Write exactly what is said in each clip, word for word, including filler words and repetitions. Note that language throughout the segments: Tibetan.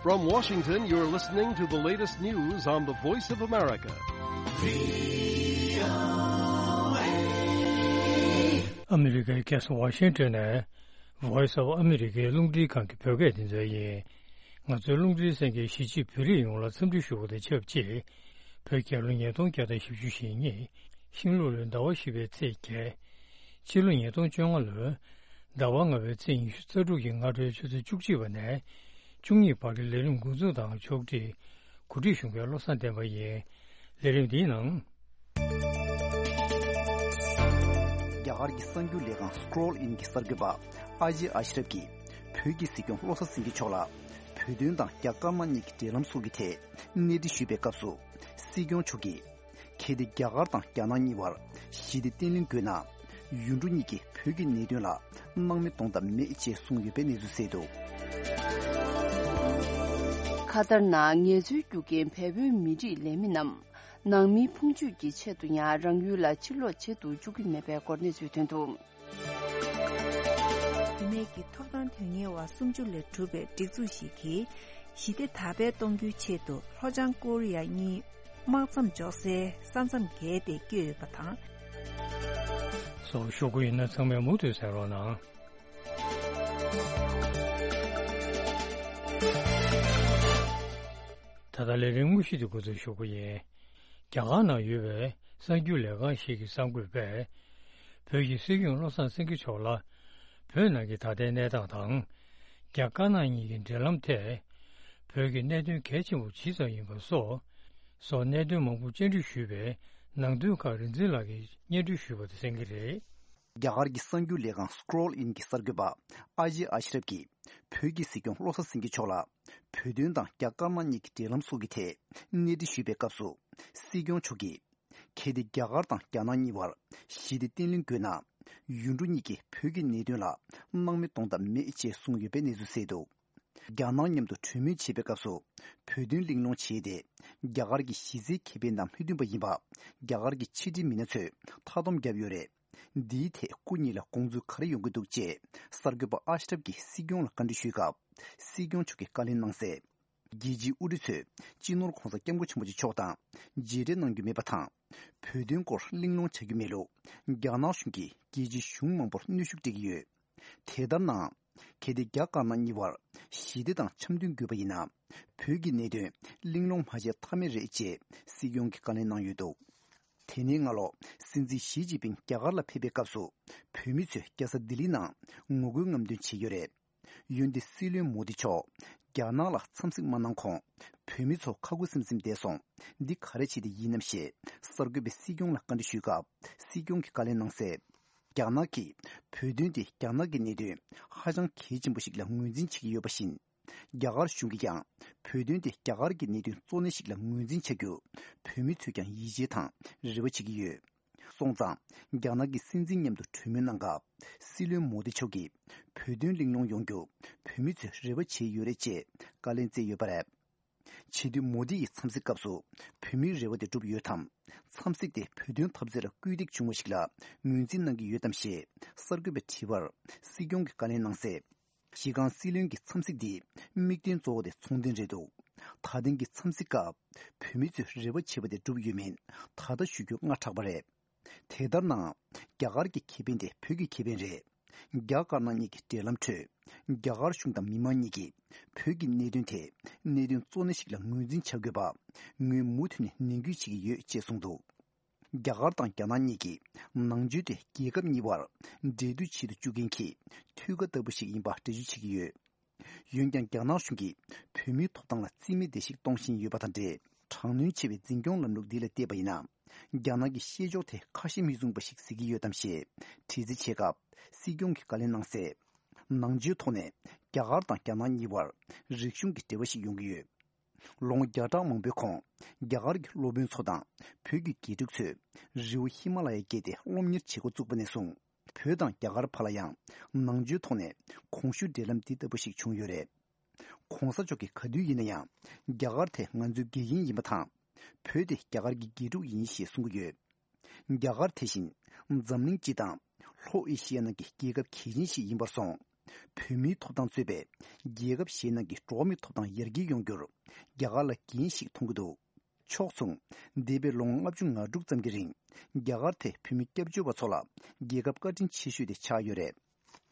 From Washington, you're listening to the latest news on the Voice of America. ཨ་མི་རི་ཀའི་རྒྱལ་ས་ཝ་ཤིང་ཏོན་ནས་Voice of America རླུང་འཕྲིན་ཁང་གི་བོད་སྐད་སྡེ་ཚན་ཡིན། ང་ཚོའི་རླུང་འཕྲིན་གསན་མཁན་གཞིས་བྱེས་བོད་རིགས་ཡོངས་ལ་འཚམས་འདྲི་ཞུ་བ་དང་ཆབས་ཅིག་བོད་རྒྱལ་ལོ་ཉིས་སྟོང་བརྒྱ་དང་བཞི་བཅུ་ཞེ་གཉིས། ཤིང་ལུག་ལོའི་ཟླ་བ་བཞི་པའི་ཚེས་བརྒྱད། ཕྱི་ལོ་ཉིས་སྟོང་བཅོ་ལྔ་ལོའི་ཟླ་བ་ལྔ་པའི་ཚེས་ཉི་ཤུ་རྩ་དྲུག་གི་སྔ་དྲོའི་ཆུ་ཚོད་བཅུ་གཅིག་པ་ནས་བཅུ་གཉིས་བར་གྱི་ལས་རིམ་འགོ་འཛུགས་དང་ཕྱོགས་སྒྲིག་གོ་སྒྲིག་ཞུ་མཁན་བློ་བཟང་བསྟན་པ་ཡིན། ལས་རིམ་འདིའི་ནང་། རྒྱ་གར་གྱི་གསར་འགྱུར་ལས་ཁང་Scroll In གྱི་གསར་འགོད་པ་ཨ་ཇེ་ཨ་ཤི་རབ་ཀྱིས་བོད་ཀྱི་སྲིད་སྐྱོང་བློ་བཟང་སེང་གེ་མཆོག་ལ་བོད་དོན་དང་རྒྱ་དཀར་ནག་གཉིས་ཀྱི་འབྲེལ་ལམ་སོགས་ཀྱི་ཐད་གནས་འདྲི་ཞུས་པའི་སྐབས་སུ། སྲིད་སྐྱོང་མཆོག་གིས། གལ་ཏེ་རྒྱ་གར་དང་རྒྱ་ནག་གཉིས་བར་ཞི་བདེ་བརྟན་ལྷིང་དགོས་ན། ཡུལ་གྲུ་གཉིས་ཀྱིས་བོད་ཀྱི་གནད་དོན་ལ་སྣང་མེད་གཏོང་ཐབས་མེད་ཅེས་གསུངས་ཡོད་པའི་གནས་ཚུལ་གསལ་འདུག་ཁ་ཏར་ནང་ངལ་རྩོལ་རྒྱུ་རྐྱེན་བལ་པོའི་མི་རིགས་ལས་མི་རྣམས་ནང་མིའི་འཕོངས་ཆུས་ཀྱི་ཆེད་དུ་ཡང་རང་ཡུལ་ལ་ཕྱིར་ལོག་བྱེད་དུ་བཅུག་གི་མེད་པའི་སྐོར་གནས་ཚུལ་ཐོན་འདུག་བུད་མེད་ཀྱི་ཐོབ་ཐང་དོན་གཉེར་བ་སུམ་ཅུ་ལས་གྲུབ་པའི་སྒྲིག་འཛུགས་ཤིག་གིས་ཞི་བདེ་དར་སྤེལ་གཏོང་རྒྱུའི་ཆེད་དུ་ལྷོ་བྱང་ཀོ་རི་ཡ་གཉིས་དམག་མཚམས་འཇོག་སའི་ས་མཚམས་བརྒལ་ཏེ་བསྐྱོད་ཡོད་པ་དང་། སོགས་ཞུ་རྒྱུ་ཡིན་ན་ཚང་མས་མུ་མཐུད་གསན་རོགས་གནང་། ད་ལྟ་ལས་རིམ་དངོས་གཞི་དེ་འགོ་འཛུགས་ཞུ་རྒྱུ་ཡིན། རྒྱ་གར་ནང་ཡོད་པའི་གསར་འགྱུར་ལས་ཁང་ཞིག་གི་གསར་འགོད་པས། བོད་ཀྱི་སྲིད་སྐྱོང་བློ་བཟང་སེང་གེ་མཆོག་ལ། བོད་ནང་གི་ད་ལྟའི་གནས་སྟངས་དང་། རྒྱ་དཀར་ནག་གཉིས་ཀྱི་འབྲེལ་ལམ་ཐད། བོད་ཀྱི་གནད་དོན་གལ་ཆེན་པོ་ཇི་ཙམ་ཡིན་པ་སོགས། སོགས་གནད་དོན་མང་པོ་བཅར་འདྲི་ཞུས་པའི་ནང་དོན་ཁག་རིག་འཛིན་ལགས་ཀྱིས་སྙན་སྒྲོན་ཞུས་པ་དེ་གསན་གྱི་རེད། རྒྱ་གར་གྱི་གསར་འགྱུར་ལས་ཁང་Scroll In གྱི་གསར་འགོད་པ་ཨ་ཇེ་ཨ་ཤི་རབ་ཀྱིས། བོད་ཀྱི་སྲིད་སྐྱོང་བློ་བཟང་སེང་གེ་མཆོག་ལ། བོད་དོན་དང་རྒྱ་དཀར་ནག་གཉིས་ཀྱི་འབྲེལ་ལམ་སོགས་ཀྱི་ཐད་གནས་འདྲི་ཞུས་པའི་སྐབས་སུ། སྲིད་སྐྱོང་མཆོག་གིས། གལ་ཏེ་རྒྱ་གར་དང་རྒྱ་ནག་གཉིས་བར་ཞི་བདེ་བརྟན་ལྷིང་དགོས་ན། ཡུལ་གྲུ་གཉིས་ཀྱིས་བོད་ཀྱི་གནད་དོན་ལ་སྣང་མེད་གཏོང་ཐབས་མེད་ཅེས་གསུངས་ཡོད་པའི་གནས་ཚུལ་གསལ་འདུག་རྒྱ་ནག་མཉམ་དུ་གྲོས་མོལ་བྱེད་པའི་སྐབས་སུ། བོད་དོན་གླེང་སློང་བྱས་ཏེ། རྒྱ་གར་གྱི་གཞི་རྩའི་ཁེ་ཕན་དང་མོས་མཐུན་པ་ཡིན་པ། རྒྱ་གར་གྱི་ཕྱི་འབྲེལ་མི་སྣ་ཚོས་མཐའ་སྡོམ་བརྒྱབ་ཡོད་རེད། འདིའི་ཐད་སྐུ་ཉིད་ལ་དགོངས་ཚུལ་ག་རེ་ཡོང་གི་འདུག་ཅེས་གསར་འགོད་པ་ཨ་ཤི་རབ་ཀྱིས་སྲིད་སྐྱོང་ལ་བཀའ་འདྲི་ཞུས་སྐབས། སྲིད་སྐྱོང་མཆོག་གིས་བཀའ་ལན་གནང་གསལ། རྒྱལ་སྤྱིའི་དབུ་ཁྲིད་ཚོས་སྤྱི་ནོར་༧གོང་ས་༧སྐྱབས་མགོན་ཆེན་པོ་མཆོག་དང་མཇལ་འཕྲད་གནང་རྒྱུ་མེད་པ་དང་། བོད་དོན་སྐོར་གླེང་སློང་བྱ་རྒྱུ་མེད་ལུགས། རྒྱ་ནག་གཞུང་གིས་རྒྱལ་སྤྱིའི་གཞུང་མང་པོར་གནོན་ཤུགས་སྤྲད་ཀྱི་ཡོད། དེ་ལྟར་ན། གལ་ཏེ་རྒྱ་དཀར་ནག་གཉིས་བར་ཞི་བདེ་དང་འཆམ་མཐུན་དགོས་པ་ཡིན་ན། བོད་ཀྱི་གནད་དོན་གླེང་སློང་མ་བྱས་ཐབས་མེད་རེད་ཅེས་སྲིད་སྐྱོང་གིས་བཀའ་ལན་གནང་ཡོད་འདུག་དེ་ནས་སྔ་ལོ། སྲིད་འཛིན་ཞི་ཅིན་ཕིང་རྒྱ་གར་ལ་ཕེབས་པའི་སྐབས་སུ། བོད་མི་ཚོས་རྒྱལ་ས་ལྡི་ལི་ནང་ངོ་རྒོལ་རྔམ་སྟོན་བྱས་ཡོད་རེད། འོན་ཏེ་སྲིད་བློན་མོ་དི་མཆོག་རྒྱ་ནག་ལ་འཚམས་གཟིགས་མ་གནང་གོང་། བོད་མི་ཚོ་ཁ་ཁུ་སིམ་སིམ་བསྡད་སོང་། འདི་ག་རེ་བྱས་ཏེ་ཡིན་ནམ་ཞེས་གསར་འགོད་པས་སྲིད་སྐྱོང་ལ་བཀའ་འདྲི་ཞུས་སྐབས། སྲིད་སྐྱོང་གིས་བཀའ་ལན་གནང་གསལ། རྒྱ་ནག་གིས་བོད་དོན་དེ་རྒྱ་ནག་གི་གནད་དོན་ཧ་ཅང་གལ་ཆེན་པོ་ཞིག་ལ་ངོས་འཛིན་བྱེད་ཀྱི་ཡོད་པ་བཞིན། རྒྱ་གར་གཞུང་གིས་ཀྱང་བོད་དོན་དེ་རྒྱ་གར་གྱི་གནད་དོན་གཙོ་གནད་ཞིག་ལ་ངོས་འཛིན་བྱ་རྒྱུ། བོད་མི་ཚོས་ཀྱང་ཡིད་ཆེས་དང་རེ་བ་བྱེད་ཀྱི་ཡོད། སོང་ཙང་། རྒྱ་ནག་གི་སྲིད་འཛིན་མཉམ་དུ་གྲོས་མོལ་གནང་སྐབས། སྲིད་བློན་མོ་དི་མཆོག་གིས་བོད་དོན་གླེང་སློང་ཡོང་རྒྱུ་བོད་མི་ཚོས་རེ་བ་བྱས་ཡོད་རེད་ཅེས་བཀའ་ལན་སྩལ་ཡོད་པ་རེད། བྱེད་དུས་མོ་དི་ཡི་འཚམས་གཟིགས་སྐབས་སུ་བོད་མིའི་རེ་བ་དེ་འགྲུབ་ཡོད་དམ། འཚམས་གཟིགས་དེ་བོད་དོན་འཐབ་རྩོད་ལ་སྐུལ་འདེད་བྱུང་བ་ཞིག་ལ་ངོས་འཛིན་གནང་གི་ཡོད་དམ་ཞེས་གསར་འགོད་པས་དྲིས་པར། སྲིད་སྐྱོང་གིས་བཀའ་ལན་གནང་གསལ། གཞི་རྐང་སྲིད་བློན་གྱི་འཚམས་གཟིགས་འདིའི་དམིགས་དོན་གཙོ་བོ་དེ་ཚོང་དོན་རེད་འདུག་ད་ཐེངས་ཀྱི་འཚམས་གཟིགས་སྐབས། བོད་མི་ཚོས་རེ་བ་བྱས་པ་དེ་འགྲུབ་ཡོད་མེད་ད་ལྟ་ཞུ་རྒྱུ་སྔ་དྲགས་པ་རེད། དེ་ལྟར་ན། རྒྱ་གར་གྱི་ཁེ་ཕན་དེ་བོད་ཀྱི་ཁེ་ཕན་རེད། རྒྱ་དཀར་ནག་གཉིས་ཀྱི་འབྲེལ་ལམ་ཁྲོད། རྒྱ་གར་གཞུང་དང་མི་མང་གཉིས་ཀྱིས་བོད་ཀྱི་གནད་དོན་དེ་གནད་དོན་གཙོ་གནད་ཞིག་ལ་ངོས་འཛིན་བྱ་དགོས་པ། ངོས་མུ་མཐུད་ནས་ནན་སྐུལ་བྱེད་ཀྱི་ཡོད་ཅེས་གསུངས་འདུག་རྒྱ་གར་དང་རྒྱ་ནག་གཉིས་ཀྱིས་ནང་ཆོས་དེ་རྒྱལ་ཁབ་གཉིས་བར་འབྲེལ་མཐུད་བྱེད་དུ་བཅུག་མཁན་གྱི་མཐུད་ཀ་ལྟ་བུ་ཞིག་ཡིན་པ་འགྲེལ་བརྗོད་བྱེད་ཀྱི་ཡོད། འོན་ཀྱང་། རྒྱ་ནག་གཞུང་གིས་བོད་མིའི་ཐོབ་ཐང་ལ་རྩིས་མེད་བརྡལ་བཤིག་གཏོང་བཞིན་ཡོད་པ་དང་འབྲེལ། དྲག་གནོན་ཆེ་བའི་འཛིན་སྐྱོང་ལམ་ལུགས་འདི་ལ་བལྟས་པ་ཡིན་ན། རྒྱ་ནག་གི་བཤད་ཕྱོགས་དེ་ཁ་ཞེ་མི་བཟུང་བ་ཞིག་གཟིགས་ཀྱི་ཡོད་དམ་ཞེས་དྲི་རྩད་བྱས་སྐབས། སྲིད་སྐྱོང་གིས་བཀའ་ལན་གནང་གསལ། ནང་ཆོས་ཐོག་ནས་རྒྱ་གར་དང་རྒྱ་ནག་གཉིས་བར་རིག་གཞུང་གི་འབྲེལ་བ་ཞིག་ཡོང་གི་ཡོད། ལོ་ངོ་བརྒྱ་ཕྲག་མང་པོའི་གོང་། རྒྱ་གར་གྱི་སློབ་དཔོན་ཚོ་དང་བོད་ཀྱི་དགེ་ཕྲུག་ཚོས་རི་བོ་ཧི་མ་ལ་ཡ་བརྒལ་ཏེ་སློབ་གཉེར་བྱེད་འགོ་བཙུགས་པ་ནས་བཟུང་། བོད་དང་རྒྱ་གར་བར་ལ་ཡང་ནང་ཆོས་ཐོག་ནས་གོང་ཞུས་འབྲེལ་ལམ་འདི་ལྟ་བུ་ཞིག་བྱུང་ཡོད་རེད། ༸གོང་ས་མཆོག་གིས་ག་དུས་ཡིན་ན་ཡང་རྒྱ་གར་དེ་ང་ཚོའི་དགེ་རྒན་ཡིན་པ་དང་། བོད་དེ་རྒྱ་གར་གྱི་དགེ་ཕྲུག་ཡིན་ཞེས་གསུང་གི་ཡོད། རྒྱ་གར་དེ་བཞིན་འཛམ་གླིང་སྤྱི་དང་ལྷོ་ཨེ་ཤི་ཡ་ནང་གི་རྒྱལ་ཁབ་གལ་ཆེན་ཞིག་ཡིན་པར་སོང་ བོད་མིའི་ཐོབ་ཐང་གཙོས་པའི་རྒྱལ་ཁབ་གཞན་ནང་གི་འགྲོ་བ་མིའི་ཐོབ་ཐང་ཡར་རྒྱས་ཡོང་རྒྱུར་རྒྱ་གར་ལ་འགན་ཞིག་མཐོང་གི་འདུག་ཕྱོགས་མཚུངས། འདས་པའི་ལོ་ངོ་ལྔ་བཅུ་ང་དྲུག་ཙམ་གྱི་རིང་རྒྱ་གར་དེ་བོད་མི་སྐྱབས་བཅོལ་བ་ཚོ་ལ་རྒྱལ་ཁབ་བཀའ་དྲིན་ཆེ་ཤོས་དེ་ཆགས་ཡོད་རེད།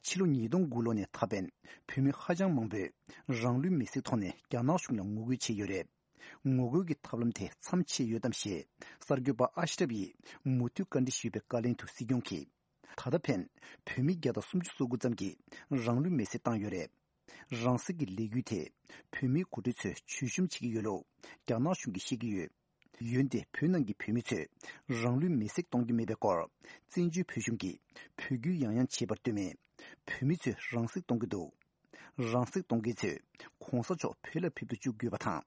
ཕྱི་ལོ་ཉིས་སྟོང་དགུ་ལོ་ནས་ད་ཕན་བོད་མི་ཧ་ཅང་མང་པོས་རང་ལུས་མེར་སྲེག་ཐོག་ནས་རྒྱ་ནག་གཞུང་ལ་ངོ་རྒོལ་བྱས་ཡོད་རེད། ངོ་རྒོལ་གྱི་ཐབས་ལམ་དེ་མཚམས་ཆད་ཡོད་དམ་ཞེས་གསར་འགོད་པ་ཨ་ཤི་རབ་ཡིས་མུ་མཐུད་བཀའ་འདྲི་ཞུས་པའི་བཀའ་ལན་དུ་སྲིད་སྐྱོང་གིས། ད་ལྟ་ཕན་བོད་མི་བརྒྱ་དང་སུམ་ཅུ་སོ་དགུ་ཙམ་གྱིས་རང་ལུས་མེར་སྲེག་བཏང་ཡོད་རེད། རང་སྲེག་གི་ལས་འགུལ་དེ་བོད་མིའི་འགོ་ཁྲིད་ཚོས་བྱུས་གཤོམ་བྱེད་ཀྱི་ཡོད་ལུགས་རྒྱ་ནག་གཞུང་གིས་བཤད་ཀྱི་ཡོད། འོན་ཏེ་བོད་ནང་གི་བོད་མི་ཚོས་རང་ལུས་མེར་སྲེག་གཏོང་གི་མེད་པའི་སྐོར་བཙན་བྱོལ་བོད་གཞུང་གིས་འབོད་སྐུལ་ཡང་ཡང་བྱས་པར་ལྟོས་མེད། བོད་མི་ཚོས་རང་སྲེག་གཏོང་གི་འདུག་རང་སྲེག་གཏོང་མཁན་ཚོས་གོང་ས་མཆོག་བོད་ལ་ཕེབས་དུ་བཅུག་དགོས་པ་དང་།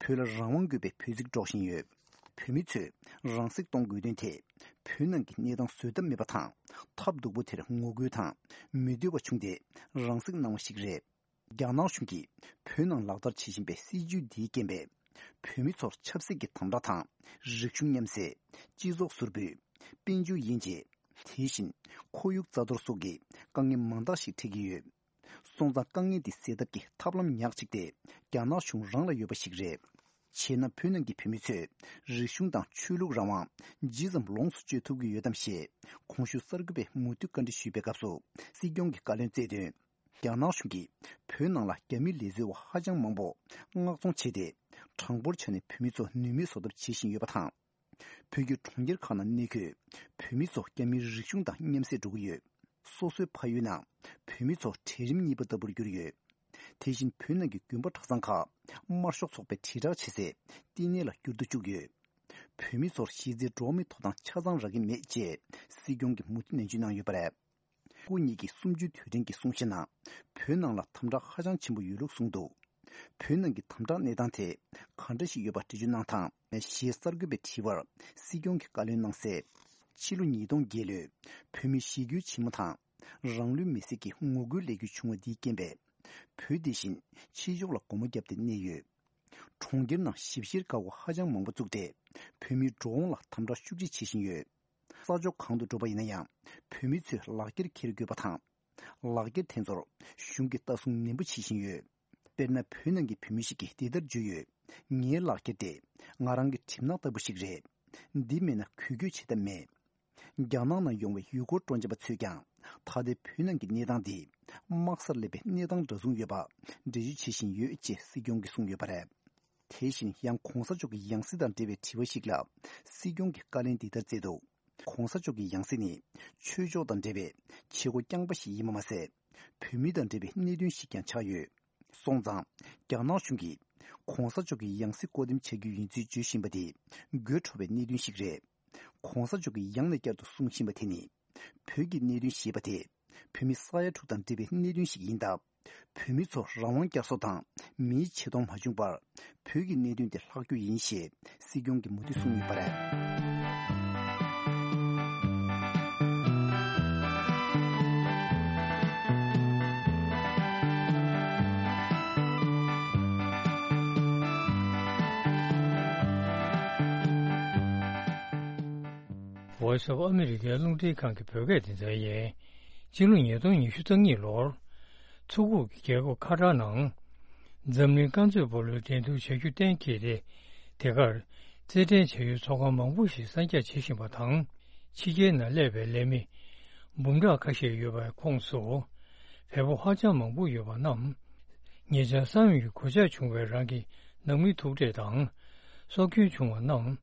བོད་ལ་རང་དབང་དགོས་པའི་འབོད་ཚིག་སྒྲོག་བཞིན་ཡོད། བོད་མི་ཚོས་རང་སྲེག་གཏོང་དགོས་དོན་དེ་བོད་ནང་གི་གནས་སྟངས་བཟོད་ཐབས་མེད་པ་དང་། ཐབས་སྡུག་པོ་དེར་ངོ་རྒོལ་དང་མི་འདོད་པ་བྱུང་སྟེ་རང་སྲེག་གནང་བ་ཞིག་རེད། རྒྱ་ནག་གཞུང་གིས་བོད་ནང་ལག་བསྟར་བྱེད་བཞིན་པའི་སྲིད་བྱུས་འདིའི་རྐྱེན་པས། བོད་མི་ཚོར་ཆབ་སྲིད་ཀྱི་དམ་དྲག་དང་། རིག་གཞུང་མཉམ་བསྲེས། སྤྱི་ཚོགས་ཟུར་འབུད། དཔལ་འབྱོར་དབྱེ་འབྱེད། དེ་བཞིན་ཁོར་ཡུག་རྩ་གཏོར་སོགས་ཀྱི་དཀའ་ངལ་མང་དག་ཞིག་འཕྲད་ཀྱི་ཡོད། སོང་ཙང་དཀའ་ངལ་འདི་སེལ་ཐབས་ཀྱི་ཐབས་ལམ་ཉག་གཅིག་དེ་རྒྱ་ནག་གཞུང་རང་ལ་ཡོད་པ་ཞིག་རེད། བྱས་ན་བོད་ནང་གི་བོད་མི་ཚོས་རིག་གཞུང་དང་ཆོས་ལུགས་རང་དབང་ཇི་ཙམ་ལོངས་སུ་སྤྱོད་ཐུབ་ཀྱི་ཡོད་དམ་ཞེས་གོང་ཞུས་གསར་འགོད་པས་མུ་མཐུད་བཀའ་འདྲི་ཞུས་པའི་སྐབས་སུ་སྲིད་སྐྱོང་གིས་བཀའ་ལན་སྩལ་དོན། རྒྱ་ནག་གཞུང་གིས་བོད་ནང་ལ་རྒྱ་མི་ལས་བཟོ་བ་ཧ་ཅང་མང་པོ་མངགས་གཏོང་བྱས་ཏེ། གྲངས་འབོར་ཆ་ནས་བོད་མི་ཚོ་ནུས་མེད་བཟོ་ཐབས་བྱེད་བཞིན་ཡོད་པ་དང་། བོད་ཀྱི་གྲོང་ཁྱེར་ཁག་ནང་གནས་འཁོད་བོད་མི་ཚོ་རྒྱ་མིའི་རིག་གཞུང་དང་མཉམ་བསྲེས་འགྲོ་གི་ཡོད། སོ་སོའི་ཕ་ཡུལ་ནང་བོད་མི་ཚོ་གྲལ་རིམ་གཉིས་པ་ལྟ་བུར་གྱུར་ཡོད། དེ་བཞིན་བོད་ནང་གི་དགོན་པ་གྲྭ་ཚང་ཁག་དམར་ཤོག་ཚོགས་པས་དྲིལ་བསྒྲགས་བྱེད་སའི་བསྟི་གནས་ལ་འགྱུར་ལྡོག་བཅུག་ཡོད། བོད་མི་ཚོར་གཞི་རྩའི་འགྲོ་བ་མིའི་ཐོབ་ཐང་ཆ་ཚང་རག་གི་མེད་ཅེས་སྲིད་སྐྱོང་གིས་མུ་མཐུད་ནན་བརྗོད་གནང་ཡོད་པ་རེད། སྐུ་ཉིད་ཀྱིས་གསུམ་བཅུའི་དུས་དྲན་གྱི་གསུང་བཤད་ནང་བོད་ནང་ལ་དམ་དྲག་ཧ་ཅང་ཆེན་པོ་ཡོད་ལུགས་གསུངས་འདུག་བོད་ནང་གི་དམ་དྲག་གནས་སྟངས་དེ་ག་འདྲ་ཞིག་ཡོད་པ་འགྲེལ་བརྗོད་གནང་དང་ཞེས་གསར་འགོད་པས་དྲིས་པར་སྲིད་སྐྱོང་གིས་བཀའ་ལན་གནང་གསལ། ཕྱི་ལོ་ཉིས་སྟོང་བརྒྱད་ལོའི་བོད་མི་ཞི་རྒོལ་ཆེན་མོ་དང་རང་ལུས་མེར་སྲེག་གི་ངོ་རྒོལ་ལས་འགུལ་བྱུང་བ་འདིའི་རྐྱེན་པས་བོད་འདི་བཞིན་ཕྱི་ཕྱོགས་ལ་སྒོ་མོ་བརྒྱབ་སྟེ་གནས་ཡོད། གྲོང་ཁྱེར་ནང་ཞིབ་བཤེར་འགག་སྒོ་ཧ་ཅང་མང་པོ་བཙུགས་ཏེ་བོད་མིའི་འགྲོ་འོང་ལ་དམ་དྲག་ཤུགས་ཆེ་བྱེད་བཞིན་ཡོད། ས་ཕྱོགས་གང་དུ་འགྲོ་བ་ཡིན་ན་ཡང་བོད་མི་ཚོས་ལག་འཁྱེར་འཁྱེར་དགོས་པ་དང་། ལག་འཁྱེར་དེ་ཚོར་གཞུང་གིས་ལྟ་སྲུང་ནན་པོ་བྱེད་བཞིན་ཡོད། དཔེར་ན་བོད་ནང་གི་བོད་མི་ཞིག་གིས་འདི་ལྟར་བརྗོད་ཡོད། ངའི་ལག་འཁྱེར་དེ་ང་རང་གི་གྲིབ་ནག་ལྟ་བུ་ཞིག་རེད། འདི་མེད་ན་གུས་གུས་བྱེད་ཐབས་མེད། རྒྱ་ནག་ནང་ཡོང་བའི་ཡུལ་སྐོར་སྤྲོ་འཆམ་པ་ཚོས་ཀྱང་ད་ལྟའི་བོད་ནང་གི་གནས་སྟངས་འདི་དམག་སར་སླེབས་པའི་གནས་སྟངས་འདྲ་མཚུངས་ཡོད་པ་འགྲེལ་བརྗོད་བྱེད་བཞིན་ཡོད་ཅེས་སྲིད་སྐྱོང་གིས་གསུངས་ཡོད་པ་རེད། དེ་བཞིན་ཡང་གོང་ས་མཆོག་གི་ཡང་སྲིད་དང་འབྲེལ་བའི་དྲི་བ་ཞིག་ལ་སྲིད་སྐྱོང་གིས་བཀའ་ལན་འདི་ལྟར་སྩལ་འདུག་གོང་ས་མཆོག་གི་ཡང་སྲིད་ནི་ཆོས་ཕྱོགས་དང་འབྲེལ་བའི་བྱེད་སྒོ་རྐྱང་པ་ཞིག་ཡིན་པ་མ་ཟད། བོད་མི་དང་འབྲེལ་བའི་གནད་དོན་ཞིག་ཀྱང་ཆགས་ཡོད། སོང་ཙང་། རྒྱ་ནག་གཞུང་གིས་གོང་ས་མཆོག་གི་ཡང་སྲིད་བསྐོ་འདེམས་བྱ་རྒྱུ་ཡིན་ཚུལ་བརྗོད་བཞིན་པ་དེ་དགོད་བྲོ་བའི་གནད་དོན་ཞིག་རེད། གོང་ས་མཆོག་གིས་ཡང་ནས་བསྐྱར་དུ་གསུང་བཞིན་པ་དེ་ནི། བོད་ཀྱི་གནད་དོན་ཞེས་པ་དེ་བོད་མི་ས་ཡ་དྲུག་དང་འབྲེལ་བའི་གནད་དོན་ཞིག་ཡིན་སྟབས། བོད་མི་ཚོ་རང་དབང་བསྐྱར་གསོ་དང་མིའི་ཆེ་མཐོང་མ་བྱུང་བར་བོད་ཀྱི་གནད་དོན་དེ་ལྷག་རྒྱུ་ཡིན་ཞེས་སྲིད་སྐྱོང་གིས་མུ་མཐུད་གསུངས་ཡོད་པ་རེད། Voice of America རླུང་འཕྲིན་ཁང་གི་བོད་སྐད་སྡེ་ཚན་ཡིན། སྤྱི་ལོ་ཉིས་སྟོང་ཉི་ཤུ་རྩ་གཉིས་ལོར། མཚོ་ཁུག་གི་རྒྱལ་ཁབ་ཁ་ཐར་ནང་། འཛམ་གླིང་རྐང་རྩེད་སྤོ་ལོའི་འགྲན་བསྡུར་བྱ་རྒྱུ་གཏན་འཁེལ་ཏེ། དེ་གར་རྩེད་འགྲན་བྱ་ཡུལ་ཚོགས་ཁང་མང་པོ་ཞིག་གསར་རྒྱག་བྱེད་བཞིན་པ་དང་། ཕྱི་རྒྱལ་ནང་སླེབས་པའི་ལས་མི་འབུམ་ཕྲག་ཁ་ཤས་ཡོད་པའི་ཁོངས་སུ། བལ་པོ་ཧ་ཅང་མང་པོ་ཡོད་པ་རྣམས། ཉེ་ཆར་ས་ཡོམ་གྱི་གོད་ཆག་བྱུང་བའི་རང་གི་ནང་མི་ཐུག་འཕྲད་དང་། སྲོག་སྐྱོན་བྱུང་བ་རྣམས་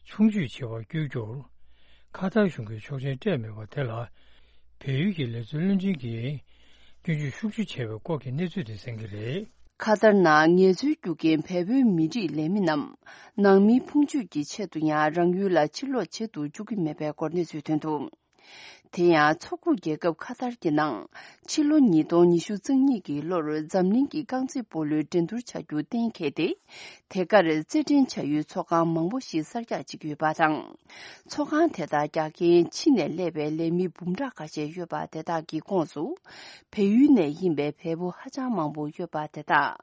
ཆུང་བཅོས་བྱེད་པར་བསྐྱོད་རྒྱུར། ཁ་ཐར་གཞུང་གིས་ཆོག་མཆན་སྤྲད་མེད་པ་དེ་ལ། བལ་ཡུལ་གྱི་ལས་བཟོའི་བློན་ཆེན་གྱིས་སྐྱོན་བརྗོད་ཤུགས་ཆེ་བྱས་པའི་སྐོར་གྱི་གནས་ཚུལ་དེ་གསན་གྱི་རེད། ཁ་ཐར་ནང་ངལ་རྩོལ་རྒྱུ་རྐྱེན་བལ་པོའི་མི་རིགས་ལས་མི་རྣམས་ནང་མིའི་ཕུང་མཆོད་ཀྱི་ཆེད་དུ་ཡང་རང་ཡུལ་ལ་ཕྱིར་ལོག་བྱེད་དུ་བཅུག་གི་མེད་པའི་སྐོར་གནས་ཚུལ་ཐོན་འདུག་དེ་ཡང་མཚོ་ཁུག་རྒྱལ་ཁབ་ཁ་ཐར་གྱི་ནང་ཕྱི་ལོ་ཉིས་སྟོང་ཉི་ཤུ་རྩ་གཉིས་ཀྱི་ལོར་འཛམ་གླིང་གི་རྐང་རྩེད་སྤོ་ལོའི་འགྲན་བསྡུར་བྱ་རྒྱུ་གཏན་འཁེལ་ཏེ། དེ་གར་རྩེད་འགྲན་བྱ་ཡུལ་ཚོགས་ཁང་མང་པོ་ཞིག་གསར་རྒྱག་བྱེད་ཀྱི་ཡོད་པ་དང་། ཚོགས་ཁང་དེ་དག་རྒྱག་མཁན་ཕྱི་ནས་སླེབས་པའི་ལས་མི་འབུམ་ཕྲག་ཁ་ཤས་ཡོད་པ་དེ་དག་གི་ཁོངས་སུ། བལ་ཡུལ་ནས་ཡིན་པའི་བལ་པོ་ཧ་ཅང་མང་པོ་ཡོད་པ་དེ་དག་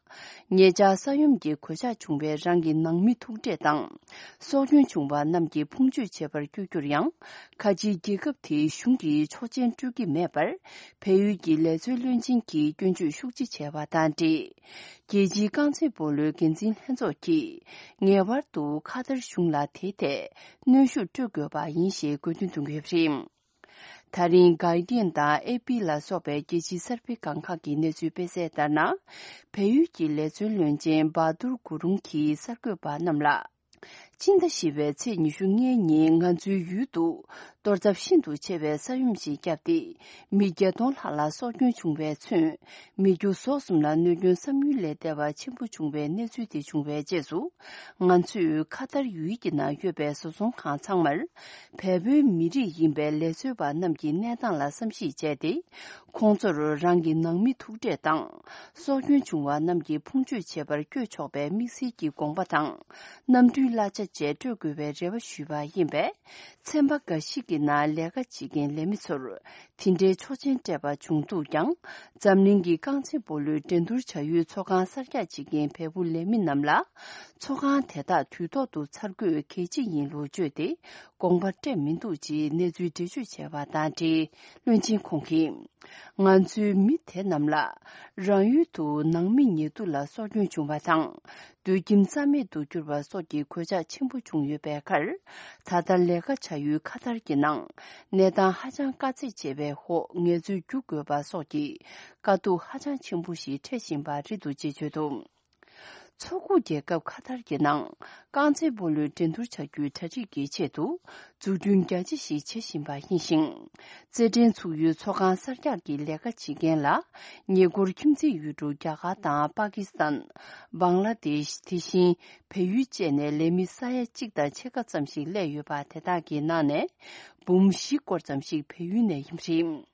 ཉེ་ཆར་ས་ཡོམ་གྱི་གོད་ཆག་བྱུང་བའི་རང་གི་ནང་མི་ཐུག་འཕྲད་དང་། སྲོག་སྐྱོན་བྱུང་བ་རྣམས་ཀྱི་ཕུང་མཆོད་བྱེད་པར་བསྐྱོད་རྒྱུར་ཡང་། ཁ་ཆེའི་རྒྱལ་ཁབ་དེའི་གཞུང་ གྱི་ཆོག་མཆན་སྤྲོད་ཀྱི་མེད་པར། བལ་ཡུལ་གྱི་ལས་བཟོའི་བློན་ཆེན་གྱིས་སྐྱོན་བརྗོད་ཤུགས་ཆེ་བྱས་པ་དང་འབྲེལ། རྒྱལ་སྤྱིའི་རྐང་རྩེད་སྤོ་ལོའི་འགན་འཛིན་ལྷན་ཚོགས་ཀྱིས་ངེས་པར་དུ་ཁ་ཐར་གཞུང་ལ་དེའི་ཐད་གནོན་ཤུགས་སྤྲོད་དགོས་པ་ཡིན་ཞེས་དགོས་འདུན་བཏོན་གྱི་ཡོད་པ་རེད། ད་རིང་Guardian་དང་ཨེ་པི་ལ་སོགས་པའི་རྒྱལ་སྤྱིའི་གསར་སྤེལ་སྒང་ཁག་གི་གནས་ཚུལ་སྤེལ་གསལ་ལྟར་ན། བལ་ཡུལ་གྱི་ལས་བཟོའི་བློན་ཆེན་བྷ་དུར་གུ་རུང་གིས་གསར་འགོད་པ་རྣམས་ལ། སྤྱི་ཟླ་བཞི་པའི་ཚེས་ཉི་ཤུ་ལྔའི་ཉིན་ང་ཚོའི་ཡུལ་དུ་གཏོར་ཚབས་ཤིན་ཏུ་ཆེ་བའི་ས་ཡོམ་ཞིག་བརྒྱབ་སྟེ། མི་བརྒྱད་སྟོང་ལྷག་ལ་སྲོག་སྐྱོན་བྱུང་བས་མཚོན། མི་རྒྱུ་ཟོག་གསུམ་ལ་གནོད་སྐྱོན་བསམ་ཡུལ་ལས་འདས་པ་ཆེན་པོ་བྱུང་བའི་གནས་ཚུལ་དེ་བྱུང་བའི་རྗེས་སུ། ང་ཚོས་ཁ་ཐར་ཡུལ་གྱི་ནང་ཡོད་པའི་བཟོ་ཚོང་ཁང་ཚང་མར། བལ་པོའི་མི་རིགས་ཡིན་པའི་ལས་བཟོ་བ་རྣམས་ཀྱི་གནས་སྟངས་ལ་བསམ་གཞིག་བྱས་ཏེ། ཁོང་ཚོར་རང་གི་ནང་མི་ཐུག་འཕྲད་དང་། སྲོག་སྐྱོན་བྱུང་བ་རྣམས་ཀྱི་ཕུང་མཆོད་བྱེད་པར་བསྐྱོད་ཆོག་པའི་དམིགས་བསལ་གྱི་དགོངས་པ་དང་། གནམ་གྲུའི་གླ་ཆ་བཅས་སྤྲོད་དགོས་པའི་རེ་བ་ཞུས་པ་ཡིན་པས། ཚན་པ་འགའ་ཞིག་གི་ནང་ལས་ཀ་བྱེད་མཁན་ལས་མི་ཚོར་དེ་འདྲའི་ཆོག་མཆན་སྤྲད་པ་བྱུང་འདུག་ཀྱང་། འཛམ་གླིང་གི་རྐང་རྩེད་སྤོ་ལོའི་འགྲན་བསྡུར་བྱ་ཡུལ་ཚོགས་ཁང་གསར་རྒྱག་བྱེད་མཁན་བལ་པོ་ལས་མི་རྣམས་ལ། ཚོགས་ཁང་དེ་དག་དུས་ཐོག་ཏུ་ཚར་དགོས་གལ་ཆེ་ཡིན་ལུགས་བརྗོད་དེ། དགོངས་པ་སྤྲད་མི་འདུག་ཅེས་གནས་ཚུལ་འགྲེལ་བརྗོད་བྱས་པ་དང་འབྲེལ། བློན་ཆེན་ཁོང་གིས། ང་ཚོའི་མི་དེ་རྣམས་ལ། རང་ཡུལ་དུ་ནང་མི་ཉེ་དུ་ལ་སྲོག་སྐྱོན་བྱུང་བ་དང་། སྡོད་ཁྱིམ་རྩ་མེད་དུ་གྱུར་བ་སོགས་ཀྱི་གོད་ཆག་ཆེན་པོ་བྱུང་ཡོད་པའི་ཁར། ད་ལྟ་ལས་ཀ་བྱ་ཡུལ་ཁ་ཐར་གྱི་ནང་། གནས་སྟངས་ཧ་ཅང་དཀའ་ཚེགས་ཆེ་བའི་འོག་ངལ་རྩོལ་རྒྱུག་དགོས་པ་སོགས་ཀྱི་དཀའ་སྡུག་ཧ་ཅང་ཆེན་པོ་ཞིག་འཕྲད་བཞིན་པ་རེད་འདུག་ཅེས་བརྗོད་འདུག། མཚོ་ཁུག་རྒྱལ་ཁབ་ཁ་ཐར་གྱི་ནང་རྐང་རྩེད་སྤོ་ལོའི་འགྲན་བསྡུར་བྱ་རྒྱུའི་གྲ་སྒྲིག་གི་ཆེད་དུ། འཛུགས་སྐྲུན་རྒྱ་ཆེ་ཞིག་བྱེད་བཞིན་པ་ཡིན་ཞིང་། རྩེད་འགྲན་ཚུགས་ཡུལ་ཚོགས་ཁང་གསར་རྒྱག་གི་ལས་ཀ་བྱེད་མཁན་ལ། ཉེ་འཁོར་ཁྱིམ་མཚེས་ཡུལ་གྲུ་རྒྱ་གར་དང་པ་ཀི་སི་ཐན། བང་ལ་དེཤ། དེ་བཞིན་བལ་ཡུལ་བཅས་ནས་ལས་མི་ས་ཡ་གཅིག་དང་ཕྱེད་ཀ་ཙམ་ཞིག་སླེབས་ཡོད་པ། དེ་དག་གི་ནང་ནས་འབུམ་བཞི་སྐོར་ཙམ་ཞིག་བལ་ཡུལ་ནས་ཡིན་པ་རེད།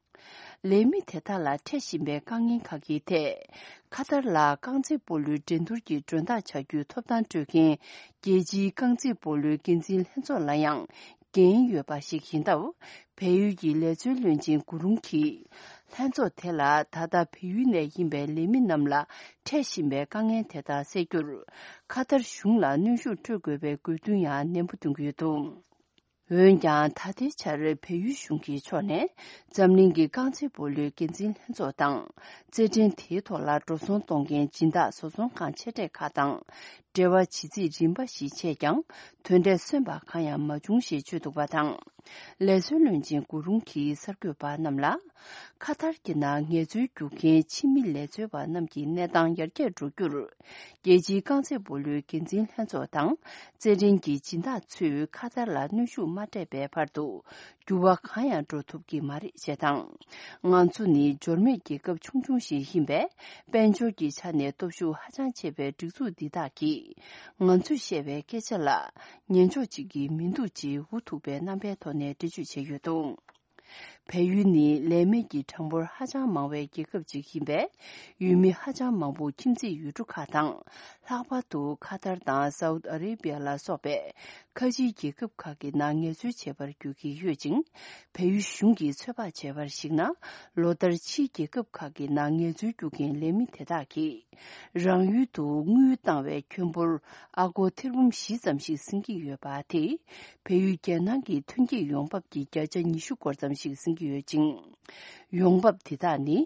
ལས་མི་དེ་དག་ལ་འཕྲད་བཞིན་པའི་དཀའ་ངལ་ཁག་གི་ཐད། ཁ་ཐར་ལ་རྐང་རྩེད་སྤོ་ལོའི་འགྲན་བསྡུར་གྱི་མགྲོན་བདག་བྱ་རྒྱུའི་ཐོབ་ཐང་སྤྲོད་མཁན་རྒྱལ་སྤྱིའི་རྐང་རྩེད་སྤོ་ལོའི་འགན་འཛིན་ལྷན་ཚོགས་ལ་ཡང་འགན་ཡོད་པ་ཞིག་ཡིན་སྟབས། བལ་ཡུལ་གྱི་ལས་བཟོའི་བློན་ཆེན་གུ་རུང་གིས། ལྷན་ཚོགས་དེ་ལ་ད་ལྟ་བལ་ཡུལ་ནས་ཡིན་པའི་ལས་མི་རྣམས་ལ་འཕྲད་བཞིན་པའི་དཀའ་ངལ་དེ་དག་སེལ་རྒྱུར། ཁ་ཐར་གཞུང་ལ་གནོན་ཤུགས་སྤྲོད་དགོས་པའི་དགོས་འདུན་ཡང་ནན་པོ་འདོན་གྱི་ཡོད་འདུག། འོན་ཀྱང་། ད་ལྟའི་ཆར་བལ་ཡུལ་གཞུང་གི་ཕྱོགས་ནས། འཛམ་གླིང་གི་རྐང་རྩེད་སྤོ་ལོའི་འགན་འཛིན་ལྷན་ཚོགས་དང་། རྩེད་འགྲན་དེའི་ཐོག་ལ་འགྲོ་སོང་གཏོང་མཁན་སྦྱིན་བདག་བཟོ་ཚོང་ཁང་ཆེ་གྲས་ཁག་དང་། འབྲེལ་བ་བྱེད་རྩིས་རིམ་པ་ཞིག་བྱས་ཀྱང་། དོན་འབྲས་སོན་པ་གང་ཡང་མ་བྱུང་ཞེས་བརྗོད་འདུག་པ་དང་། ལས་བཟོའི་བློན་ཆེན་གུ་རུང་གིས་གསར་འགོད་པ་རྣམས་ལ། ཁ་ཐར་གྱི་ནང་ངལ་རྩོལ་རྒྱུག་མཁན་ཕྱི་མི་ལས་བཟོ་བ་རྣམས་ཀྱི་གནས་སྟངས་ཡར་རྒྱས་འགྲོ་རྒྱུར། རྒྱལ་སྤྱིའི་རྐང་རྩེད་སྤོ་ལོའི་འགན་འཛིན་ལྷན་ཚོགས་དང་། རྩེད་འགྲན་གྱི་སྦྱིན་བདག་ཚོས་ཁ་ཐར་ལ་གནོན་ཤུགས་མ་སྤྲད་པའི་བར་དུ། འགྱུར་བ་གང་ཡང་འགྲོ་ཐུབ་ཀྱི་མ་རེད་ཅེས་དང་། ང་ཚོ་ནི་འབྱོར་མེད་རྒྱལ་ཁབ་ཆུང་ཆུང་ཞིག་ཡིན་པས། དཔལ་འབྱོར་གྱི་ཆ་ནས་སྟོབས་ཤུགས་ཧ་ཅང་ཆེ་བའི་སྒྲིག་འཛུགས་འདི་དག་གིས། ང་ཚོས་བཤད་པའི་སྐད་ཆ་ལ། ཉན་ཕྱོགས་གཅིག་གི་མི་འདུག་ཅེས་འུ་ཐུག་པའི་རྣམ་པའི་ཐོག་ནས་འགྲེལ་བརྗོད་བྱས་ཡོད་འདུག། བལ་ཡུལ་ནི་ལས་མེད་ཀྱི་གྲངས་འབོར་ཧ་ཅང་མང་བའི་རྒྱལ་ཁབ་ཅིག་ཡིན་པས། ཡུལ་མི་ཧ་ཅང་མང་པོ་ཁྱིམ་མཚེས་ཡུལ་གྲུ་ཁག་དང་། ལྷག་པར་དུ་ཁ་ཐར་དང་སའུ་ཏི་ཨ་རེ་བྷི་ཡ་ལ་སོགས་པའི་ཁ་ཆེའི་རྒྱལ་ཁབ་ཁག་གི་ནང་ངལ་རྩོལ་བྱེད་པར་འགྱུར་གྱི་ཡོད་ཅིང་། བལ་ཡུལ་གཞུང་གིས་ཚོད་དཔག་བྱས་པར་གཞིགས་ན། ལོ་ལྟར་ཕྱིའི་རྒྱལ་ཁབ་ཁག་གི་ནང་ངལ་རྩོལ་རྒྱུག་མཁན་ལས་མི་དེ་དག་གིས། རང་ཡུལ་དུ་དངུལ་བཏང་བའི་ཁྱོན་འབོར་ཨ་སྒོར་ཐེར་འབུམ་བཞི་ཙམ་ཞིག་ཟིན་གྱི་ཡོད་པ་དེས། བལ་ཡུལ་རྒྱལ་ནང་གི་ཐོན་སྐྱེད་ཡོང་འབབ་ཀྱི་བརྒྱ་ཆ་ཉི་ཤུ་སྐོར་ཙམ་ཞིག་ཟིན་གྱི་ཡོད་ཅིང་། ཡོང་འབབ་དེ་དག་ནི།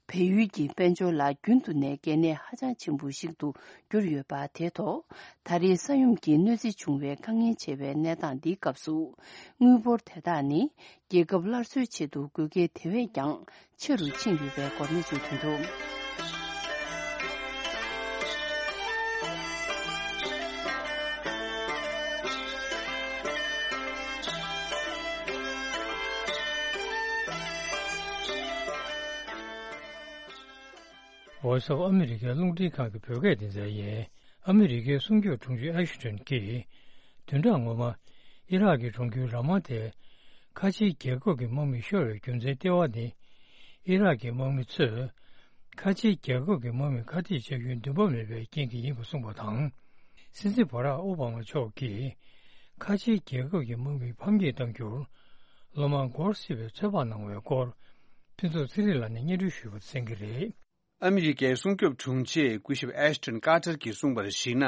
བལ་ཡུལ་གྱི་དཔལ་འབྱོར་ལ་རྒྱུན་དུ་ནས་གལ་གནད་ཧ་ཅང་ཆེན་པོ་ཞིག་ཏུ་གྱུར་ཡོད་པ་དེ་ཐོག། ད་རེས་ས་ཡོམ་གྱིས་གནོད་འཚེ་བྱུང་བའི་དཀའ་ངལ་ཆེ་བའི་གནས་སྟངས་འདིའི་སྐབས་སུ། དངུལ་འབོར་དེ་དག་ནི། རྒྱལ་ཁབ་སླར་གསོའི་ཆེད་དུ་དགོས་གལ་དེ་བས་ཀྱང་ཆེ་རུ་ཕྱིན་ཡོད་པའི་སྐོར་གནས་ཚུལ་ཐོན་འདུག། Voice of America རླུང་འཕྲིན་ཁང་གི་བོད་སྐད་སྡེ་ཚན་ཡིན། ཨ་མི་རི་ཀའི་སྲུང་སྐྱོབ་དྲུང་ཆེ་ཨེ་ཤི་ཊོན་གྱིས། བདུན་ཕྲག་སྔོན་མ། ཨི་རག་གི་གྲོང་ཁྱེར་ར་མ་ཏའི་ཁ་ཆེའི་རྒྱལ་ཁབ་ཀྱི་དམག་མི་ཤོར་བའི་རྒྱུ་མཚན་ལྟེ་བ་ནི། ཨི་རག་གི་དམག་མི་ཚོས་ཁ་ཆེའི་རྒྱལ་ཁབ་ཀྱི་དམག་མི་ཁ་གཏད་བཅག་རྒྱུའི་འདུན་པ་མེད་པའི་རྐྱེན་གྱིས་ཡིན་པར་གསུངས་པ་དང་། སྲིད་འཛིན་བྷ་རག་ཨོ་བྷ་མ་མཆོག་གིས་ཁ་ཆེའི་རྒྱལ་ཁབ་ཀྱི་དམག་མི་ཕམ་ཉེས་གཏང་རྒྱུར་ལོ་མང་འགོར་སྲིད་པའི་ཚོད་དཔག་གནང་བའི་སྐོར། ཕུན་ཚོགས་ཚེ་རིང་ལགས་ནས་སྙན་སྒྲོན་ཞུས་པ་གསན་གྱི་རེད། ཨ་མི་རི་ཀའི་སྲུང་སྐྱོབ་དྲུང་ཆེ་སྐུ་ཞབས་ཨེཤ་ཏོན་ཀར་ཏར་གྱིས་གསུངས་པར་གཞིགས་ན།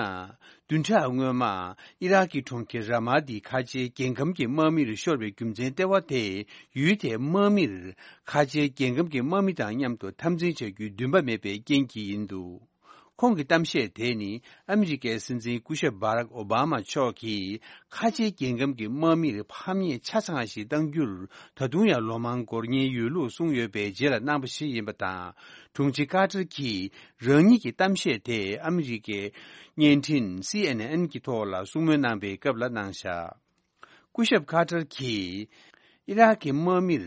བདུན་ཕྲག་སྔོན་མ། ཨི་རག་གི་གྲོང་ཁྱེར་ར་མ་ཏིའི་ཁ་ཆེའི་རྒྱལ་ཁམས་ཀྱི་དམག་མིར་ཤོར་བའི་རྒྱུ་མཚན་ལྟེ་བ་དེ། ཡུལ་དེའི་དམག་མིར། ཁ་ཆེའི་རྒྱལ་ཁམས་ཀྱི་དམག་མི་དང་མཉམ་དུ་འཐབ་འཛིང་བྱ་རྒྱུའི་འདུན་པ་མེད་པའི་རྐྱེན་གྱིས་ཡིན་འདུག་ཁོང་གི་གཏམ་བཤད་དེ་ནི། ཨ་མི་རི་ཀའི་སྲིད་འཛིན་སྐུ་ཞབས་བྷ་རག་ཨོ་བྷ་མ་མཆོག་གིས། ཁ་ཆེའི་རྒྱལ་ཁམས་ཀྱི་དམག་མིར་ཕམ་ཉེས་ཆ་ཚང་ཞིག་གཏང་རྒྱུར། ད་དུང་ཡང་ལོ་མང་འགོར་ཉེན་ཡོད་ལུགས་གསུངས་ཡོད་པའི་རྗེས་ལ་གནང་པ་ཞིག་ཡིན་པ་དང་། དྲུང་ཆེ་ཀར་ཏར་གྱིས། རང་ཉིད་ཀྱི་གཏམ་བཤད་དེ་ཨ་མི་རི་ཀའི་བརྙན་འཕྲིན་སི་ཨེན་ཨེན་གྱི་ཐོག་ལ་གསུང་མོལ་གནང་པའི་སྐབས་ལ་གནང་བཞག་སྐུ་ཞབས་ཀར་ཏར་གྱིས། ཨི་རག་གི་དམག་མིར་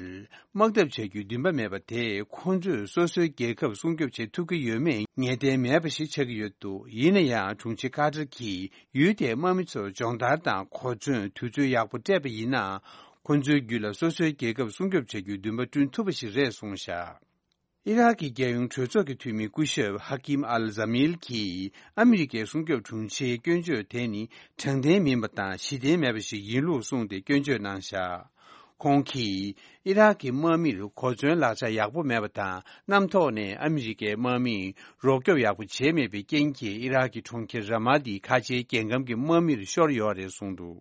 དམག་འཐབ་བྱ་རྒྱུའི་འདུན་པ་མེད་པ་དེས། ཁོང་ཚོས་སོ་སོའི་རྒྱལ་ཁབ་སྲུང་སྐྱོབ་བྱེད་ཐུབ་ཀྱི་ཡོད་མེད་ངེས་གཏན་མེད་པ་ཞིག་ཆགས་ཀྱི་ཡོད་འདུག་ཡིན་ན་ཡང་། དྲུང་ཆེ་ཀར་ཏར་གྱིས། ཡུལ་དེའི་དམག་མི་ཚོར་སྦྱོང་བརྡར་དང་གོ་མཚོན་དུས་ཚོད་ཡག་པོ་སྤྲད་པ་ཡིན་ན། ཁོང་ཚོའི་རྒྱུད་ལ་སོ་སོའི་རྒྱལ་ཁབ་སྲུང་སྐྱོབ་བྱ་རྒྱུའི་འདུན་པ་བསྐྲུན་ཐུབ་པ་ཞིག་རེད་གསུངས་བཞག་ཨི་རག་གི་རྒྱལ་ཡོངས་གྲོས་ཚོགས་ཀྱི་འཐུས་མི་སྐུ་ཞབས་ཧ་ཀིམ་ཨལ་ཛ་མིལ་གྱིས། ཨ་མི་རི་ཀའི་སྲུང་སྐྱོབ་དྲུང་ཆེའི་སྐྱོན་བརྗོད་དེ་ནི། དྲང་བདེན་མིན་པ་དང་གཞི་རྟེན་མེད་པ་ཞིག་ཡིན་ལུགས་གསུངས་ཏེ། སྐྱོན་བརྗོད་གནང་བཞག་ཁོང་གིས། ཨི་རག་གི་དམག་མིར་གོ་མཚོན་ལག་ཆ་ཡག་པོ་མེད་པ་དང་། གནམ་ཐོག་ནས་ཨ་མི་རི་ཀའི་དམག་མིས་རོགས་སྐྱོབ་ཡག་པོ་བྱས་མེད་པའི་རྐྱེན་གྱིས། ཨི་རག་གི་གྲོང་ཁྱེར་ར་མ་ཏིའི་ཁ་ཆེའི་རྒྱལ་ཁམས་ཀྱི་དམག་མིར་ཤོར་ཡོད་རེད་གསུངས་འདུག་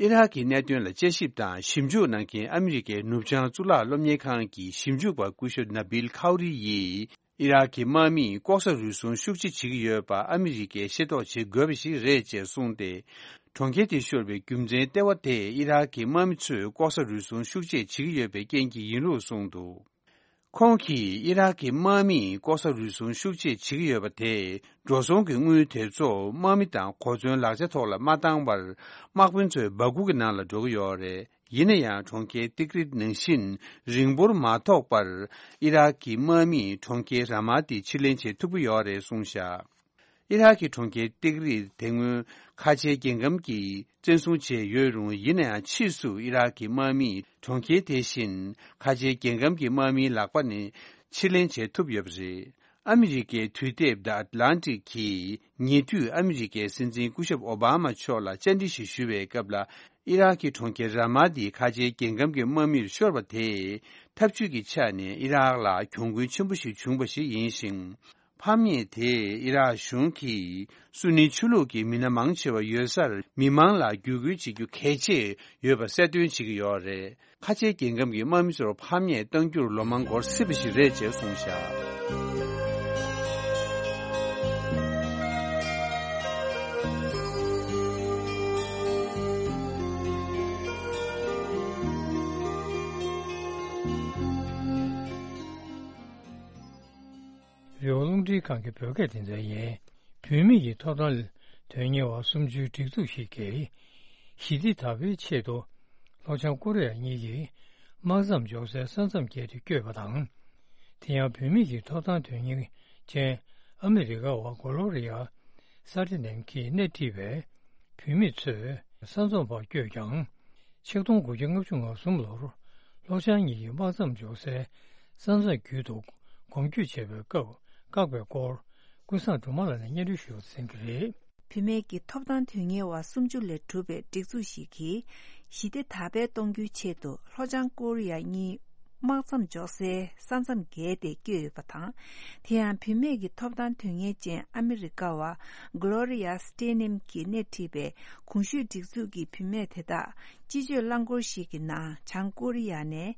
ཨི་རག་གི་གནད་དོན་ལ་དཔྱད་ཞིབ་དང་ཞིབ་འཇུག་གནང་མཁན་ཨ་མི་རི་ཀའི་ནུབ་བྱང་གཙུག་ལག་སློབ་གཉེར་ཁང་གི་ཞིབ་འཇུག་པ་སྐུ་ཞབས་ན་བིལ་ཁའུ་རི་ཡིས། ཨི་རག་གི་དམག་མིས་ལྐོག་ཟ་རུལ་སུངས་ཤུགས་ཆེ་བྱེད་ཀྱི་ཡོད་པ་ཨ་མི་རི་ཀས་ཤེས་རྟོགས་བྱེད་དགོས་པ་ཞིག་རེད་ཅེས་གསུངས་ཏེ། གྲོང་ཁྱེར་དེ་ཤོར་བའི་རྒྱུ་མཚན་ལྟེ་བ་དེ་ཨི་རག་གི་དམག་མི་ཚོས་ལྐོག་ཟ་རུལ་སུངས་ཤུགས་ཆེ་བྱེད་ཀྱི་ཡོད་པའི་རྐྱེན་གྱིས་ཡིན་ལུགས་གསུངས་འདུག་ཁོང་གིས་ཨི་རག་གི་དམག་མིས་ལྐོག་ཟ་རུལ་སུངས་ཤུགས་ཆེ་བྱེད་ཀྱི་ཡོད་པ་དེས། འགྲོ་སོང་གི་དངུལ་དེ་ཚོ་དམག་མི་དང་གོ་མཚོན་ལག་ཆ་ཐོག་ལ་མ་བཏང་བར། དམག་དཔོན་ཚོའི་སྦ་ཁུག་གི་ནང་ལ་འགྲོ་གི་ཡོད་རེད། ཡིན་ན་ཡང་། གྲོང་ཁྱེར་ཏིག་རིད་ནང་བཞིན་རིང་པོར་མ་ཐོགས་པར། ཨི་རག་གི་དམག་མིས་གྲོང་ཁྱེར་ར་མ་ཏི་ཕྱིར་ལེན་བྱེད་ཐུབ་ཀྱི་ཡོད་རེད་གསུངས་བཞག་ཨི་རག་གི་གྲོང་ཁྱེར་ཏིག་རིད་དེ་སྔོན་ཁ་ཆེའི་རྒྱལ་ཁམས་ཀྱིས་བཙན་བཟུང་བྱས་ཡོད་རུང་། ཡིན་ན་ཡང་ཕྱིས་སུ་ཨི་རག་གི་དམག་མིས་གྲོང་ཁྱེར་དེ་བཞིན་ཁ་ཆེའི་རྒྱལ་ཁམས་ཀྱི་དམག་མིའི་ལག་པ་ནས་ཕྱིར་ལེན་བྱེད་ཐུབ་ཡོད་པ་རེད། ཨ་མི་རི་ཀའི་དུས་དེབ་The Atlantic་གིས་ཉེ་དུས་ཨ་མི་རི་ཀའི་སྲིད་འཛིན་སྐུ་ཞབས་ཨོ་བྷ་མ་མཆོག་ལ་བཅར་འདྲི་ཞིག་ཞུ་བའི་སྐབས་ལ། ཨི་རག་གི་གྲོང་ཁྱེར་ར་མ་ཏི་ཁ་ཆེའི་རྒྱལ་ཁམས་ཀྱི་དམག་མིར་ཤོར་བ་དེས། འཐབ་ཇུས་ཀྱི་ཆ་ནས་ཨི་རག་ལ་གྱོང་གུན་ཆེན་པོ་ཞིག་བྱུང་བ་ཞིག་ཡིན་ཞིང་། ཕམ་ཉེས་དེས་ཨི་རག་གཞུང་གིས་སུ་ནི་ཆོས་ལུགས་ཀྱི་མི་སྣ་མང་ཆེ་བ་ཡོད་སར་མི་མང་ལ་བརྒྱུད་སྐུལ་བྱེད་རྒྱུ་གལ་ཆེ་ཡོད་པ་གསལ་སྟོན་བྱེད་ཀྱི་ཡོད་རེད། ཁ་ཆེའི་རྒྱལ་ཁམས་ཀྱི་དམག་མི་ཚོར་ཕམ་ཉེས་གཏང་རྒྱུར་ལོ་མང་འགོར་སྲིད་པ་ཞིག་རེད་ཅེས་གསུངས་བཞག་རེ་བ་རླུང་འཕྲིན་ཁང་གི་བོད་སྐད་སྡེ་ཚན་ཡིན། བུད་མེད་ཀྱི་ཐོབ་ཐང་དོན་གཉེར་བ་སུམ་ཅུའི་སྒྲིག་འཛུགས་ཤིག་གིས། ཞི་བདེ་དར་སྤེལ་ཆེད་དུ། ལྷོ་བྱང་ཀོ་རི་ཡ་གཉིས་ཀྱི་དམག་མཚམས་འཇོག་སའི་ས་མཚམས་བརྒལ་ཏེ་བསྐྱོད་པ་དང་། དེ་ཡང་བུད་མེད་ཀྱི་ཐོབ་ཐང་དོན་གཉེར་ཅན་ཨ་མི་རི་ཀ་བ་གོ་ལོ་རི་ཡ་སྟེ་ནེམ་གྱིས་སྣེ་ཁྲིད་པའི་བུད་མེད་ཚོས་ས་མཚམས་བར་བསྐྱོད་ཀྱང་། ཆིག་སྟོང་དགུ་བརྒྱ་ལྔ་བཅུ་ང་གསུམ་ལོར་ལྷོ་བྱང་གཉིས་ཀྱི་དམག་མཚམས་འཇོག་སའི་ས་མཚམས་བརྒྱུད་དུ་གོམ་བསྐྱོད་བྱས་པའི་སྐབས་བཀག་པའི་སྐོར། ཀུན་བཟང་སྒྲོལ་མ་ལགས་ནས་སྙན་སྒྲོན་ཞུ་གསན་གྱི་རེད། བུད་མེད་ཀྱི་ཐོབ་ཐང་དོན་གཉེར་བ་སུམ་ཅུ་ལས་གྲུབ་པའི་སྒྲིག་འཛུགས་ཤིག་གིས། ཞི་བདེ་དར་སྤེལ་གཏོང་རྒྱུའི་ཆེད་དུ། ལྷོ་བྱང་ཀོ་རི་ཡ་གཉིས་དམག་མཚམས་འཇོག་སའི་ས་མཚམས་བརྒལ་ཏེ་བསྐྱོད་ཡོད་པ་དང་། དེ་ཡང་བུད་མེད་ཀྱི་ཐོབ་ཐང་དོན་གཉེར་ཅན་ཨ་མི་རི་ཀ་བ་གྷི་ལོ་རི་ཡ་སྟེ་ནེམ་གྱིས་སྣེ་ཁྲིད་པའི་གོང་ཞུས་སྒྲིག་འཛུགས་ཀྱི་བུད་མེད་དེ་དག་སྤྱི་སྤྱོད་རླངས་འཁོར་ཞིག་གི་ནང་བྱང་ཀོ་རི་ཡ་ནས་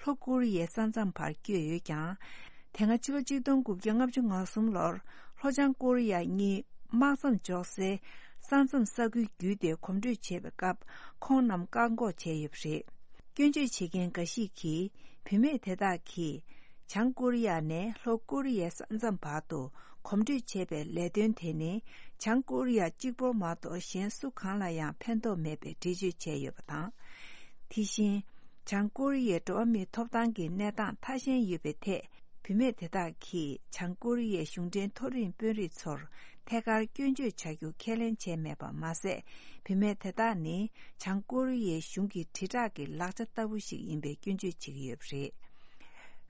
ལྷོ་ཀོ་རི་ཡའི་ས་མཚམས་བར་བསྐྱོད་ཡོད་ཀྱང་། དེ་སྔ་ཕྱི་ལོ་གཅིག་སྟོང་དགུ་བརྒྱ་ལྔ་བཅུ་ང་གསུམ་ལོར་ལྷོ་བྱང་ཀོ་རི་ཡ་གཉིས་དམག་མཚམས་འཇོག་སའི་ས་མཚམས་ས་ཁུལ་བརྒྱུད་དེ་གོམ་བགྲོད་བྱས་པའི་སྐབས། ཁོང་རྣམས་བཀག་འགོག་བྱས་ཡོད་པ་རེད། སྐྱོན་བརྗོད་བྱེད་མཁན་འགའ་ཞིག་གིས། བུད་མེད་དེ་དག་གིས་བྱང་ཀོ་རི་ཡ་ནས་ལྷོ་ཀོ་རི་ཡའི་ས་མཚམས་བར་དུ་གོམ་བགྲོད་བྱས་པའི་ལས་དོན་དེ་ནི། བྱང་ཀོ་རི་ཡ་གཅིག་པོ་མ་གཏོགས་གཞན་སུ་གང་ལ་ཡང་ཕན་ཐོགས་མེད་པའི་འགྲེལ་བརྗོད་བྱས་ཡོད་པ་དང་། དེ་བཞིན། བྱང་ཀོ་རི་ཡའི་འགྲོ་བ་མིའི་ཐོབ་ཐང་གི་གནས་སྟངས་ཐ་ཞན་ཡོད་པའི་ཐད། བུད་མེད་དེ་དག་གིས་བྱང་ཀོ་རི་ཡའི་གཞུང་འབྲེལ་མཐོ་རིམ་དཔོན་རིགས་ཚོར་ཐད་ཀར་སྐྱོན་བརྗོད་བྱ་རྒྱུ་ཁས་ལེན་བྱས་མེད་པ་མ་ཟད། བུད་མེད་དེ་དག་ནི་བྱང་ཀོ་རི་ཡའི་གཞུང་གི་དྲིལ་བསྒྲགས་ཀྱི་ལག་ཆ་ལྟ་བུ་ཞིག་ཡིན་པའི་སྐྱོན་བརྗོད་བྱེད་ཀྱི་ཡོད་པ་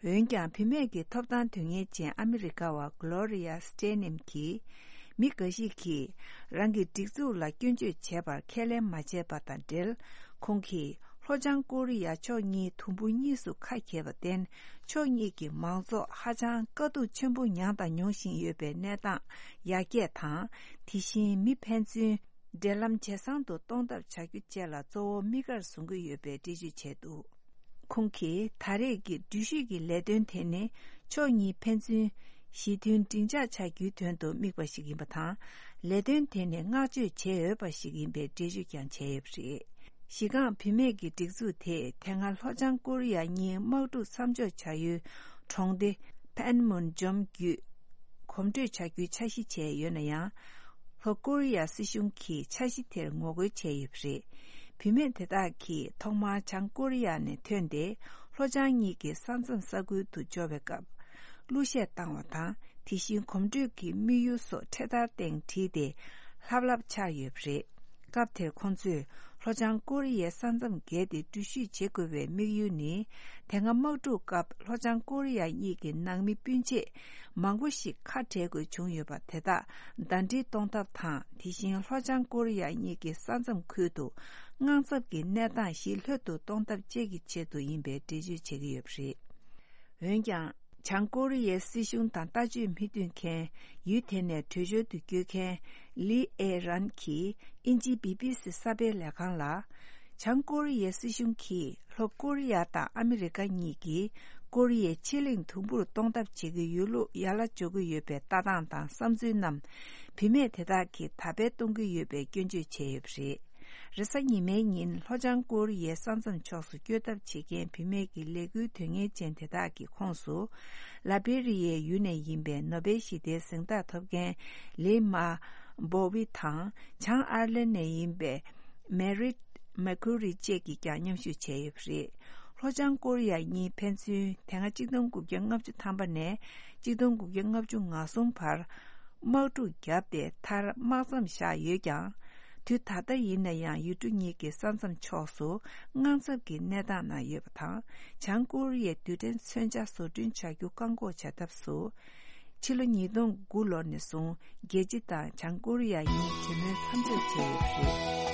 རེད། འོན་ཀྱང་། བུད་མེད་ཀྱི་ཐོབ་ཐང་དོན་གཉེར་ཅན་ཨ་མི་རི་ཀ་བ་གྷི་ལོ་རི་ཡ་སྟེ་ནེམ་གྱིས། མི་འགའ་ཞིག་གིས་རང་གི་སྒྲིག་འཛུགས་ལ་སྐྱོན་བརྗོད་བྱས་པར་ཁས་ལེན་མ་བྱས་པ་དང་འབྲེལ། ཁོང་གིས་ ལྷོ་བྱང་ཀོ་རི་ཡ་ཕྱོགས་གཉིས་དུམ་བུ་གཉིས་སུ་ཁ་གྱེས་པར་བརྟེན། ཕྱོགས་གཉིས་ཀྱི་མང་ཚོགས་ཧ་ཅང་དཀའ་སྡུག་ཆེན་པོ་མྱངས་དང་མྱོང་བཞིན་ཡོད་པའི་གནས་སྟངས་ཡར་རྒྱས་དང་། དེ་བཞིན་མི་ཕན་ཚུན་འབྲེལ་ལམ་ཇེ་བཟང་དུ་གཏོང་ཐབས་བྱ་རྒྱུ་བཅས་ལ་གཙོ་བོ་དམིགས་ཀར་བཟུང་གི་ཡོད་པའི་འགྲེལ་བརྗོད་བྱས་འདུག། ཁོང་གིས་ད་རེས་ཀྱི་འགྲུལ་བཞུད་ཀྱི་ལས་དོན་དེ་ནི་ཕྱོགས་གཉིས་ཕན་ཚུན་ཞི་མཐུན་འབྲིང་ཆགས་ཆགས་རྒྱུའི་དོན་དུ་དམིགས་པ་ཞིག་ཡིན་པ་དང་། ལས་དོན་དེ་ནི་བསྔགས་བརྗོད་བྱེད་འོས་པ་ཞིག་ཡིན་པའི་འགྲེལ་བརྗོད་ཀྱང་བྱས་ཡོད་པ་རེད། གཞི་རྐང་བུད་མེད་ཀྱི་སྒྲིག་འཛུགས་དེས་དེ་སྔ་ལྷོ་བྱང་ཀོ་རི་ཡ་གཉིས་དམག་འཁྲུག་མཚམས་འཇོག་བྱ་ཡུལ་གྲོང་སྡེ་ཕན་མུན་ཇོམ་བརྒྱུད་གོམ་བགྲོད་བྱ་རྒྱུའི་འཆར་གཞི་བྱས་ཡོད་ན་ཡང་། ལྷོ་ཀོ་རི་ཡ་སྲིད་གཞུང་གིས་འཆར་གཞི་དེར་ངོ་རྒོལ་བྱས་ཡོད་པ་རེད། བུད་མེད་དེ་དག་གིས་ཐོག་མར་བྱང་ཀོ་རི་ཡ་ནས་ཐོན་ཏེ་ལྷོ་བྱང་གཉིས་ཀྱི་ས་མཚམས་ས་ཁུལ་དུ་འབྱོར་བའི་སྐབས། གླུ་གཞས་བཏང་བ་དང་། དེ་བཞིན་གོམ་བགྲོད་ཀྱི་དམིགས་ཡུལ་སོགས་འཕྲེད་དར་སྟེང་བྲིས་ཏེ་ལྷབ་ལྷབ་འཕྱར་ཡོད་པ་རེད། སྐབས་དེར་ཁོང་ཚོས་ལྷོ་བྱང་ཀོ་རི་ཡའི་ས་མཚམས་བརྒལ་ཏེ་འགྲུལ་བཞུད་བྱེད་དགོས་པའི་དམིགས་ཡུལ་ནི། དེ་སྔ་དམག་འཁྲུག་སྐབས་ལྷོ་བྱང་ཀོ་རི་ཡ་གཉིས་ཀྱི་ནང་མི་སྤུན་མཆེད་མང་པོ་ཞིག་ཁ་བྲལ་དགོས་བྱུང་ཡོད་པ་དེ་དག་ཟླ་སྒྲིལ་གཏོང་ཐབས་དང་། དེ་བཞིན་ལྷོ་བྱང་ཀོ་རི་ཡ་གཉིས་ཀྱི་ས་མཚམས་ཁུལ་དུ་དངངས་འཚབ་ཀྱི་གནས་སྟངས་ཞི་ལྷོད་དུ་གཏོང་ཐབས་བཅས་ཀྱི་ཆེད་དུ་ཡིན་པའི་འགྲེལ་བརྗོད་བྱེད་ཀྱི་ཡོད་པ་རེད། འོན་ཀྱང་། བྱང་ཀོ་རི་ཡའི་སྲིད་གཞུང་དང་ལྟ་སྤྱོད་མི་མཐུན་མཁན། ཡུལ་དེ་ནས་བྲོས་བྱོལ་དུ་བསྐྱོད་མཁན། ལི་ཨེ་རན་གྱིས་དབྱིན་ཇིའི་བི་བི་སི་གསར་སྤེལ་ལས་ཁང་ལ། བྱང་ཀོ་རི་ཡའི་སྲིད་གཞུང་གིས་ལྷོ་ཀོ་རི་ཡ་དང་ཨ་མི་རི་ཀ་གཉིས་ཀྱིས་ཀོ་རི་ཡའི་ཕྱེད་གླིང་དུམ་བུར་གཏོང་ཐབས་བྱེད་ཀྱི་ཡོད་ལུགས་ཡ་ལ་འཇོག་གི་ཡོད་པའི་ལྟ་སྟངས་དང་བསམ་ཚུལ་རྣམས། བུད་མེད་དེ་དག་གིས་ད་སྤེལ་གཏོང་གི་ཡོད་པའི་སྐྱོན་བརྗོད་བྱས་ཡོད་པ་རེད། རེས་གཟའ་ཉི་མའི་ཉིན་ལྷོ་བྱང་ཀོ་རི་ཡའི་ས་མཚམས་ཕྱོགས་སུ་བསྐྱོད་ཐབས་བྱེད་མཁན་བུད་མེད་ཀྱི་ལས་འགུལ་དོན་གཉེར་ཅན་དེ་དག་གི་ཁོངས་སུ། ལ་བྷེ་རི་ཡའི་ཡུལ་ནས་ཡིན་པའི་ནོ་བེལ་ཞི་བདེའི་གཟེངས་རྟགས་ཐོབ་མཁན་ལི་མ་བོ་ཝི་དང་། བྱང་ཨར་ལན་ནས་ཡིན་པའི་མེ་རིད་མེ་ཁུ་རི་བཅས་ཀྱིས་ཀྱང་མཉམ་ཞུགས་བྱས་ཡོད་པ་རེད། ལྷོ་བྱང་ཀོ་རི་ཡ་གཉིས་ཕན་ཚུན་དེ་སྔ་གཅིག་སྟོང་དགུ་བརྒྱ་ལྔ་བཅུ་ཐམ་པ་ནས་གཅིག་སྟོང་དགུ་བརྒྱ་ལྔ་བཅུ་ང་གསུམ་བར། དམག་འཁྲུག་བརྒྱབ་སྟེ་མཐར་དམག་མཚམས་བཞག་ཡོད་ཀྱང་། དུས་ད་ལྟ་ཡིན་ན་ཡང་ཡུལ་གྲུ་གཉིས་ཀྱི་ས་མཚམས་ཕྱོགས་སུ་དངངས་འཚབ་ཀྱི་གནས་སྟངས་ནང་ཡོད་པ་དང་། བྱང་ཀོ་རི་ཡའི་རྡུལ་ཕྲན་མཚོན་ཆ་བཟོ་སྐྲུན་བྱ་རྒྱུ་བཀག་འགོག་བྱ་ཐབས་སུ། ཕྱི་ལོ་ཉིས་སྟོང་དགུ་ལོ་ནས་བཟུང་རྒྱལ་སྤྱི་དང་བྱང་ཀོ་རི་ཡ་གཉིས་གྲོས་མོལ་མཚམས་འཇོག་བྱས་ཡོད་པ་རེད།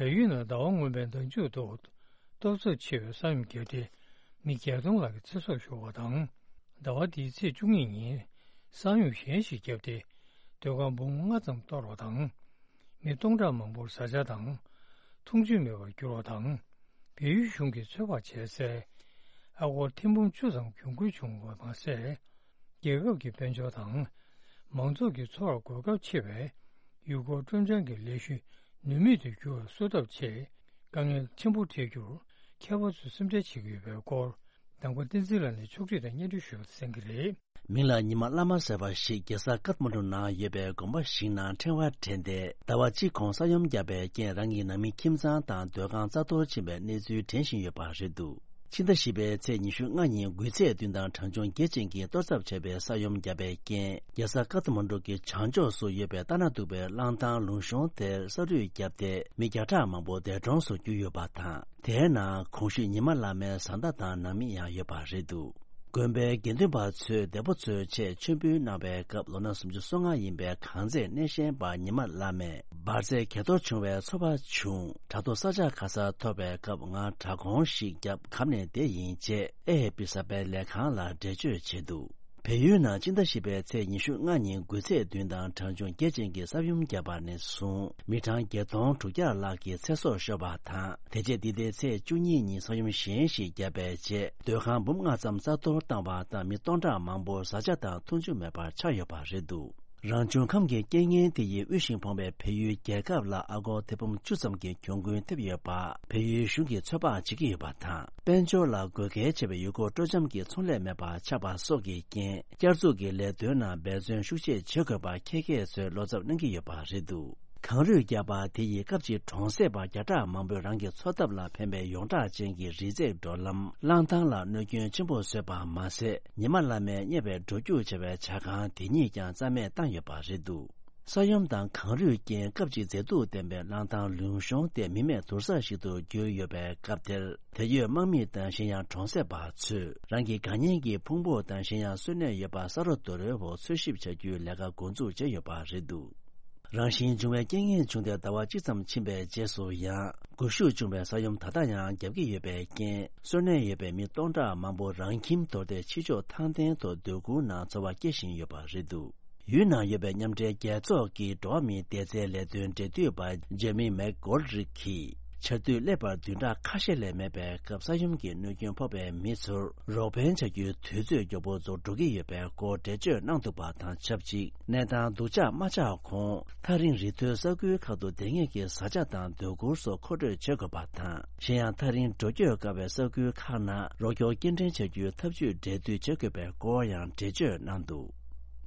བལ་ཡུལ་ནང་ཟླ་བ་སྔོན་མའི་ཟླ་མཇུག་ཏུ་ཏོག་ཙམ་ཆེ་བའི་ས་ཡོམ་བརྒྱབ་སྟེ་མི་བརྒྱད་སྟོང་ལྷག་གི་ཚེ་སྲོག་ཤོར་བ་དང་། ཟླ་བ་འདིའི་ཚེས་བཅུ་གཉིས་ཉིན་ས་ཡོམ་གཞན་ཞིག་བརྒྱབ་སྟེ་སྡོད་ཁང་འབུམ་ལྔ་ཙམ་གཏོར་བ་དང་། མི་སྟོང་ཕྲག་མང་པོར་བཟའ་བཅའ་དང་འཐུང་ཆུ་མེད་པར་གྱུར་བ་དང་། བལ་ཡུལ་གཞུང་གིས་ཚོད་དཔག་བྱས་ཚེ། ཨ་སྒོར་ཐེར་འབུམ་བཅུ་ཙམ་གྱོང་གུན་བྱུང་བ་མ་ཟད། རྒྱལ་ཁབ་ཀྱི་དཔལ་འབྱོར་དང་མང་ཚོགས་ཀྱི་འཚོ་བར་གོ་སྐབས་ཆེ་བའི་ཡུལ་སྐོར་སྤྲོ་འཆམ་གྱི་ལས་གཞི་ནུས་མེད་དུ་གྱུར་བ་བཟོ་ཐབས་ཆེད་དཀའ་ངལ་ཆེན་པོ་འཕྲད་རྒྱུར་མཁས་པ་ཚོས་སེམས་ཁྲལ་བྱེད་ཀྱི་ཡོད་པའི་སྐོར། དང་པོ་བསྟན་འཛིན་ལགས་ནས་ཕྱོགས་སྒྲིག་དང་སྙན་སྒྲོན་ཞུས་པ་གསན་གྱི་རེད། མིང་ལ་ཉི་མ་བླ་མ་ཟེར་བ་ཞིག་རྒྱལ་ས་ཀཏ་མན་གྲུ་ནང་ཡོད་པའི་དགོན་པ་ཞིག་ནང་ཕྲེང་བ་འདྲེན་ཏེ་ཟླ་བ་གཅིག་གོང་ས་ཡོམ་བརྒྱབ་པའི་རྐྱེན་རང་གི་ནང་མི་ཁྱིམ་ཚང་དང་སྡོད་ཁང་རྩ་གཏོར་ཕྱིན་པའི་གནས་ཚུལ་དྲན་བཞིན་ཡོད་པ་རེད་འདུག་ཕྱི་ཟླ་བཞི་པའི་ཚེས་ཉི་ཤུ་ལྔ་ཉིན་འགུལ་ཚད་བདུན་དང་གྲངས་ཆུང་བརྒྱད་ཅན་གྱི་གཏོར་ཚབ་བྱས་པའི་ས་ཡོམ་བརྒྱབ་པའི་རྐྱེན་རྒྱལ་ས་ཀཏ་མན་གྲུ་གི་བྱང་ཕྱོགས་སུ་ཡོད་པའི་ལྟ་ན་སྡུག་པའི་གླང་ཐང་ལུང་གཤོང་དེར་ས་རུད་བརྒྱབ་སྟེ་མི་བརྒྱ་ཕྲག་མང་པོ་འདས་གྲོངས་སུ་གྱུར་ཡོད་པ་དང་། དེའི་ནང་གོང་ཞུས་ཉི་མ་བླ་མའི་བཟའ་ཟླ་དང་ནང་མི་ཡང་ཡོད་པ་རེད་འདུག་དགོན་པའི་དགེ་འདུན་པ་ཚོས་འདས་པོ་ཚོའི་ཆེད་མཆོད་འབུལ་གནང་བའི་སྐབས་ལོ་ན་སུམ་ཅུ་སོ་ལྔ་ཡིན་པའི་གངས་རྫས་སྣེ་ཤན་པ་ཉི་མ་བླ་མས་འབར་རྫས་གས་གཏོར་བྱུང་བའི་ཚོར་བ་བྱུང་། དྲ་ཐོག་ས་འཇག་ག་ས་ཐོབ་པའི་སྐབས་ང་དྲ་སྒོང་ཞིག་བརྒྱབ་གབ་ནས་བསྡད་ཡིན་ཅེས་ཨེ་ཨེ་པི་གསར་སྤེལ་ལས་ཁང་ལ་འགྲེལ་བརྗོད་བྱས་འདུག་བལ་ཡུལ་ནང་སྤྱི་ཟླ་བཞི་པའི་ཚེས་ཉི་ཤུ་ལྔ་ཉིན་འགུལ་ཚད་བདུན་དང་གྲངས་ཆུང་བརྒྱད་ཅན་གྱི་ས་ཡོམ་བརྒྱབ་པ་ནས་བཟུང་མི་གྲངས་བརྒྱད་སྟོང་དྲུག་བརྒྱ་ལྷག་གི་ཚེ་སྲོག་ཤོར་བ་དང་། དེ་རྗེས་འདི་ཟླའི་ཚེས་བཅུ་གཉིས་ཉིན་ས་ཡོམ་གཞན་ཞིག་བརྒྱབ་པའི་རྗེས་སྡོད་ཁང་འབུམ་ལྔ་ཙམ་རྩ་གཏོར་བཏང་བ་དང་མི་སྟོང་ཕྲག་མང་པོ་བཟའ་བཅའ་དང་འཐུང་ཆུ་མེད་པར་ཆགས་ཡོད་པ་རེད་འདུག་རང་བྱུང་ཁམས་ཀྱི་རྐྱེན་ངན་དེ་ཡིས་དབུལ་ཞིང་ཕོངས་པའི་བལ་ཡུལ་རྒྱལ་ཁབ་ལ་ཨ་སྒོར་ཐེར་འབུམ་བཅུ་ཙམ་གྱི་གྱོང་གུན་ཐེབས་ཡོད་པ་བལ་ཡུལ་གཞུང་གིས་ཚོད་དཔག་བྱེད་ཀྱི་ཡོད་པ་དང་། དཔལ་འབྱོར་ལ་དགོས་གལ་ཆེ་བའི་ཡུལ་སྐོར་སྤྲོ་འཆམ་གྱི་ཚོང་ལས་མེད་པ་ཆགས་པ་སོགས་ཀྱི་རྐྱེན། བསྐྱར་འཛུགས་ཀྱི་ལས་དོན་ནང་འབད་བརྩོན་ཤུགས་ཆེ་བྱེད་དགོས་པ་མཁས་མཁས་ཚོས་བློ་འཚབ་གནང་གི་ཡོད་པ་རེད་འདུག་གངས་རུད་བརྒྱབ་པ་དེ་ཡིས་སྐབས་གཅིག་གྲོང་གསེབ་པ་བརྒྱ་ཕྲག་མང་པོས་རང་གི་འཚོ་ཐབས་ལ་ཕན་པའི་ཡོངས་གྲགས་ཅན་གྱི་རི་འཛེག་འགྲོ་ལམ་གླང་ཐང་ལ་གནོད་སྐྱོན་ཆེན་པོ་བཟོས་པ་མ་ཟད། ཉི་མ་བླ་མས་གཉེར་བའི་འགྲོ་རྒྱུག་བྱ་བའི་བྱ་ཁང་དེ་ཉིད་ཀྱང་རྩ་མེད་བཏང་ཡོད་པ་རེད་འདུག་ས་ཡོམ་དང་གངས་རུད་རྐྱེན་སྐབས་གཅིག་མཛེས་སྡུག་ལྡན་པའི་གླང་ཐང་ལུང་གཤོང་དེ་མི་མེད་དུར་ས་ཞིག་ཏུ་གྱུར་ཡོད་པའི་སྐབས་དེར། དེར་ཡོད་དམག་མི་དང་གཞན་ཡང་གྲོང་གསེབ་པ་ཚོས་རང་གི་དགའ་ཉེ་གི་ཕུང་པོ་དང་གཞན་ཡང་གསོན་གནས་ཡོད་པ་ས་རོ་རྡོ་རོའི་འོག་འཚོལ་ཞིབ་བྱ་རྒྱུའི་ལས་ཀ་འགོ་འཛུགས་བྱས་ཡོད་པ་རེད་འདུག་རང་བཞིན་འབྱུང་བའི་རྐྱེན་ངན་བྱུང་སྟེ་ཟླ་བ་གཅིག་ཙམ་ཕྱིན་པའི་རྗེས་སུ་ཡང་། འགུལ་ཤུགས་ཆུང་བའི་ས་ཡོམ་ད་ལྟ་ཡང་རྒྱབ་ཀྱི་ཡོད་པའི་རྐྱེན། གསོན་གནས་ཡོད་པའི་མི་སྟོང་ཕྲག་མང་པོ་རང་ཁྱིམ་དོར་ཏེ་ཕྱི་ཕྱོགས་ཐང་སྟེང་དུ་སྡོད་ཁུལ་ནང་འཚོ་བ་སྐྱེལ་བཞིན་ཡོད་པ་རེད་འདུག་ཡུལ་ནང་ཡོད་པའི་མཉམ་འབྲེལ་རྒྱལ་ཚོགས་ཀྱི་འགྲོ་བ་མིའི་བདེ་རྩའི་ལས་དོན་འབྲེལ་མཐུད་པ་ཇེ་མི་མེག་གོལ་རིག་གིས། ཆར་དུས་སླེབས་པར་བདུན་ཕྲག་ཁ་ཤས་ལས་མེད་པའི་སྐབས་ས་ཡོམ་གྱི་གནོད་སྐྱོན་ཕོག་པའི་མི་ཚོར་རོགས་ཕན་བྱ་རྒྱུའི་དུས་ཚོད་མགྱོགས་པོ་རྫོགས་འགྲོ་གི་ཡོད་པའི་སྐོར་འགྲེལ་བརྗོད་གནང་འདུག་པ་དང་ཆབས་ཅིག་གནས་སྟངས་སྡུག་ཅག་མ་ཆགས་གོང་། ཐག་རིང་རི་མཐོའི་ས་ཁུལ་ཁག་ཏུ་བསྡད་མཁན་གྱི་བཟའ་བཅའ་དང་སྡོད་གུར་སོགས་མཁོ་སྤྲོད་བྱེད་དགོས་པ་དང་། གཞན་ཡང་། ཐག་རིང་འགྲོ་སྐྱོད་དཀའ་བའི་ས་ཁུལ་ཁག་ནང་རོགས་སྐྱོར་སྐྱེལ་འདྲེན་བྱ་རྒྱུའི་ཐབས་ཇུས་འབྲེལ་མཐུད་བྱེད་དགོས་པའི་སྐོར་ཡང་འགྲེལ་བརྗོད་གནང་འདུག་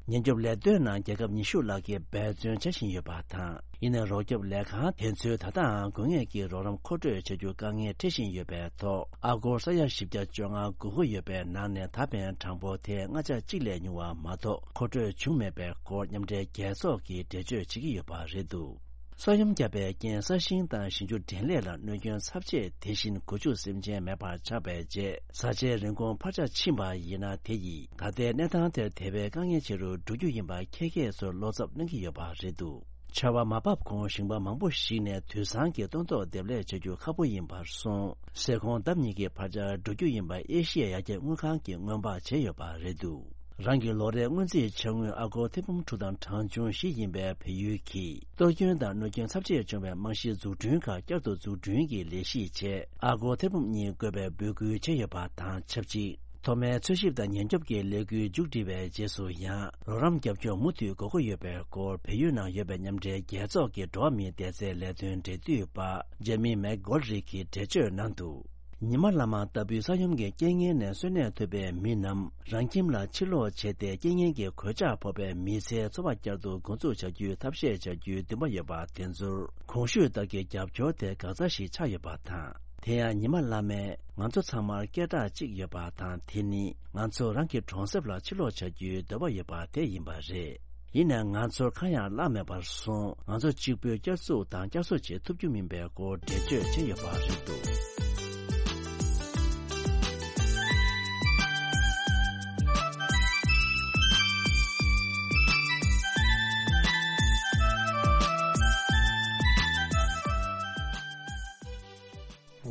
ཉེན་སྐྱོབ་ལས་དོན་ནང་རྒྱལ་ཁབ་ཉི་ཤུ་ལྷག་གིས་འབད་བརྩོན་བྱ་བཞིན་ཡོད་པ་དང་། ཡིན་ནའི་རོགས་སྐྱོབ་ལས་ཁང་དེ་ཚོས་ད་ལྟའང་དགོས་ངེས་ཀྱི་རོགས་རམ་མཁོ་སྤྲོད་བྱ་རྒྱུ་དཀའ་ངལ་འཕྲད་བཞིན་ཡོད་པའི་ཐོག་ཨ་སྒོར་ས་ཡ་བཞི་བརྒྱ་བཅོ་ལྔ་དགོས་མཁོ་ཡོད་པའི་ནང་ནས་ད་ཕན་གྲངས་འབོར་དེ་ལྔ་ཆ་གཅིག་ལས་ཉུང་བ་མ་གཏོགས་མཁོ་སྤྲོད་བྱུང་མེད་པའི་སྐོར་མཉམ་འབྲེལ་རྒྱལ་ཚོགས་ཀྱིས་འགྲེལ་བརྗོད་བྱེད་ཀྱི་ཡོད་པ་རེད་འདུག་ས་ཡོམ་བརྒྱབ་པའི་རྐྱེན་ས་ཞིང་དང་ཞིང་ཆུ་འདྲེན་ལས་ལ་གནོད་སྐྱོན་ཚབས་ཆེ། དེ་བཞིན་སྒོ་ཕྱུགས་སེམས་ཅན་མེད་པར་ཆགས་པའི་རྗེས་བཟའ་བཅའི་རིན་གོང་འཕར་ཆ་ཕྱིན་པ་ཡིན་ན། དེ་ཡིས་ད་ལྟའི་གནས་སྟངས་དེར་དེ་བས་དཀའ་ངལ་ཆེ་རུ་འགྲོ་རྒྱུ་ཡིན་པ་ཁྱད་མཁས་ཚོར་བློ་འཚབ་གནང་གི་ཡོད་པ་རེད་འདུག་ཆར་བ་མ་བབས་གོང་ཞིང་པ་མང་པོ་ཞིག་ནས་དུད་ཚང་གི་སྟོན་ཐོག་འདེབས་ལས་བྱ་རྒྱུ་ཁག་པོ་ཡིན་པར་སོང་། ཟས་གོང་ལྡབ་གཉིས་ཀྱི་འཕར་ཆ་འགྲོ་རྒྱུ་ཡིན་པ་ཨེ་ཤི་ཡའི་ཡར་རྒྱས་དངུལ་ཁང་གིས་སྔོན་དཔག་བྱས་ཡོད་པ་རེད་འདུག་རང་གི་ལོ་རེའི་སྔོན་རྩིས་འཆར་དངུལ་ཨ་སྒོར་ཐེར་འབུམ་དྲུག་དང་གྲངས་ཆུང་བཞི་ཡིན་པའི་བལ་ཡུལ་གྱིས། གཏོར་སྐྱོན་དང་གནོད་སྐྱོན་ཚབས་ཆེ་བྱུང་བའི་རྨང་གཞིའི་འཛུགས་སྐྲུན་ཁག་བསྐྱར་དུ་འཛུགས་སྐྲུན་གྱི་ལས་གཞིའི་ཆེད་ཨ་སྒོར་ཐེར་འབུམ་གཉིས་དགོས་པའི་འབོད་སྐུལ་བྱས་ཡོད་པ་དང་ཆབས་ཅིག་ཐོག་མའི་འཚོལ་ཞིབ་དང་ཉེན་སྐྱོབ་ཀྱི་ལས་འགུལ་མཇུག་སྒྲིལ་བའི་རྗེས་སུ་ཡང་རོགས་རམ་རྒྱབ་སྐྱོར་མུ་མཐུད་དགོས་མཁོ་ཡོད་པའི་སྐོར་བལ་ཡུལ་ནང་ཡོད་པའི་མཉམ་འབྲེལ་རྒྱལ་ཚོགས་ཀྱི་འགྲོ་བ་མིའི་བདེ་རྩའི་ལས་དོན་འབྲེལ་མཐུད་པ་ཇེ་མི་མེག་གོལ་རིག་གིས་འགྲེལ་བརྗོད་གནང་འདུག་ཉི་མ་བླ་མ་ལྟ་བུའི་ས་ཡོམ་གྱི་རྐྱེན་ངན་ནས་གསོན་གནས་ཐུབ་པའི་མི་རྣམས་རང་ཁྱིམ་ལ་ཕྱིར་ལོག་བྱས་ཏེ། རྐྱེན་ངན་གྱི་གོད་ཆག་ཕོག་པའི་མི་ཚེའི་འཚོ་བ་བསྐྱར་དུ་འགོ་འཛུགས་བྱ་རྒྱུའི་ཐབས་ཤེས་བྱ་རྒྱུའི་འདུན་པ་ཡོད་པ་དེ་ཚོར་གོང་ཞུས་ལྟར་གྱི་རྒྱབ་སྐྱོར་དེ་འགག་རྩ་ཞིག་ཆགས་ཡོད་པ་དང་། དེ་ཡང་ཉི་མ་བླ་མས་ང་ཚོ་ཚང་མར་སྐད་གྲགས་གཅིག་ཡོད་པ་དང་། དེ་ནི་ང་ཚོ་རང་གི་གྲོང་གསེབ་ལ་ཕྱིར་ལོག་བྱ་རྒྱུའི་འདོད་པ་ཡོད་པ་དེ་ཡིན་པ་རེད། ཡིན་ནའང་ང་ཚོར་གང་ཡང་བརླག་མེད་པར་སོང་། ང་ཚོ་གཅིག་པུས་བསྐྱར་འཛུགས་དང་བསྐྱར་གསོ་བྱེད་ཐུབ་རྒྱུ་མིན་པའི་སྐོར་འགྲེལ་བརྗོད་བྱས་ཡོད་པ་རེད་འདུག་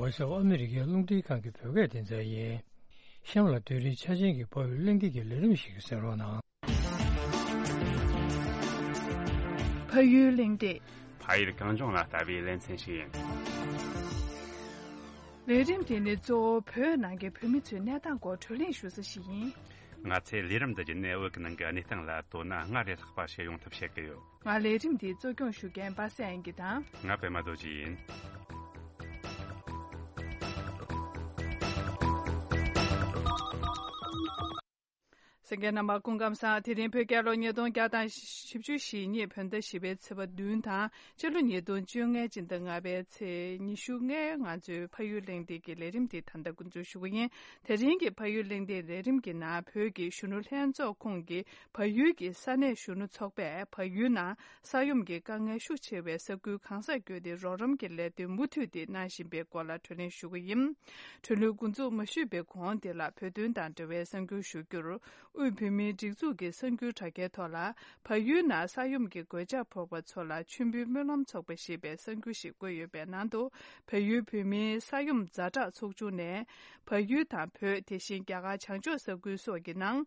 ཝོ་ཤི་ཨོཕ་ཨ་མི་རི་ཀའི་རླུང་འཕྲིན་ཁང་གི་བོད་སྐད་སྡེ་ཚན་ཡིན། གཤམ་ལ་དུས་རིམ་ཆ་ཅན་གྱི་ཕ་ཡུལ་གླེང་སྟེགས་ཀྱི་ལས་རིམ་ཞིག་གསན་རོགས་གནང་། ཕ་ཡུལ་གླེང་སྟེགས། ཕ་ཡུལ་གངས་ལྗོངས་ལ་ལྟ་བའི་ལེ་ཚན་ཞིག་ཡིན། ལས་རིམ་དེ་ནི་གཙོ་བོ་བོད་ནང་གི་བོད་མི་ཚོའི་གནས་སྟངས་སྐོར་བགྲོ་གླེང་ཞུ་ས་ཞིག་ཡིན། ང་ཚོས་ལས་རིམ་འདི་བརྒྱུད་ནས་བོད་ཀྱི་ནང་གི་གནས་སྟངས་ལ་དོ་སྣང་སྔར་ལས་ལྷག་པ་བྱེད་ཡོང་ཐབས་བྱེད་ཀྱི་ཡོད། ང་ལས་རིམ་འདི་གཙོ་སྐྱོང་ཞུ་མཁན་པ་སངས་དབྱངས་སྐྱིད་དང་། ང་པད་མ་རྡོ་རྗེ་ཡིན། གསན་མཁན་རྣམ་པ་སྐུ་ཁམས་བཟང་། དེ་རིང་བོད་རྒྱལ་ལོ་ཉིས་སྟོང་བརྒྱ་དང་བཞི་བཅུ་ཞེ་གཉིས་བོད་ཟླ་བཞི་པའི་ཚེས་པ་བདུན་དང་། སྤྱི་ལོ་ཉིས་སྟོང་བཅོ་ལྔའི་སྤྱི་ཟླ་ལྔ་པའི་ཚེས་ཉི་ཤུ་ལྔ་ང་ཚོའི་ཕ་ཡུལ་གླེང་སྟེགས་ཀྱི་ལས་རིམ་འདི་ད་ལྟ་འགོ་འཛུགས་ཞུ་གི་ཡིན། དེ་རིང་གི་ཕ་ཡུལ་གླེང་སྟེགས་ལས་རིམ་གྱི་ནང་བོད་ཀྱི་གཞོན་ནུ་ལྷན་ཚོགས་ཁོངས་ཀྱི་བལ་ཡུལ་གྱི་ས་གནས་གཞོན་ནུ་ཚོགས་པས་བལ་ཡུལ་ནང་ས་ཡོམ་གྱི་དཀའ་ངལ་ཤུགས་ཆེ་བའི་ས་ཁུལ་གང་སར་བསྐྱོད་དེ་རོགས་རམ་གྱི་ལས་དོན་མུ་མཐུད་དེ་གནང་བཞིན་པའི་སྐོར་ལ་བགྲོ་གླེང་ཞུ་གི་ཡིན། གྲོས་མོལ་འགོ་འཛུགས་མ་ཞུས་པའི་གོང་དེ་ལ་བོད་དོན་དང་འབྲེལ་བའི་གསར་འགྱུར་ཞུ་རྒྱུར། དབུས་བོད་མིའི་སྒྲིག་འཛུགས་ཀྱི་གསར་འགྱུར་དྲ་རྒྱའི་ཐོག་ལ། བལ་ཡུལ་ནང་ས་ཡོམ་གྱི་གོད་ཆག་ཕོག་པ་ཚོ་ལ་མཆོད་འབུལ་སྨོན་ལམ་ཚོགས་པ་ཞེས་པའི་གསར་འགྱུར་ཞིག་བཀོད་ཡོད་པའི་ནང་དུ། བལ་ཡུལ་བོད་མིའི་ས་ཡོམ་ཛ་དྲག་ཚོགས་ཆུང་ནས། བལ་ཡུལ་དང་བོད། དེ་བཞིན་རྒྱ་གར་བྱང་ཕྱོགས་ས་ཁུལ་སོགས་ཀྱི་ནང་།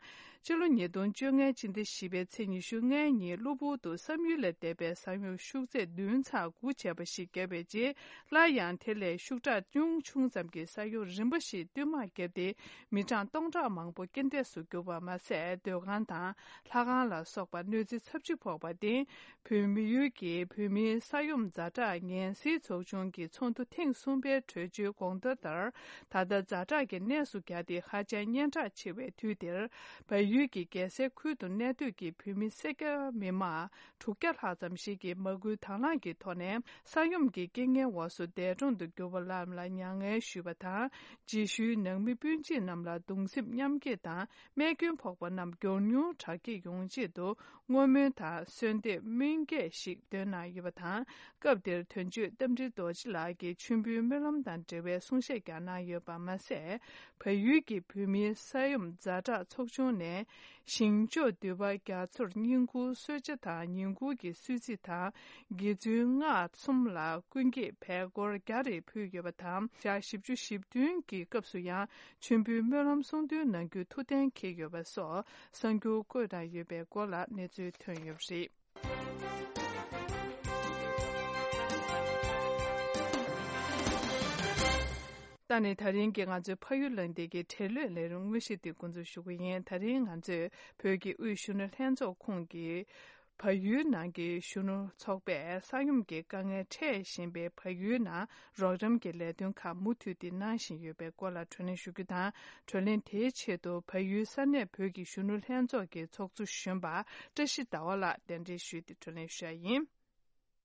སྤྱི་ལོ་ཉིས་སྟོང་བཅོ་ལྔའི་སྤྱི་ཟླ་བཞི་པའི་ཚེས་ཉི་ཤུ་ལྔའི་ཉིན་གློ་བུར་དུ་བསམ་ཡུལ་ལས་འདས་པའི་ས་ཡོམ་ཤུགས་ཚད་བདུན་ཚེག་དགུ་བྱས་པ་ཞིག་བརྒྱབ་པའི་རྗེས། སླར་ཡང་དེ་ལས་ཤུགས་དྲག་ཅུང་ཆུང་ཙམ་གྱི་ས་ཡོམ་རིམ་པ་ཞིག་བསྟུད་མར་བརྒྱབ་སྟེ། མི་གྲངས་སྟོང་ཕྲག་མང་པོ་རྐྱེན་འདས་སུ་གྱུར་པ་མ་ཟད། སྡོད་ཁང་དང་ལྷ་ཁང་ལ་སོགས་པ་གནོད་འཚེ་ཚབས་ཆེ་ཕོག་པར་བརྟེན། བོད་མི་ཡུལ་གྱི་བོད་མིའི་ས་ཡོམ་ཛ་དྲག་ངན་སེལ་ཚོགས་ཆུང་གི་ཚོགས་འདུ་ཐེངས་གསུམ་པའི་གྲོས་ཆོད་དགོངས་དོན་ལྟར། ད་ལྟ་ཛ་དྲག་གི་གནས་སུ་གྱར་ཏེ་ཧ་ཅང་སྙན་གྲགས་ཆེ་བའི་དུས་འདིར། བལ་ཡུལ་གྱི་རྒྱལ་སའི་ཁུལ་དུ་གནས་སྡོད་ཀྱི་བོད་མི་སེར་སྐྱ་མི་མང་དྲུག་བརྒྱ་ལྷག་ཙམ་ཞིག་གིས་མ་སྐུལ་དང་བླངས་ཀྱི་ཐོག་ནས། ས་ཡོམ་གྱི་རྐྱེན་ངན་འོག་སུ་འདས་གྲོངས་སུ་གྱུར་པ་རྣམས་ལ་མྱ་ངན་ཞུས་པ་དང་། རྗེས་ཤུལ་ནང་མི་སྤུན་མཆེད་རྣམས་ལ་གདུང་སེམས་མཉམ་སྐྱེད་དང་རྨས་སྐྱོན་ཕོག་ཚོགས་པ་རྣམས་མགྱོགས་མྱུར་དྲག་སྐྱེད་ཡོང་ཆེད་དུ་བསྔོ་སྨོན་དང་གསོལ་འདེབས་སྨོན་སྐྱེལ་ཞིག་འདོན་གནང་ཡོད་པ་དང་། སྐབས་དེར་དོན་གཅོད་རྟ་མགྲིན་རྡོ་རྗེ་ལགས་ཀྱིས་མཆོད་འབུལ་སྨོན་ལམ་དང་འབྲེལ་བའི་གསུང་བཤད་ཀྱང་གནང་ཡོད་པ་མ་ཟད། བལ་ཡུལ་གྱི་བོད་མིའི་ས་ཡོམ་ཛ་དྲག་ཚོགས་ཆུང་ནས་ཞིང་ཕྱོགས་འདུས་པ་རྒྱ་མཚོར་བསྙེན་བཀུར་གསོལ་ཇ་དང་བསྙེན་བཀུར་གྱི་གསོལ་ཚིགས་དང་། དགེ་ཚུལ་སྔགས་གསུམ་ལ་ཀུན་གྱིས་བལ་སྒོར་བརྒྱ་རེ་ཕུལ་ཡོད་པ་དང་། ཞག་བཞི་བཅུ་ཞེ་བདུན་གྱི་སྐབས་སུ་ཡང་མཆོད་འབུལ་སྨོན་ལམ་གསུང་འདོན་གནང་རྒྱུའི་ཐུགས་གཏན་འཁེལ་ཡོད་པ་སོགས་གསར་འགྱུར་བཀོད་གནང་ཡོད་པའི་སྐོར་ལ་གནས་ཚུལ་ཐོན་ཡོད་པ་རེད། ད་ནི་ད་རིང་གི་ང་ཚོའི་ཕ་ཡུལ་གླེང་སྟེགས་ཀྱི་འབྲེལ་ཡོད་ལས་རིམ་དངོས་གཞི་དེ་འགོ་འཛུགས་ཞུ་གི་ཡིན། ད་རིང་ང་ཚོས་བོད་ཀྱི་དབུས་གཞོན་ནུ་ལྷན་ཚོགས་ཁོངས་ཀྱི་བལ་ཡུལ་ནང་གི་གཞོན་ནུ་ཚོགས་པས་ས་ཡོམ་གྱི་དཀའ་ངལ་འཕྲད་བཞིན་པའི་བལ་ཡུལ་ནང་རོགས་རམ་གྱི་ལས་དོན་ཁག་མུ་མཐུད་དེ་གནང་བཞིན་ཡོད་པའི་སྐོར་ལ་བགྲོ་གླེང་ཞུ་རྒྱུ་དང་། བགྲོ་གླེང་དེའི་ཆེད་དུ་བལ་ཡུལ་ས་གནས་བོད་ཀྱི་གཞོན་ནུ་ལྷན་ཚོགས་ཀྱི་ཚོགས་གཙོ་གཞོན་པ་བཀྲ་ཤིས་ཟླ་བ་ལགས་གདན་འདྲེན་ཞུས་ཏེ་བགྲོ་གླེང་ཞུ་ཡ་ཡིན།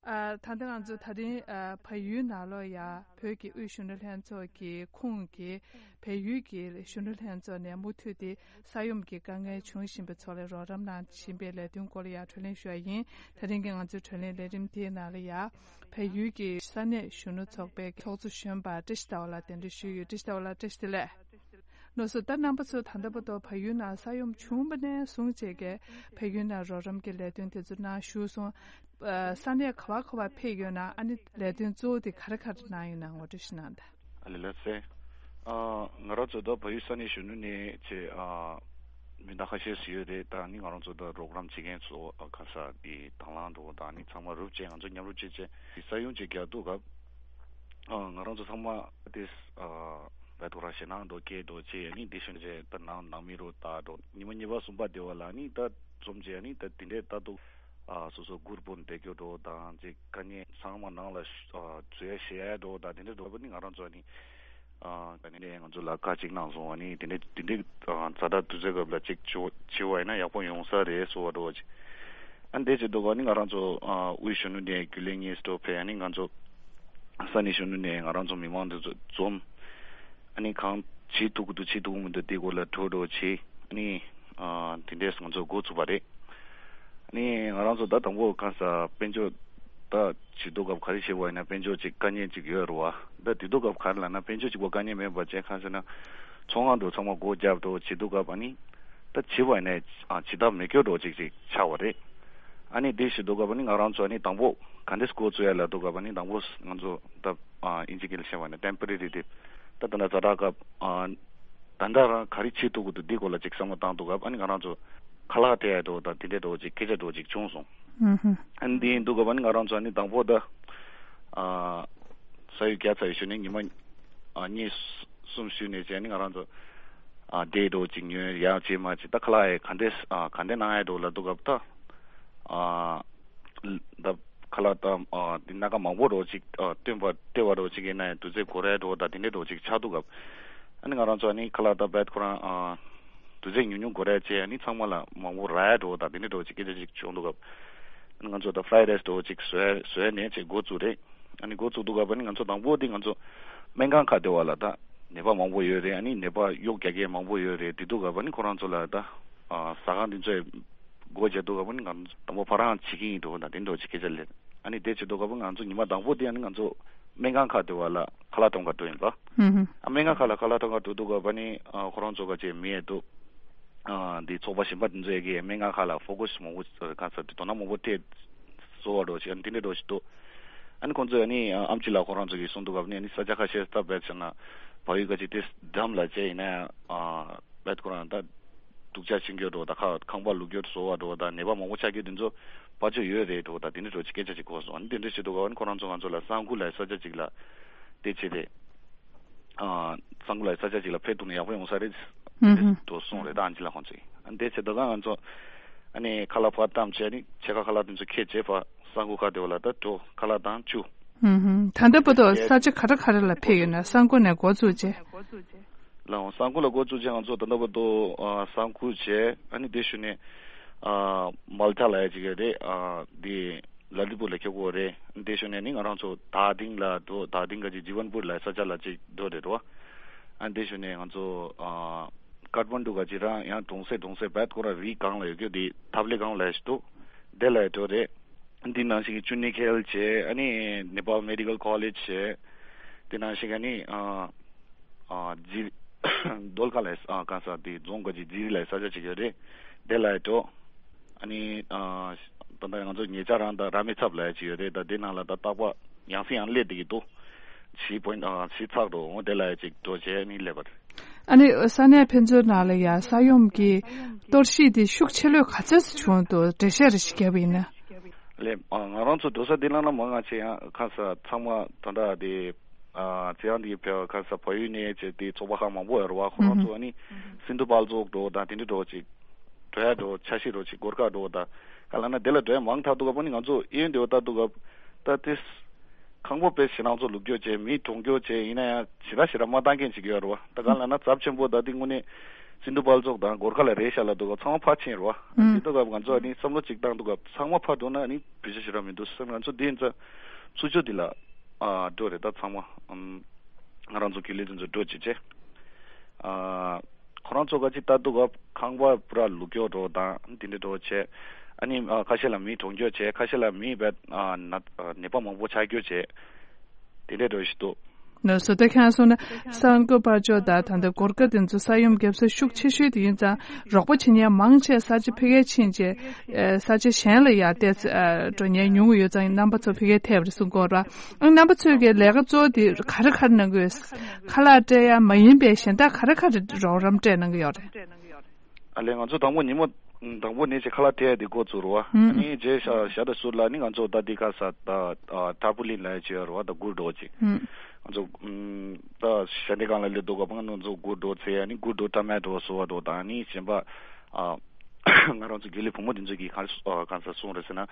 ཨ། ད་ལྟ་ང་ཚོ་ད་རིང་ཨ་བལ་ཡུལ་ནང་ལོགས་ཡ་བོད་ཀྱི་དབུས་གཞོན་ནུ་ལྷན་ཚོགས་ཀྱི་ཁོངས་ཀྱི་བལ་ཡུལ་གྱི་གཞོན་ནུ་ལྷན་ཚོགས་ནས་མུ་མཐུད་དེ་ས་ཡོམ་གྱི་དཀའ་ངལ་བྱུང་བཞིན་པའི་ཚོགས་ལ་རོགས་རམ་གནང་བཞིན་པའི་ལས་དོན་སྐོར་ལ་ཡ་བགྲོ་གླེང་ཞུ་ཡ་ཡིན། ད་རིང་གི་ང་ཚོའི་བགྲོ་གླེང་ལས་རིམ་དེའི་ནང་ལ་ཡ་བལ་ཡུལ་གྱི་ས་གནས་གཞོན་ནུ་ཚོགས་པའི་ཚོགས་གཙོ་གཞོན་པ་བཀྲ་ཤིས་ཟླ་བ་ལགས་གདན་འདྲེན་ཞུས་ཡོད། བཀྲ་ཤིས་ཟླ་བ་ལགས་བཀྲ་ཤིས་བདེ་ལེགས། ལགས་སོ། ད་རྣམ་པ་ཚོ་ད་ལྟ་བར་དུ་བལ་ཡུལ་ནང་ས་ཡོམ་བྱུང་བ་ནས་བཟུང་བྱས་ཀྱི་བལ་ཡུལ་ནང་རོགས་རམ་གྱི་ལས་དོན་དེ་ཚོ་གནང་ཞུས་སོང་། ཨ། ས་གནས་ག་བ་ག་བ་ཕེབས་ཡོད་ན། ཨ་ནི་ལས་དོན་གཙོ་བོ་དེ་ག་རེ་ག་རེ་གནང་ཡོད་ན་ངོ་སྤྲོད་ཞིག་གནང་དང་། ཨ་ལེ་ལགས་སེ། ཨ། ང་རང་ཚོ་ད་བལ་ཡུལ་ས་གནས་གཞོན་ནུ་ནས་ཆེ། ཨ། མི་སྣ་ཁ་ཤས་ཤིག་ཡོད་རེད། ད་ནི་ང་རང་ཚོ་ད་རོགས་རམ་བྱེད་མཁན་ཚོ་ག་ས་དེ་དང་བླངས་འགྲོ་ད་ནི་ཚང་མ་རུབ་བྱས་ང་ཚོ་མཉམ་རུབ་བྱས་བྱས་ས་ཡོམ་ཅིག་རྒྱག་འདུག་ག་ཨ། ང་རང་ཚོ་ཚང་མ་དེ་ཨ་བད་ཐོ་ར་ཞེ་ནང་འགྲོ་སྐད་འགྲོ་ཆེ་ནི་དེ་ཤོན་ཆེ་ད་ནང་ནང་མི་རུ་ད་འགྲོ་ཉི་མ་གཉིས་པ་གསུམ་པ་དེ་བ་ལ་ནི་ད་འཛོམས་ཆེ་ནི་ད་དེ་འདྲས་ད་འདུག་ཨ། སོ་སོ་གུར་པོ་འདེགས་རྒྱུ་འགྲོ་དང་ཅིག་དཀའ་ངལ་ཚང་མ་ནང་ལ་ཨ་བཟོས་ཞེ་ཡ་འགྲོ་ད་དེ་འདྲས་འགྲོ་བ་ནི་ང་རང་ཚོ་ནི་ཨ་ད་ནི་ནས་ང་ཚོ་ལ་བཀའ་གཅིག་གནང་སོང་བ་ནི་དེ་འདྲས་དེ་འདྲས་ཨ་ཛ་དྲག་དུས་ཚོད་སྐབས་ལ་ཅིག་བྱེད་བྱེད་བ་ཡིན་ན་ཡག་པོ་ཡོང་ས་རེད་སོ་བ་འགྲོ་བ་ཅིག་ཨ་འདས་ཀྱི་འདུག་ག་ནི་ང་རང་ཚོ་ཨ་དབུས་གཞོན་ནུ་ནས་རྒྱུན་ལས་གཉིས་སུ་འགྲོ་ཕེ་ཨ་ནི་ང་ཚོ་ས་གནས་གཞོན་ནུ་ནས་ང་རང་ཚོ་མི་མང་འདི་ཚོ་འཛོམས། ཨ་ནི་གང་བྱེད་ཐུབ་ཀྱི་འདུག་བྱེད་ཐུབ་ཀྱི་མི་འདུག་དེ་སྐོར་ལ་གྲོས་གྲོས་བྱེད། ཨ་ནི་ཨ་དེ་འདྲས་ང་ཚོ་འགོ་ཚུགས་པ་རེད། ཨ་ནི་ང་རང་ཚོ་ད་དང་པོ་གང་ས་དཔལ་འབྱོར་ད་བྱེད་དུས་སྐབས་ག་རེ་བྱེད་པ་ཡིན་ན་དཔལ་འབྱོར་ཅིག་དཀའ་ངལ་ཅིག་ཡོད་རེད་བ། ད་དེ་དུས་སྐབས་ག་རེ་ལབ་ན་དཔལ་འབྱོར་ཅིག་པོ་དཀའ་ངལ་མེད་པ་བྱས་གང་ཟེར་ན་ཚོང་ཁང་དུ་ཚང་མ་སྒོ་བརྒྱབ་འགྲོ་བྱེད་དུས་སྐབས་ཨ་ནི། ད་བྱེད་པ་ནས་ཨ་བྱེད་ཐབས་མེད་སྐྱོ་འགྲོ་ཅིག་ཅིག་ཆགས་པ་རེད། ཨ་ནི་དེ་བྱེད་དུས་སྐབས་ཨ་ནི་ང་རང་ཚོ་ཨ་ནི་དང་པོ་ག་འདྲས་འགོ་བཙུགས་ཡ་ལབ་དུས་སྐབས་ཨ་ནི་དང་པོ་ང་ཚོ་ད་ཨ་ཨིན་ཇི་སྐད་ལ་བཤད་པ་ནི་ཊེམ་པོ་རེ་རི་རི་ད་ད་ད་ཛ་དྲག་སྐབས་ཨ་ད་ད་རང་ག་རེ་བྱེད་ཐུབ་ཀྱི་འདུག་འདི་སྐོར་ལ་ཅིག་བསམ་བློ་བཏང་དུས་སྐབས་ཨ་ནི་ང་རང་ཚོ་ཁ་ལག་སྟེར་ཡ་འགྲོ་ད་དེ་འདྲས་འགྲོ་ཅིག་སྐད་ཆ་འགྲོ་ཅིག་བྱུང་སོང་། ཨ་ནི་དེ་ཡིན་དུས་སྐབས་ཨ་ནི་ང་རང་ཚོ་ཨ་ནི་དང་པོ་ད་ཨ་ས་ཡོམ་བརྒྱབ་ཚར་བའི་ཤུལ་ནས་ཉི་མ་ཨ་གཉིས་གསུམ་ཤུལ་ནས་བྱས་ནས་ང་རང་ཚོ་ཨ་བསྡད་འགྲོ་ཅིག་ཉོས་ཡག་བྱས་མ་བྱས་ད་ཁ་ལག་ཡ་ག་འདྲས་ཨ་ག་འདྲས་གནང་ཡ་འགྲོ་ལབ་དུས་སྐབས་ད་ཨ་ད་ཁ་ལག་ད་ཨ་འདི་སྣ་ཁ་མང་པོ་འགྲོ་ཅིག་ཨ་སྟོན་པ་སྟེར་བ་འགྲོ་ཅིག་ཡིན་ན་ཡང་དུས་ཚོད་འགོར་ཡ་འགྲོ་ད་དེ་འདྲས་འགྲོ་ཅིག་ཆགས་དུས་སྐབས་ཨ་ནི་ང་རང་ཚོ་ཨ་ནི་ཁ་ལག་ད་བད་ཁོ་རང་ཨ་དུས་ཚོད་ཉུང་ཉུང་འགོར་ཡ་བྱས་ཨ་ནི་ཚང་མ་ལ་མང་པོ་རག་ཡ་འགྲོ་ད་དེ་འདྲས་འགྲོ་ཅིག་སྐད་ཆ་ཅིག་བྱུང་དུས་སྐབས་ཨ་ནི་ང་ཚོ་ད་ཕ་རའི་རའི་སི་འགྲོ་ཅིག་བཟོས་བཟོས་ནས་ཅིག་འགོ་བཙུགས་རེད། ཨ་ནི་འགོ་བཙུགས་དུས་སྐབས་ཨ་ནི་ང་ཚོ་དང་པོ་དེ་ང་ཚོ་སྨན་ཁང་ཁག་དེ་བ་ལ་ད་ནད་པ་མང་པོ་ཡོད་རེད། ཨ་ནི་ནད་པ་གཡོག་རྒྱག་མཁན་མང་པོ་ཡོད་རེད། དེ་དུས་སྐབས་ཨ་ནི་ཁོ་རང་ཚོ་ལ་ད་ཨ་ཟ་ཁང་དེ་ཚོས་སྒོ་རྒྱག་དུས་སྐབས་ཨ་ནི་ང་ཚོ་དང་པོ་ཕ་རང་བྱེད་ཀྱི་ཡིན་འགྲོ་ད་དེ་འདྲ་ཅིག་སྐད་ཆ་ལབ། ཨ་ནི་དེ་བྱེད་དུས་སྐབས་ང་ཚོ་ཉི་མ་དང་པོ་དེ་ཨ་ནི་ང་ཚོ་སྨན་ཁང་ཁག་དེ་བ་ལ་ཁ་ལག་སྟོན་ག་འགྲོ་ཡིན་པ། ཨ་སྨན་ཁང་ཁག་ལ་ཁ་ལག་སྟོན་ག་འགྲོ་དུས་སྐབས་ཨ་ནི་ཨ་ཁོ་རང་ཚོ་ག་ཅེ་མི་ཡས་འདུག་ཨ་འདི་ཚོགས་པ་གཞན་པ་དེ་ཚོ་ཡ་གི་སྨན་ཁང་ཁག་ལ་ཕོ་ཀ་སི་མང་པོ་ག་ས་དེ་དོ་སྣང་མང་པོ་སྤྲད་བཟོ་བ་འགྲོ་ཞིག་ཨ་ནི་དེ་འདྲ་འགྲོ་ཞིག་འདུག་ཨ་ནི་ཁོང་ཚོས་ཨ་ནི་ཨ་ཨམ་ཆི་ལགས་ཁོ་རང་ཚོ་གིས་གསུངས་དུས་སྐབས་ནི་ཨ་ནི་ས་ཆ་ཁ་ཤས་སྟབས་བདེ་བྱས་ན་བལ་ཡུལ་ག་ཅིག་དེ་འགྲམ་ལ་བྱས་ཡིན་ན་ཡང་ཨ་བད་ཁོ་རང་ད་སྡུག་ཅག་ཕྱིན་རྒྱུ་འགྲོ་ད་ཁ་ཁང་པ་ལུག་རྒྱུ་བཟོ་བ་འགྲོ་ད་ནད་པ་མང་པོ་ཆགས་རྒྱུ་དེ་ཚོ་ཕར་ཆོད་ཡོད་རེད་འགྲོ་ད་དེ་འདྲ་འགྲོ་ཅིག་སྐད་ཆ་ཅིག་གོ་སོང་། ཨ་ནི་དེ་འདྲ་བྱེད་དུས་སྐབས་ཨ་ནི་ཁོ་རང་ཚོ་ང་ཚོ་ལ་གསང་ཁུག་ལ་ས་ཆ་ཅིག་ལ་དེ་བྱས་ཏེ། ཨ་གཙང་པོ་ལ་ས་ཆ་ཅིག་ལ་ཕེབས་ཐུབ་ན་ཡག་པོ་ཡོང་ས་རེད། ཨུ་ཧུམ། དུ་གསུངས་རེད་ད་ཨན་ཅི་ལགས་ཁོང་ཚོས། ཨ་དེ་བྱས་དུས་ང་ཚོ་ཨ་ནི་ཁ་ལག་ཕར་བཏང་བྱས་ནི་ཕྱེད་ཀ་ཁ་ལག་དེ་ཚོ་ཁྱེར་བྱས་ཕར་གསང་ཁུག་ཁ་དེ་བ་ལ་ད་འགྲོ་ཁ་ལག་དང་བཅུ། ཨུ་ཧུམ། ད་ལྟ་བར་དུ་ས་ཆ་ག་རེ་ག་རེ་ལ་ཕེབས་ཡོད་ན་གསང་ཁུག་ནས་འགོ་བཙུགས་བྱས། ལགས་འོང་གསང་ཁུག་ལ་འགོ་བཙུགས་བྱས་ང་ཚོ་ད་ལྟ་བར་དུ་ཨ་གསང་ཁུག་བྱས་ཨ་ནི་དེ་ཞུ་ནས་ཨ་མལ་ཐ་ལ་ཡ་ཅིག་ཡོད་རེད་ཨ་དེ། ལ་ལི་པུར་ལ་ཁྱེད་གོ་རེད། འདི་ཞུ་ནས་ནི་ང་རང་ཚོ་དར་ལྡིང་ལ་འགྲོ་དར་ལྡིང་ག་ཅིག་ཇི་ཝན་པུར་ལ་ས་ཆ་ལ་ཅིག་འགྲོ་རེད་རོ། ཨ་འདི་ཞུ་ནས་ང་ཚོ་ཨ་ ཀཏ་མན་ཌུ་ག་ཅིག་རང་ཡང་གྲོང་གསེབ་གྲོང་གསེབ་བེད་ཁོ་རང་རི་སྒང་ལ་ཡོད་རྒྱུ་དེ་ཐབ་ལེ་སྒང་ལ་ཞིག་འདུག་དེ་ལ་འགྲོ་རེད། འདི་ནང་བཞིན་གྱི་ཅུ་ནི་ཁེལ་བྱས། ཨ་ནི་ནེ་པཱལ་མེ་ཌི་ཀལ་ཀོ་ལེཇ་བྱས། དེ་ནང་བཞིན་གྱི་ཨ་ནི་ཨ་ཨ་ཇི་རྡོལ་ཁ་ལ་ཨ་གང་ས་དེ་རྫོང་ག་ཅིག་ཇི་རི་ལ་ས་ཆ་ཅིག་ཡོད་རེད། དེ་ལ་འགྲོ། ཨ་ནི་ཨ་ད་ལྟ་ང་ཚོ་ཉེ་ཆར་རང་ད་ར་མེ་ཚབ་ལ་ཅིག་ཡོད་རེད། ད་དེ་ནང་ལ་ད་རྟག་པར་ཡང་སེ་ཡང་སླེབས་བསྡད་ཀྱི་འདུག་བཞི་པོ་ཨ་བཞི་ཚག་འགྲོ་འོང་། དེ་ལ་ཅིག་འགྲོ་བྱས་ནི་སླེབས་པ་རེད། ཨ་ནི་ས་གནས་ཕན་ཚུན་ནང་ལ་ཡང་ས་ཡོམ་གྱི་གཏོར་བཤིག་དེ་ཤུགས་ཆེ་ལོས་ག་ཚོད་ཙམ་བྱུང་འདུག་འགྲེལ་བཤད་རེ་ཞིག་བརྒྱབ་པ་ཡིན་ན། ལས་ཨ་ང་རང་ཚོ་འགྲོ་ས་འདི་ལ་ན་མང་ང་ཆེ་ཡང་ཁ་ས་ཚང་མ་ད་ལྟ་དེ་ཨ་ཚེ་ཡང་དེ་བས་ཁ་ས་བལ་ཡུལ་ནས་བྱས་ཏེ་ཚོགས་པ་ཁག་མང་པོ་ཡོད་རེད་བ། ཁོ་རང་ཚོ་ཨ་ནི་སིན་དྷུ་བལ་ཙོག་འགྲོ་དང་དེ་འདྲ་འགྲོ་ཅིག་འགྲོ་ཡ་འགྲོ་འཆར་གཞི་འགྲོ་ཅིག་སྒོར་ཁ་འགྲོ་དང་ག་ལ་ན་དེ་ལ་འགྲོ་ཡ་མང་ཐག་འདུག་ག་ཕ་ནི་ང་ཚོ་གཡས་གཡོན་དེ་བ་ལྟ་འདུག་ག་ད་དེ། ཁང་པ་དཔེ་ཞེ་ནང་ཚོ་ལུག་སྐྱོ་བྱས་མི་གྲོངས་སྐྱོ་བྱས་ཡིན་ན་ཡང་ཞེ་དྲག་ཞེ་དྲག་མ་བཏང་མཁན་ཅིག་ཡོད་རེད་བ། ད་ག་ལ་ན་ཚབས་ཆེན་པོ་ད་དེ་དངོས་གནས་སིན་དྷུ་བལ་ཙོག་དང་སྒོར་ཁ་ལ་རེད་ཤག་ལ་འདུག་ག་ཚང་མ་ཕར་ཕྱིན་རེད་བ། ཨུམ། དེ་འདུག་ག་ང་ཚོ་ཨ་ནི་བསམ་བློ་ཅིག་བཏང་འདུག་ག་ཚང་མ་ཕར་འགྲོ་ན་ཨ་ནི་བེད་སྤྱོད་ཞེ་དྲག་མི་འདུག་བསམ། ང་ཚོ་དེ་ཡིན་ཙང་ཚུར་ཕྱོགས་དེ་ལ་ཨ་འགྲོ་རེད། ད་ཚང་མ་ཨམ་ང་རང་ཚོ་གི་ལས་དོན་ཚོ་འགྲོ་བྱེད་བྱས་ཨ། ཁོ་རང་ཚོ་ག་ཅིག་ལྟ་འདུག་ག་ཁང་པ་པུ་ར་ལུག་སྐྱོ་འགྲོ་དང་དེ་འདྲ་འགྲོ་བྱས། ཨ་ནི་ཨ་ཁ་ཤས་ལ་མི་གྲོངས་སྐྱོ་བྱས། ཁ་ཤས་ལ་མི་བས་ཨ་ན་ཨ་ནད་པ་མང་པོ་ཆགས་སྐྱོ་བྱས། དེ་འདྲ་འགྲོ་བཞིན་འདུག་ནོ་སོ་ད་ཁྱང་སོང་ན་ས་འགོ་པར་ཅོ་ད་ད་འདི་སྒོར་ཀ་དེ་ཚོ་ས་ཡོམ་བརྒྱབ་ས་ཤུགས་ཆེ་ཤོས་དེ་ཡིན་ཙང་རོགས་པ་བྱེད་མཁན་མང་ཆེ་ས་ཆ་ཕ་གིར་ཕྱིན་བྱས་ས་ཆ་གཞན་ལ་ཡར་བལྟས་འགྲོ་མཁན་ཉུང་ངུ་ཡོད་ཙང་རྣམ་པ་ཚོ་ཕ་གིར་ཐེབས་རེད་གསུང་གི་ཡོད་རེད་བ། རྣམ་པ་ཚོས་ཀྱི་ལས་ཀ་གཙོ་བོ་དེ་ག་རེ་ག་རེ་གནང་གི་ཡོད། ཁ་ལག་སྤྲད་ཡ་མ་ཡིན་པའི་གཞན་དག་ག་རེ་ག་རེ་རོགས་རམ་སྤྲད་གནང་གི་ཡོད་རེད། ཨ་ལས་ང་ཚོ་དང་པོ་ཉིན་མོ་དང་པོ་ནས་ཅིག་ཁ་ལག་སྤྲད་ཡ་དེ་འགོ་བཙུགས་རེད་བ། ཨ་ནི་རྗེས་ཤ་ཤ་ད་ཟུར་ལ་ནི་ང་ཚོ་ད་དེ་ཁ་ས་ད་ཨ་ཏར་པོ་ལིན་ལ་ཡ་ཅིག་ཡོད་རེད་བ། ད་སྒུར་འགྲོ་ཅིག་ང་ཚོ་ཨམ་ད་ཞ་འདྲེ་སྒང་ལ་སླེབས་འདུག་ག་ང་ཚོ་སྒུར་འགྲོ་ཚེ་ཨ་ནི་སྒུར་འགྲོ་ཏྲ་མེ་ཊོ་སོ་བ་འགྲོ་དང་ཨ་ནི་གཞན་པ་ཨ། ང་རང་ཚོ་དགེ་ལས་བུ་མོ་འདི་ཚོ་གིས་གང་གང་ས་གསུངས་རེད་ཟེར་ན།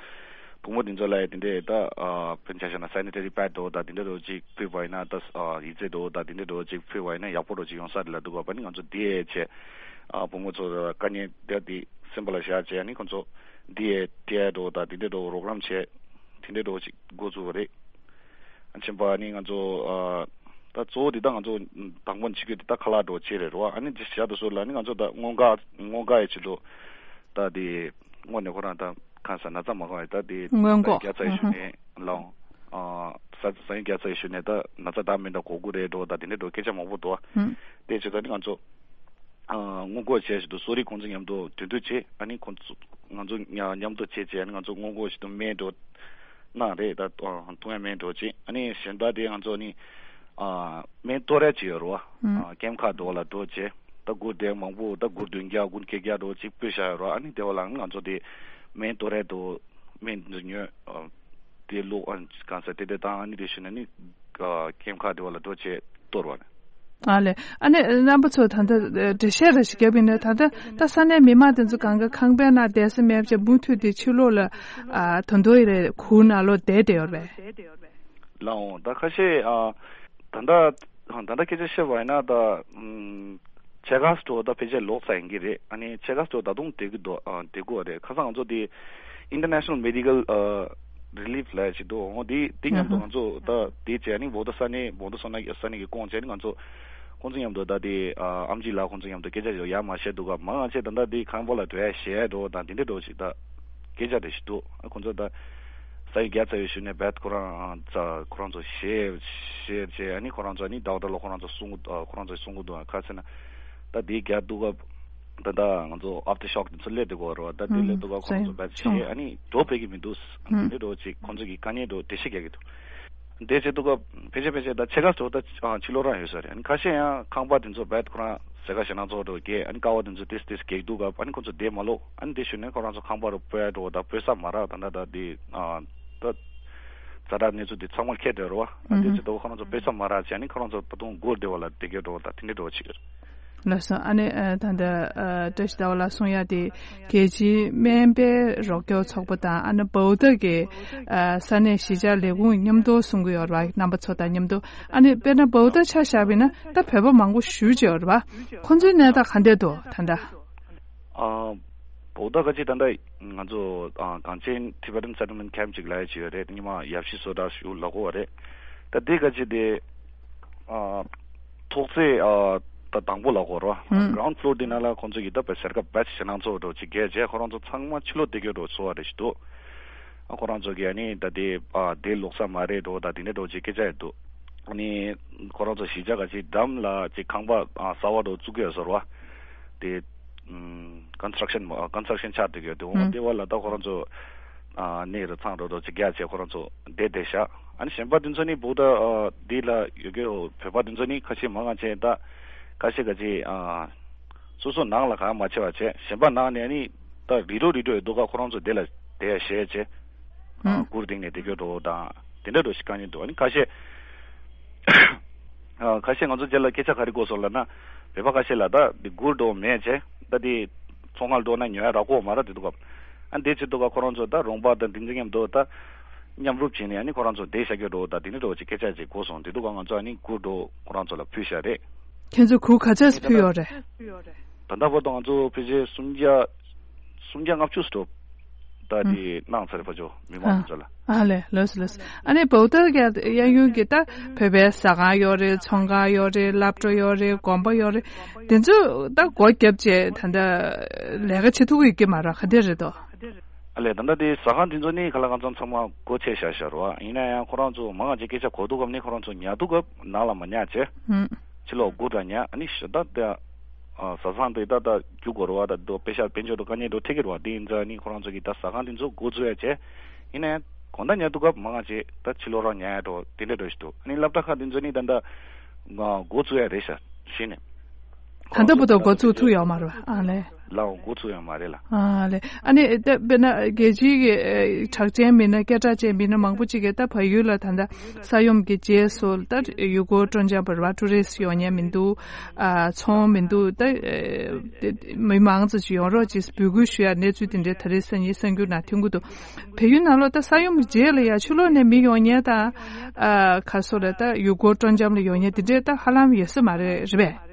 བུ་མོ་འདི་ཚོ་ལ་ཡ་དེ་འདྲས་ད་ཨ་དཔེར་ན་ཆ་བཞག་ན་སེ་ནི་ཊ་རི་པེ་ཌི་འདྲ་བོ་དང་དེ་འདྲས་འདྲ་བོ་ཅིག་ཕུལ་བ་ཡིན་ན་ད་ཨ་ཡི་ཙི་འདྲ་བོ་དང་དེ་འདྲས་འདྲ་བོ་ཅིག་ཕུལ་བ་ཡིན་ན་ཡག་པོ་འདྲ་བོ་ཅིག་ཡོང་ས་རེད་ལབ་འདུག་ག་ཕ་ནི་ང་ཚོ་འདི་ཡས་བྱས་ཨ་བུ་མོ་ཚོ་ལ་དཀའ་ངལ་དེ་དེ་སེམས་པ་ལ་བཞག་བྱས་ཨ་ནི་ཁོང་ཚོ་འདི་ཡས་དེ་ཡས་འདྲ་བོ་དང་དེ་འདྲས་འདྲ་བོ་རོགས་རམ་བྱས་དེ་འདྲས་འདྲ་བོ་ཅིག་འགོ་བཙུགས་པ་རེད། ཨ་ཆེན་པ་ནི་ང་ཚོ་ཨ་ད་གཙོ་བོ་འདི་ད་ང་ཚོ་དང་པོ་ནས་བྱེད་རྒྱུ་འདི་ད་ཁ་ལག་འདྲ་བོ་བྱེད་རེད་རོ། ཨ་ནི་འདི་བྱ་དུ་སོ་ལ་ནི་ང་ཚོ་ད་སྔོན་འགོག་སྔོན་འགོག་ཡི་ཆེད་དུ་ད་དེ་སྔོན་ནས་ཁོ་རང་ད་གང་ཟེར་ན་ཚ་མ་གང་ཡི་ད་དེ་སྔོན་འགོག་རྒྱ་ཚ་ཡི་ཞུ་ནས་ལའོ་ཨ་ས་ས་ཡི་རྒྱ་ཚ་ཡི་ཞུ་ནས་ད་ན་ཚ་ད་མི་འདྲ་གོ་གུ་རེད་འགྲོ་ད་དེ་འདྲ་འགྲོ་སྐད་ཆ་མང་པོ་འདུག་དེ་བྱེད་ད་ནི་ང་ཚོ་ཨ་སྔོན་འགོག་བྱས་ཞེས་དུ་གསོ་རིག་ཁོང་ཚོ་མཉམ་དུ་དོན་དུ་བྱེད། ཨ་ནི་ཁོང་ཚོ་ང་ཚོ་མཉམ་དུ་བྱེད་བྱས་ཨ་ནི་ང་ཚོ་སྔོན་འགོག་ཞིག་ཏུ་སྨན་འགྲོ་གནང་རེད། ད་འཐུང་ཡ་སྨན་འགྲོ་བྱེད། ཨ་ནི་གཞན་དག་དེ་ང་ཚོ་ནི་ཨ་སྨན་གཏོར་ཡ་ཅིག་ཡོད་རེད་བ། ཨ་ཀེམ་ཁག་འགྲོ་བ་ལ་འགྲོ་བྱེད། ད་སྒོར་དེ་མང་པོ་ད་སྒོར་བདུན་བརྒྱ་སྒོར་བརྒྱད་བརྒྱ་འགྲོ་ཅིག་སྤྲད་བཞག་ཡོད་རེད་བ། ཨ་ནི་དེ་བ་ལ་ང་ཚོ་དེ་སྨན་གཏོར་ཡ་འགྲོ་སྨན་འདི་ཉོས་ཨ་དེ་ལོ་ཨ་གང་ཟེར་དེ་དེ་དང་ཨ་ནི་དེ་ཞུ་ན་ནི་ཨ་ཀེམ་ཁག་དེ་བ་ལ་འགྲོ་བྱེད་གཏོར་བ་རེད། ཨ་ལས། ཨ་ནི་རྣམ་པ་ཚོ་ད་ལྟ་འགྲེལ་བཤད་རེ་ཞིག་བརྒྱབ་ཡིན་ན་ད་ལྟ་ད་ས་གནས་མི་མང་དེ་ཚོ་གང་ག་ཁང་པའི་ནང་བསྡད་ས་མེད་པ་བྱས་མུ་མཐུད་དེ་ཕྱི་ལོགས་ལ་ཨ་ད་དུང་ཡི་རེ་ཁུག་ནང་ལོགས་བསྡད་བསྡད་ཡོད་རེད་པས། ལའོ་ད་ཁ་ཤས་ཨ་ད་ལྟ་ད་ལྟ་སྐད་ཆ་བཤད་པ་ཡིན་ན་ད་ཨམ་ཆེ་ག་སྟོ་ད་ཕལ་ཆེར་ལོག་ཚར་ཡིན་གྱི་རེད། ཨ་ནི་ཆེ་ག་སྟོ་ད་དུང་བསྡད་ཀྱི་འདུག་ཨ་བསྡད་དགོས་རེད། ཁ་སང་ང་ཚོ་དེ་International Medical ཨ་Relief ལ་ཞིག་འདུག་འོ་དེ་དེ་མཉམ་དུ་ང་ཚོ་ད་དེ་བྱས་ཨ་ནི་བོ་ད་ས་གནས་བོ་ད་སོ་ན་ས་གནས་ཀྱི་ཁོངས་བྱས་ནི་ང་ཚོ་ཁོང་ཚོ་མཉམ་དུ་ད་དེ་ཨ་ཨམ་ཆི་ལགས་ཁོང་ཚོ་མཉམ་དུ་སྐད་ཆ་ཞིག་ཡར་མར་བཤད་འདུག་ག་མ་ང་ཚོས་ད་ལྟ་དེ་ཁང་པ་ལ་འགྲོ་ཡ་ཞེད་འགྲོ་དང་དེ་འདྲ་འགྲོ་ཞིག་ད་སྐད་ཆ་དེ་ཞིག་འདུག་ཨ་ཁོང་ཚོ་ད་ས་ཡི་རྒྱ་ཚ་ཡི་ཞུ་ནས་བད་ཁོ་རང་ཚ་ཁོ་རང་ཚོ་ཞེད་ཞེད་བྱས་ཨ་ནི་ཁོ་རང་ཚོ་ཨ་ནི་ཌོག་ཊར་ལ་ཁོ་རང་ཚོ་གསུང་གི་ཨ་ཁོ་རང་ཚོ་གསུང་གི་འདུག་ཨ་ཁ་ཚེ་ན་ད་དེ་རྒྱ་འདུག་ག་ད་ལྟ་ང་ཚོ་ཨབ་ཏི་ཤོག་དེ་ཚོ་སླེབས་འདུག་གོ་རོ། ད་དེ་སླེབས་འདུག་ག་ཁོ་རང་ཚོ་བད་ཞེད་ཨ་ནི་འགྲོ་ཕེབས་ཀྱི་མི་འདུག་ཨ་ནི་འགྲོ་ཅིག་ཁོང་ཚོ་གི་དཀའ་ངལ་འགྲོ་འགྲེལ་བཤད་རྒྱག་གི་འདུག་དེ་བྱེད་འདུག་སྐབས་ཕལ་ཆེར་ཕལ་ཆེར་ད་ཕྱེད་ཀ་ཙམ་ད་ཕྱི་ལོགས་རང་ཡོད་ས་རེད། ཨ་ནི་ཁ་ཤས་ཡང་ཁང་པ་དེ་ཚོ་བད་ཁོ་རང་ཟེ་ཀ་ཞེ་ན་ཚོགས་འགྲོ་གས་ཨ་ནི་ཀ་བ་དེ་ཚོ་ཏིས་ཏིས་གེགས་འདུག་སྐབས་ཨ་ནི་ཁོ་ཚོ་བསྡད་མ་ལོག་ཨ་ནི་དེ་ཞུ་ནས་ཁོ་རང་ཚོ་ཁང་པ་རུ་སྤོ་ཡ་འགྲོ་ད་སྤོ་ས་མ་རག་ད་ད་ད་དེ་ད་ཛ་དྲག་གནས་ཚུལ་དེ་ཚང་མར་ཁྱེར་བསྡད་རོ། ཨ་དེ་ཚོ་ད་ཁོ་རང་ཚོ་སྤོ་ས་མ་རག་བྱས་ཨ་ནི་ཁོ་རང་ཚོ་ད་དུང་སྒོ་བདེ་བ་ལ་བསྡད་གས་འགྲོ་ད་དེ་འདྲས་འགྲོ་ཆེ་གི་རེད། ལགས་སོ། ཨ་ནི་ཨ་ད་ལྟ་ཨ་བཀྲ་ཤིས་ཟླ་བ་ལགས་གསུང་ཡ་དེ་རྒྱལ་སྤྱིའི་སྨན་པའི་རོགས་སྐྱོར་ཚོགས་པ་དང་ཨ་ནི་བའུ་ཏ་གི་ཨ་ས་གནས་གཞིས་ཆགས་ལས་ཁུངས་མཉམ་དུ་གསུང་གི་ཡོད་རེད་བ། རྣམ་པ་ཚོ་དང་མཉམ་དུ་ཨ་ནི་དཔེར་ན་བའུ་ཏ་ཆ་བཞག་པ་ཡིན་ན་ད་བོད་པ་མང་པོ་ཞེ་ཅིག་ཡོད་རེད་བ། ཁོང་ཚོའི་གནས་སྟངས་ག་འདྲས་འདུག་ད་ལྟ། ཨ་བའུ་ཏ་ག་ཅིག་ད་ལྟ་ང་ཚོ་ཨ་གངས་ཅན་Tibetan Settlement Camp ཅིག་ལ་ཡ་ཅིག་ཡོད་རེད། ཉི་མ་ཡབ་གཞིས་བཟོ་གྲྭ་ཞུ་ལ་གོ་བ་རེད། ད་དེ་ག་ཅིག་དེ་ཨ་ཐོག་བརྩེགས་ཨ་ ད་དང་པོ་ལ་གོ་རོ། ཧུམ། གྷ་རའུན་ཌི་ཕློར་དེ་ནང་ལ་ཁོང་ཚོ་གིས་ད་པེ་སར་ཀ་བེ་ཆི་ཞེ་ནང་ཚོ་འགྲོ་ཅིག་རྒྱལ་རྗེས་ཁོ་རང་ཚོ་ཚང་མ་ཕྱི་ལོགས་བསྡད་རྒྱུ་འགྲོ་ཚོ་བ་རེ་ཞིག་འདུག་ཨ་ཁོ་རང་ཚོ་གིས་ཨ་ནི་ད་དེ་ཨ་དེ་ལོག་ས་མ་རེད་འགྲོ་ད་དེ་འདྲ་འགྲོ་ཅིག་སྐད་ཆ་ཡོད་འདུག་ཨ་ནི་ཁོ་རང་ཚོ་གཞིས་ཆགས་ག་ཅིག་འགྲམ་ལ་ཅིག་ཁང་པ་ཨ་གསར་བ་འགྲོ་བཙུགས་ཀྱི་ཡོད་ཟེར་བ་དེ། ཀོན་སི་ཊྲག་ཤན་ཀོན་སི་ཊྲག་ཤན་ཆགས་བསྡད་ཡོད་དེ་འོང་དེ་བ་ལ་ད་ཁོ་རང་ཚོ་ཨ་གནས་རི་ཚང་འགྲོ་འགྲོ་ཅིག་རྒྱ་ཆེ་ཁོ་རང་ཚོ་བསྡད་བསྡད་ཤག་ཨ་ནི་གཞན་པ་དེ་ཚོ་ནི་བུ་ད་འདི་ལ་ཡོད་ཀྱི་ཡོད་བོད་པ་དེ་ཚོ་ནི་ཁ་ཤས་མང་ང་ཆེ་ད་ཁ་ཤས་ག་ཅི་ཨ་སོ་སོ་ནང་ལ་གང་མ་ཆེ་བ་བྱས་གཞན་པ་ནང་ནས་ནི་ད་རི་རོ་རི་རོ་ཡོད་འདུག་ག་ཁོ་རང་ཚོ་དེ་ལ་བསྡད་ཤེས་བྱས་ཨ་གུར་སྟེང་ནས་བསྡད་ཀྱི་འགྲོ་དང་དེ་འདྲ་འགྲོ་ཞིག་གང་ཡིན་འདུག་ཨ་ནི་ཁ་ཤས། ཨ་ཁ་ཤས་ང་ཚོ་རྗེས་ལ་སྐད་ཆ་ག་རེ་གོ་སོང་ལབ་ན། བོད་པ་ཁ་ཤས་ལ་ད་འདི་སྒུར་འགྲོ་མེད་བྱས་ད་འདི་ཚོང་ཁང་འགྲོ་ན་ཉོ་ཡ་རག་གོ་མ་རག་དེ་འདུག་གམ། ཨ་འདི་ཅི་འདུག་ག་ཁོ་རང་ཚོ་ད་རོང་པ་དང་འདི་འཛིན་མཉམ་དུ་ད་མཉམ་རུབ་བྱས་ནས་ཨ་ནི་ཁོ་རང་ཚོ་བསྡད་བཞག་གི་འགྲོ་ད་དེ་འདྲ་འགྲོ་ཅིག་སྐད་ཆ་ཅིག་གོ་སོང་དེ་འདུག་ག་ང་ཚོ་ཨ་ནི་སྒུར་འགྲོ་ཁོ་རང་ཚོ་ལ་ཕུལ་བཞག་རེད། ཁྱེད་ཚོས་གུར་ག་ཚོད་ཕུལ་ཡོད་རེད། ད་ལྟ་བར་དུ་ང་ཚོ་ཕལ་ཆེར་སུམ་བརྒྱ་སུམ་བརྒྱ་ལྔ་བཅུ་ཙམ་ད་དེ་གནང་ཚར་ཕ་ཇོ་མི་མང་ཚོ་ལ། ཨ་ལས་ལོས་ལོས། ཨ་ནི་བོད་དར་གྱི་གཡས་གཡོན་གྱི་ད་བོད་པའི་ཟ་ཁང་ཡོད་རེད། ཚོང་ཁང་ཡོད་རེད། སློབ་གྲྭ་ཡོད་རེད། དགོན་པ་ཡོད་རེད། དེ་ཚོ་ད་སྒོ་བརྒྱབ་བྱས་ད་ལྟ་ལས་ཀ་བྱེད་ཐུབ་ཀྱི་ཡོད་ཀྱི་མ་རེད། ག་འདྲ་རེད་དོ། ཨ་ལས་ད་ལྟ་དེ་ཟ་ཁང་དེ་ཚོ་ནི་ག་ལ་གང་འཚམ་ཚང་མ་སྒོ་ཕྱེ་བཞག་བཞག་རེད་བ། ཡིན་ན་ཡང་ཁོ་རང་ཚོ་མང་ང་ཅིག་སྐད་ཆ་གོ་འདུག་གམ་ནི་ཁོ་རང་ཚོ་ཉལ་འདུག་གམ་ནང་ལ་མ་ཉལ་བྱས། ཕྱི་ལོགས་སྒུར་དང་ཉལ་ཨ་ནི་ཞོ་ད་ལྟ་ཨ་ཟ་ཁང་དེ་ད་ལྟ་རྒྱུག་དགོས་རེད་བ། ད་དོ་དཔེ་ཤག་དཔལ་འབྱོར་དུ་དཀའ་ངལ་འགྲོ་ཐེབས་ཀྱི་རེད་བ། དེ་ཡིན་ཙང་ནི་ཁོ་རང་ཚོ་གིས་ད་ཟ་ཁང་དེ་ཚོ་སྒོ་བཙུགས་ཡ་བྱས། ཡིན་ན་ཡང་དགོང་དག་ཉལ་འདུག་སྐབས་མང་ང་ཅིག་ད་ཕྱི་ལོགས་རང་ཉལ་ཡ་འགྲོ་དེ་འདྲ་འགྲོ་ཞིག་འདུག་ཨ་ནི་སློབ་གྲྭ་ཁག་དེ་ཚོ་ནི་ད་ལྟ་སྒོ་བཙུགས་ཡ་རེད་ཤག་གཞི་ནས། ད་ལྟ་བར་དུ་འགོ་བཙུགས་ཐུབ་ཡོད་མ་རེད་བ། ཨ་ལས། ལའོ་འགོ་ཚུགས་ཡོད་མ་རེད་ལ། ཨ་ལས། ཨ་ནི་ད་དཔེར་ན་རྒྱལ་སྤྱིའི་གི་ཨེ་གྲགས་ཅན་མི་སྣ་སྐད་གྲགས་ཅན་མི་སྣ་མང་པོ་ཅིག་གིས་ད་བལ་ཡུལ་ལ་ད་ལྟ་ས་ཡོམ་གྱི་རྗེས་སུ་ད་ཡུལ་སྐོར་སྤྲོ་འཆམ་བར་བ་ཊུ་རི་སི་ཡོང་མཁན་མི་འདུག་ཨ་ཚོང་མི་འདུག་ད་ཨེ་དེ་མི་མང་ཙམ་ཅིག་ཡོང་རོགས་ཅེས་འབོད་སྐུལ་ཞུ་ཡ་གནས་ཚུལ་དེ་འདྲའི་ད་རེས་སང་ཉིན་གསར་འགྱུར་ནང་ཐོན་གྱི་འདུག་བལ་ཡུལ་ནང་ལོགས་ད་ས་ཡོམ་རྗེས་ལ་ཡ་ཕྱི་ལོགས་ནས་མི་ཡོང་མཁན་དང་ཨ་ག་སོ་ལ་ད་ཡུལ་སྐོར་སྤྲོ་འཆམ་ལ་ཡོང་མཁན་དེ་འདྲའི་ད་ཧ་ལམ་ཡོད་ས་མ་རེད། རེད་པས།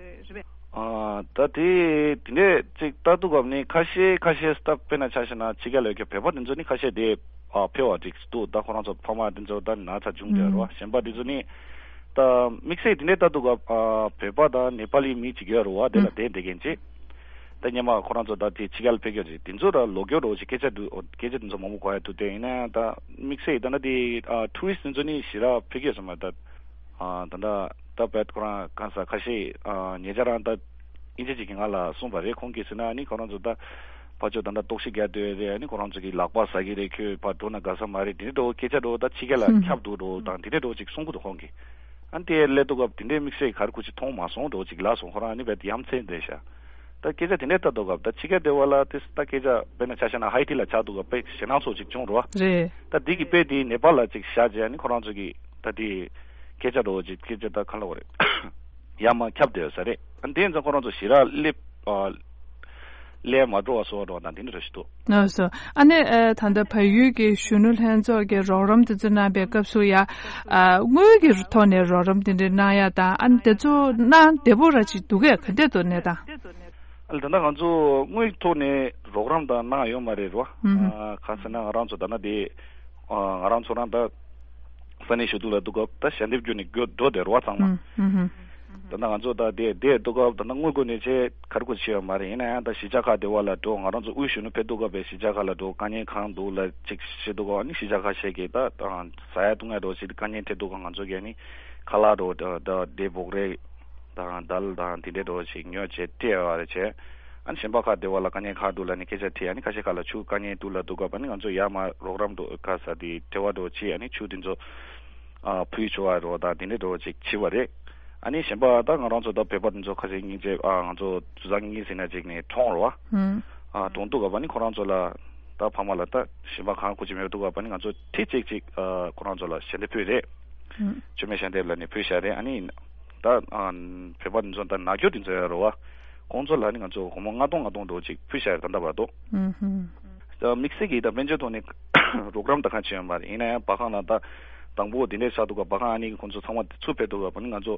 ཨ་ད་དེ་དེ་འདྲས་ཅིག་ལྟ་འདུག་གམ་ནི་ཁ་ཤས་ཁ་ཤས་ད་དཔེར་ན་ཆ་བཞག་ན་ཕྱི་རྒྱལ་ལ་ཡོད་མཁན་བོད་པ་དེ་ཚོ་ནི་ཁ་ཤས་དེ་ཨ་ཕེབས་པ་ཅིག་འདུག་ད་ཁོ་རང་ཚོ་ཕ་མ་དེ་ཚོ་ད་ན་ཚ་བྱུང་བསྡད་རོ། གཞན་པ་དེ་ཚོ་ནི་ད་དམིགས་བསལ་དེ་འདྲས་ལྟ་འདུག་གམ། ཨ་བོད་པ་དང་ནེ་པ་ལི་མི་གཅིག་ཡོད་རེད་བ། དེ་ལ་བསྡད་བསྡད་མཁན་ཅིག་ད་སྔོན་མ་ཁོ་རང་ཚོ་ད་དེ་ཕྱི་རྒྱལ་ཕེབས་མཁན་ཅིག་དེ་ཚོ་ད་ལོ་རྒྱུས་རོ་ཅིག་སྐད་ཆ་འདུག་སྐད་ཆ་དེ་ཚོ་མང་པོ་གོ་ཡ་འདུག་དེ་ཡིན་ན་ཡང་ད་དམིགས་བསལ་ད་ནི་དེ་ཨ་ཊུ་རི་སི་དེ་ཚོ་ནི་ཞེ་དྲག་ཕེབས་ཀྱི་ཡོད་ས་མ་རེད། ད་ཨ་ད་ད་ད་བད་ཁོ་རང་གང་ས་ཁ་ཤས་ཨ་ཉེ་ཆར་རང་ད་དབྱིན་ཇི་ཅིག་གིས་ང་ལ་གསུངས་པ་རེད། ཁོང་གིས་ཟེར་ན་ནི་ཁོ་རང་ཚོ་ད་ཕར་ཕྱོགས་ད་ད་རྟོག་ཞིབ་རྒྱག་སྡོད་རེད། ནི་ཁོ་རང་ཚོ་གིས་ལག་པ་ཟ་གི་རེད། ཁྱོད་ཕར་འགྲོ་ན་དགའ་ས་མ་རེད། དེ་འདྲ་འདྲ་བོ་སྐད་ཆ་འདྲ་བོ་ད་ཕྱི་རྒྱལ་ལ་ཁྱབ་འདུག་འདྲ་བོ་དང་དེ་འདྲ་འདྲ་བོ་ཅིག་གསུང་གི་འདུག་ཁོང་གིས། ཨ་ནི་དེ་སླེབས་དུས་སྐབས་དེ་འདྲའི་དམིགས་བསལ་ག་རེ་ཁུ་ཅིག་མཐོང་མ་སོང་འདྲ་བོ་ཅིག་ལབ་སོང་། ཁོ་རང་ཨ་ནི་བད་ཡ་མཚན་བསྡད་ཤག་ད་སྐད་ཆ་དེ་འདྲའི་ལྟ་འདུག་ག་ད་ཕྱི་རྒྱལ་སྡེ་བ་ལ་དེ་ད་སྐད་ཆ་དཔེར་ན་ཆ་བཞག་ན་ཧའི་ཊི་ལ་ཆགས་འདུག་ག་དཔེ་ཞེད་སྣང་ཚོ་ཅིག་བྱུང་རོ། རེད། ད་འདི་གི་དཔེ་དེ་ནེ་པཱལ་ལ་ཅིག་བཞག་རྗེས་ཨ་ནི་ཁོ་རང་ཚོ་གི་ད་དེ་སྐད་ཆ་འདྲ་བོ་ཅིག་སྐད་ཆ་ད་ག་ལབ་དགོས་རེད། ཡར་མར་ཁྱབ་བསྡད་ཡོད་ས་རེད། ཨ་ནི་དེ་ཡིན་ཙང་ཁོ་རང་ཚོ་ཞེ་དྲག་སླེབས་ཨ་ལས་མ་འགྲོ་བ་བཟོ་བ་འགྲོ་བ་དང་དེ་འདྲ་རེ་ཞིག་འདུག་ལགས་སོ། ཨ་ནི་ཨ་ད་ལྟ་བལ་ཡུལ་གྱི་གཞོན་ནུ་ལྷན་ཚོགས་ཀྱི་རོགས་རམ་དེ་ཚོ་གནང་བའི་སྐབས་སུ་ཡ་ཨ་དངུལ་གྱི་ཐོག་ནས་རོགས་རམ་དེ་འདྲ་གནང་ཡ་དང་ཨ་ནི་དེ་ཚོ་གནང་བདེ་པོ་ར་ཅིག་འདུག་གས། ག་འདྲས་འདུག་གནས་སྟངས། ཨ་ལ་ད་ལྟ་ང་ཚོ་དངུལ་ཐོག་ནས་རོགས་རམ་དང་གནང་ཡོད་མ་རེད་རོ། ཨ་གང་ཟེར་ན་ང་རང་ཚོ་ད་ལྟ་དེ་ཨ་ང་རང་ཚོ་རང་ད་ས་གནས་ཞུ་གཏུག་ལ་འདུག་སྐབས་ད་ཞལ་འདེབས་བརྒྱུད་ནས་འགྲོ་བསྡད་རོ་ཚང་མ། ད་ལྟ་ང་ཚོ་ད་དེ་དེ་འདུག་སྐབས་ད་ལྟ་དངུལ་སྒོ་ནས་ཆེད་ག་རེ་སྐོར་བྱས་ཡོད་མ་རེད། ཡིན་ན་ཡང་ད་གཞིས་ཆགས་ཁག་དེ་བ་ལ་འགྲོ། ང་རང་ཚོ་དབུས་གཞོན་ནུ་ཕེབས་འདུག་སྐབས་པའི་གཞིས་ཆགས་ཁག་ལ་འགྲོ། དཀའ་ངལ་གང་འདུག་ལ་ཅིག་བཤད་འདུག་སྐབས་ཨ་ནི་གཞིས་ཆགས་ཁག་ཤེས་ཀྱི་ད་ཟ་ཡ་བཏུང་ཡ་འགྲོ་ཞིག་དཀའ་ངལ་འཕྲད་འདུག་སྐབས་ང་ཚོ་གིས་ཨ་ནི་ཁ་ལག་འགྲོ་ད་ད་དེ་འབོག་རས་དང་དལ་དང་དེ་འདྲའི་འགྲོ་ཞིག་ཉོ་བྱས་སྤྲད་ཡོད་རེད་བྱས། ཨ་ནི་གཞན་པ་ཁག་དེ་བ་ལ་དཀའ་ངལ་ཁག་འདུག་ལ་ནི་སྐད་ཆ་དྲིས། ཨ་ནི་ཁ་ཤས་ཁག་ལ་ཆུ་དཀའ་ངལ་འདུག་ལ་འདུག་སྐབས་ཨ་ནི་ང་ཚོ་ཡར་མར་རོགས་རམ་འགྲོ་ཁ་ས་དེ་འབྲེལ་བ་འགྲོ་བྱས་ཨ་ནི་ཆུ་དེ་ཚོ་ཨ་ཕུལ་ཆོག་པ་རོ་དང་དེ་འདྲའི་འགྲོ་ཅིག་བྱས་པ་རེད། ཨ་ནི་གཞན་པ་ད་ང་རང་ཚོ་ད་བོད་པ་དེ་ཚོ་ཁ་ཤས་སྙིང་རྗེ་ཨ་ང་ཚོ་དུད་ཚང་གཉིས་ཟིན་ན་ཅིག་ནས་གྲོངས་རོ། ཨ་གྲོངས་འདུག་སྐབས་ཨ་ནི་ཁོ་རང་ཚོ་ལ་ད་ཕ་མ་ལ་ད་གཞན་པ་གང་ཁུ་ཅི་མེད་འདུག་སྐབས་ཨ་ནི་ང་ཚོ་ཁྲི་གཅིག་ཅིག་ཨ་ཁོ་རང་ཚོ་ལ་ཞལ་འདེབས་ཕུལ་རེད། མཆོད་མེ་ཞལ་འདེབས་ལ་ནི་ཕུལ་བཞག་རེད། ཨ་ནི་ད་ཨ་བོད་པ་འདི་ཚོ་ད་ནག་སྐྱོར་འདི་ཚོ་ཡོད་རེད་བ། ཁོང་ཚོ་ལ་ནི་ང་ཚོ་སྒོར་མོ་ལྔ་སྟོང་ལྔ་སྟོང་འདྲ་བོ་ཅིག་ཕུལ་བཞག་རེད་ད་ལྟ་བར་དུ། ཨུ་ཧུམ། ད་དམིགས་བསལ་གྱིས་ད་དཔལ་འབྱོར་ཐོག་ནས་རོགས་རམ་ད་གང་བྱས་ཡོད་མ་རེད། ཡིན་ན་ཡང་བར་ཁང་ལ་ད་དང་པོ་འདི་འདྲས་ཆགས་འདུག་ག་བར་ཁང་ཨ་ནི་ཁོང་ཚོ་ཚང་མ་ཚུར་ཕེབས་འདུག་ག་ཨ་ནི་ང་ཚོ་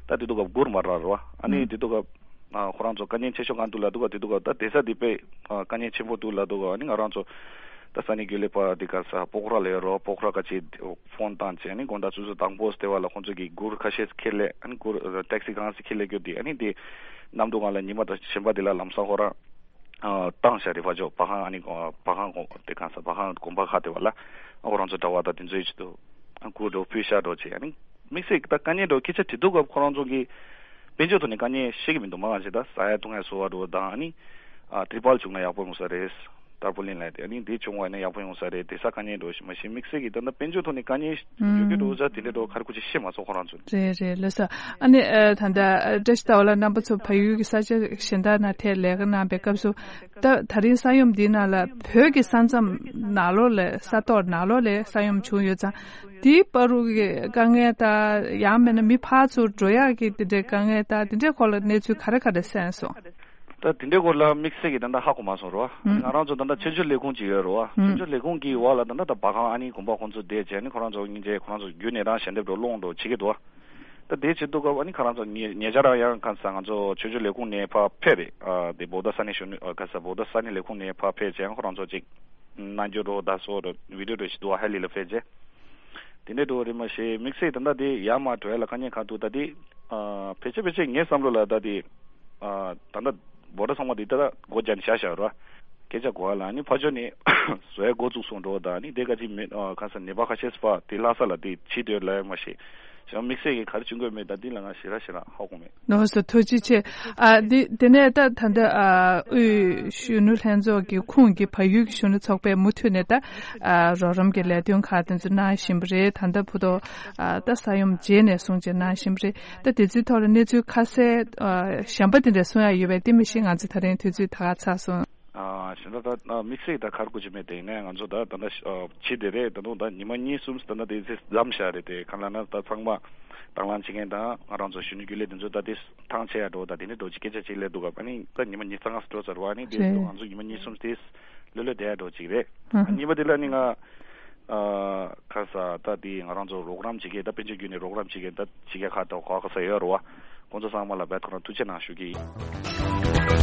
ད་དེ་འདུག་ག་སྒུར་མ་རག་རེད་བ། ཨ་ནི་ཨུ། དེ་འདུག་ག་ཨ་ཁོ་རང་ཚོ་དཀའ་ངལ་ཆེ་ཤོས་གང་འདུག་ལབ་འདུག་ག་དེ་འདུག་ག་ད་བསྡད་ས་དེ་དཔེ་ཨ་དཀའ་ངལ་ཆེན་པོ་འདུག་ལབ་འདུག་ག་ཨ་ནི་ང་རང་ཚོ་ ད་ས་གནས་རྒྱུན་ལས་པ་དེ་ག་ས་པོ་ཁ་ར་ལ་ཡོད་རོ། པོ་ཁ་ར་ག་ཅིག་ཕོན་བཏང་བྱས་ནི་དགོང་དག་ཆུ་ཚོད་དང་པོ་སྟེ་བ་ལ་ཁོང་ཚོ་གི་གུར་ཁ་ཤས་ཁྱེར་ལས་ཨ་ནི་གུར་ཊེག་སི་གང་ཞིག་ཁྱེར་ལས་རྒྱུ་དེ་ཨ་ནི་དེ་གནམ་དུ་གང་ལ་ཉི་མ་དང་གཞན་པ་དེ་ལ་ལམ་སང་ཁོ་རང་བཏང་བཞག་རེད། ཕ་ཇོ་པ་ཧང་ཨ་ནི་པ་ཧང་དེ་ག་ས་པ་ཧང་དགོན་པ་ཁ་དེ་བ་ལ་ཨ་ཁོ་རང་ཚོ་གྲྭ་བ་དང་དེ་ཚོའི་ཆེད་དུ་ཨ་གུར་འགྲོ་ཕུལ་ཤག་འགྲོ་བྱས་ཨ་ནི་དམིགས་བསལ་གྱི་ད་དཀའ་ངལ་འགྲོ་སྐད་ཆ་དྲི་འདུག་ག་ཁོ་རང་ཚོ་གི་དཔལ་འབྱོར་ཐོག་ནས་དཀའ་ངལ་ཤེས་ཀྱི་མི་འདུག་མ་ག་ཞིག་ད་ཟ་ཡ་འཐུང་ཡ་བཟོ་བ་འགྲོ་དང་ཨ་ནི་ཨ་ཏི་རུ་པལ་བྱུང་ན་ཡག་པོ་ཡོང་ས་རེད། ཏར་པོ་ལིན་ལབ་དེ་ཨ་ནི་དེ་བྱུང་བ་ཡིན་ན་ཡག་པོ་ཡོང་ས་རེད། དེ་ས་དཀའ་ངལ་འགྲོ་ཞིག་མ་ཤེས་དམིགས་བསལ་གྱི་ད་ལྟ་དཔལ་འབྱོར་ཐོག་ནས་དཀའ་ངལ་ཡོད་ཀྱི་འགྲོ་ས་དེ་འདྲ་འགྲོ་ག་རེ་ཁུ་ཅིག་ཤེས་མ་སོང་ཁོ་རང་ཚོ། རེད་རེད་ལགས་སོ། ཨ་ནི་ཨ་ད་ལྟ་ཨ་བཀྲ་ཤིས་ཟླ་བ་ལགས་རྣམ་པ་ཚོ་བལ་ཡུལ་གྱི་ས་ཆ་གཞན་དག་ནང་ཐད་ལས་ཀ་གནང་པའི་སྐབས་སུ་ད་ད་རིང་ས་ཡོམ་འདིའི་ནང་ལ་བོད་ཀྱི་ས་མཚམས་ནང་ལོགས་ལ་ས་ཐོག་ནང་ལོགས་ལ་ས་ཡོམ་བྱུང་ཡོད་ཙང་དེའི་བར་དུ་གི་དཀའ་ངལ་དང་ཡང་མིན་ན་མི་ཕར་ཚུར་འགྲོ་ཡག་གི་དེ་འདྲའི་དཀའ་ངལ་དང་དེ་འདྲའི་སྐོར་ལ་གནས་ཚུལ་ག་རེ་ག་རེ་གསན་སོང་། ད་དེ་འདྲའི་སྐོར་ལ་དམིགས་བསལ་གྱི་ད་ལྟ་ཧ་གོ་མ་སོང་རོ། ཨ་ནི་ང་རང་ཚོ་ད་ལྟ་ཆོས་བརྒྱུད་ལས་ཁུངས་ཅིག་ཡོད་རོ། ཨ་ཆོས་བརྒྱུད་ལས་ཁུངས་ཀྱི་འོག་ལ་ད་ལྟ་ད་བ་གང་ཨ་ནི་དགོན་པ་ཁོང་ཚོ་བསྡད་བྱས་ནི་ཁོ་རང་ཚོ་སྙིང་རྗེ་ཁོ་རང་ཚོ་བརྒྱུད་ནས་རང་ཞལ་འདེབས་འགྲོ་སློང་འགྲོ་བྱེད་ཀྱི་འདུག་ད་དེ་བྱེད་དུས་སྐབས་ཨ་ནི་ཁོ་རང་ཚོ་ཉེ་ཉེ་ཆར་ཡང་གང་ཟེར་ང་ཚོ་ཆོས་བརྒྱུད་ལས་ཁུངས་ནས་ཕར་ཕེབས་རེད། ཨ་དེ་བོ་ད་ས་གནས་གཞོན་ནུ་ཨ་ག་ས་བོ་ད་ས་གནས་ལས་ཁུངས་ནས་ཕར་ཕེབས་བྱས་ཁོ་རང་ཚོ་ཅིག་གནང་རྒྱུ་འགྲོ་ད་སོ་ར་བི་ཌིའོ་འགྲོ་ཞིག་འདུག་ཨ་ཧ་ལི་ལ་ཕེབས་བྱས། དེ་འདྲའི་འགྲོ་བ་རེད་མ་ཤེས། དམིགས་བསལ་ད་ལྟ་དེ་ཡར་མར་འགྲོ་ཡ་ལ་དཀའ་ངལ་གང་འདུག་ད་དེ་ཨ་ཕལ་ཆེར་ཕལ་ཆེར་ངའི་བསམ་བློ་ལ་ད་དེ་ཨ་ད་ལྟ་བོ་ད་ཚང་མ་དེ་ད་ལྟ་སྒོ་རྒྱག་ནས་བཞག་བཞག་ར། སྐད་ཆ་གོ་བ་ལ་ནི་ཕ་ཇོ་ནས་བཟོ་ཡ་འགོ་བཙུགས་སོང་འགྲོ་ད་ནི་དེ་ག་ཅིག་མེད་ཨ་ག་ས་ནད་པ་ཁ་ཤས་པ་དེ་ལྷ་ས་ལ་དེ་ཕྱིན་འདོད་ལ་ཡ་མ་ཤེས། ཞང་དམིགས་བསལ་གྱི་ག་རེ་བྱུང་དགོས་མེད་ད་འདི་ལ་ང་ཞེ་དྲག་ཞེ་དྲག་ཧ་གོ་མེད། ནོར་སོ་ཐུགས་རྗེ་ཆེ། ཨ་འདི་དེ་ནས་ད་ད་ལྟ་ཨ་དབུས་གཞོན་ནུ་ལྷན་ཚོགས་ཀྱི་ཁོངས་ཀྱི་བལ་ཡུལ་གྱི་གཞོན་ནུ་ཚོགས་པས་མུ་མཐུད་ནས་ད་ཨ་རོགས་རམ་གྱི་ལས་དོན་ཁག་དེ་ཚོ་གནང་བཞིན་པ་རེད། ད་ལྟ་བུ་ཐོ་ཨ་ད་ས་ཡོམ་རྗེས་ནས་བཟུང་བྱས་གནང་བཞིན་པ་རེད། ད་དེ་ཚོའི་ཐོག་ལ་གནས་ཚུལ་ཁ་གསལ་ཨ་གཞན་པ་དེ་འདྲ་གསུང་ཡ་ཡོད་པས་དེ་མི་ཤེས། ང་ཚོ་ད་རིང་དུས་ཚོད་ད་ག་ཚར་སོང་། ཨ་གཞན་དག་ད་དམིགས་བསལ་ད་གར་དགོས་ཀྱི་མེད། དེ་ཡིན་ནའི་ང་ཚོ་ད་ད་ལྟ་ཕྱི་དེ་རེད། ད་དུང་ད་ཉི་མ་གཉིས་གསུམ་ད་ལྟ་དེ་ཚེ་འཛོམས་བཞག་རེད། དེ་གང་ལ་ན་ད་ཚང་མ་དང་བླངས་བྱེད་མཁན་དང་ང་རང་ཚོ་གཞོན་ནུ་རྒྱུན་ལས་དེ་ཚོ་ད་དེ་ཐང་ཆད་ཡ་འགྲོ་ད་དེ་ནི་འགྲོ་ཅི་སྐད་ཆ་ཅིག་ལས་འདུག་ག་ཨ་ནི་ད་ཉི་མ་གཉིས་ཙམ་ང་ཚོ་འགྲོ་ཚར་བ་ཨ་ནི་དེ་རེད། ང་ཚོ་ཉི་མ་གཉིས་གསུམ་དེ་ལོ་ལོ་བསྡད་ཡ་འགྲོ་ཅིག་རེད། ཨ་གཉིས་པ་དེ་ལ་ནི་ང་ཨ་ཁ་ས་ད་དེ་ང་རང་ཚོ་རོགས་རམ་བྱེད་མཁན་ད་དཔལ་འབྱོར་བརྒྱུད་ནས་རོགས་རམ་བྱེད་མཁན་ད་ཕྱི་རྒྱལ་ཁག་ད་ག་ས་ཡོད་རེད་བ། ཁོང་ཚོ་ཚང་མ་ལ་བེད་ཁོ་རང་ཐུགས་རྗེ་གནང་ཞུ་གི་ཡིན།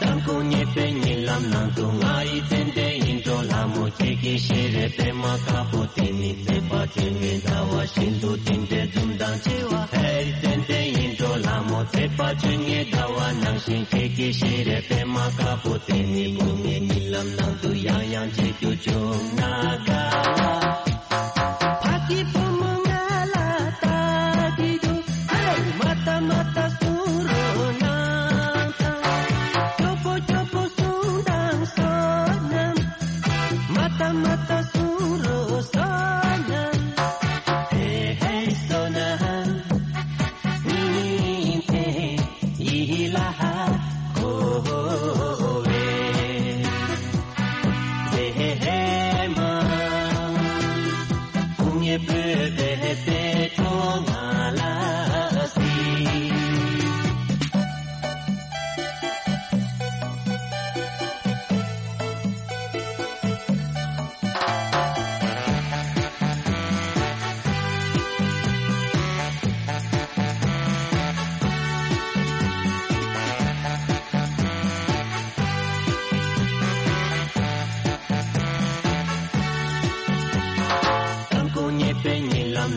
དང་པོ་ངེས་པའི་ཉིན་ལམ་ནང་དུ་ང་ཡི་ཙན་དན་ཡིད་འཕྲོག་ལྷ་མོ་ཁྱེད་ཀྱི་ཤེས་རབ་པད་མ་དཀར་པོ་དེ་ནི་ཚེས་པ་ཆོས་ཉིད་ཟླ་བ་བཞིན་དུ་དེ་འདྲའི་འཛུམ་མདངས་ཆེ་བ། ཧེ་ཙན་དན་ཡིད་འཕྲོག་ལྷ་མོ་ཚེས་པ་ཆོས་ཉིད་ཟླ་བ་ནང་བཞིན་ཁྱེད་ཀྱི་ཤེས་རབ་པད་མ་དཀར་པོ་དེ་ནི་དགུང་ངའི་ཉིན་ལམ་ནང་དུ་ཡང་ཡང་མཇལ་རྒྱུ་བྱུང་ན་དགའ་བ། ཕ་གི་བུ་མོ་ང་ལ་ལྟ་གི་འདུག་ཧེ། མ་ལྟ་མ་ལྟ་གསུང་རོགས་གནང་དང་། སྐྱོ་པོ་སྐྱོ་པོ་གསུང་དང་བསོད་ནམས། མ་ལྟ་མ་ལྟ་གསུང་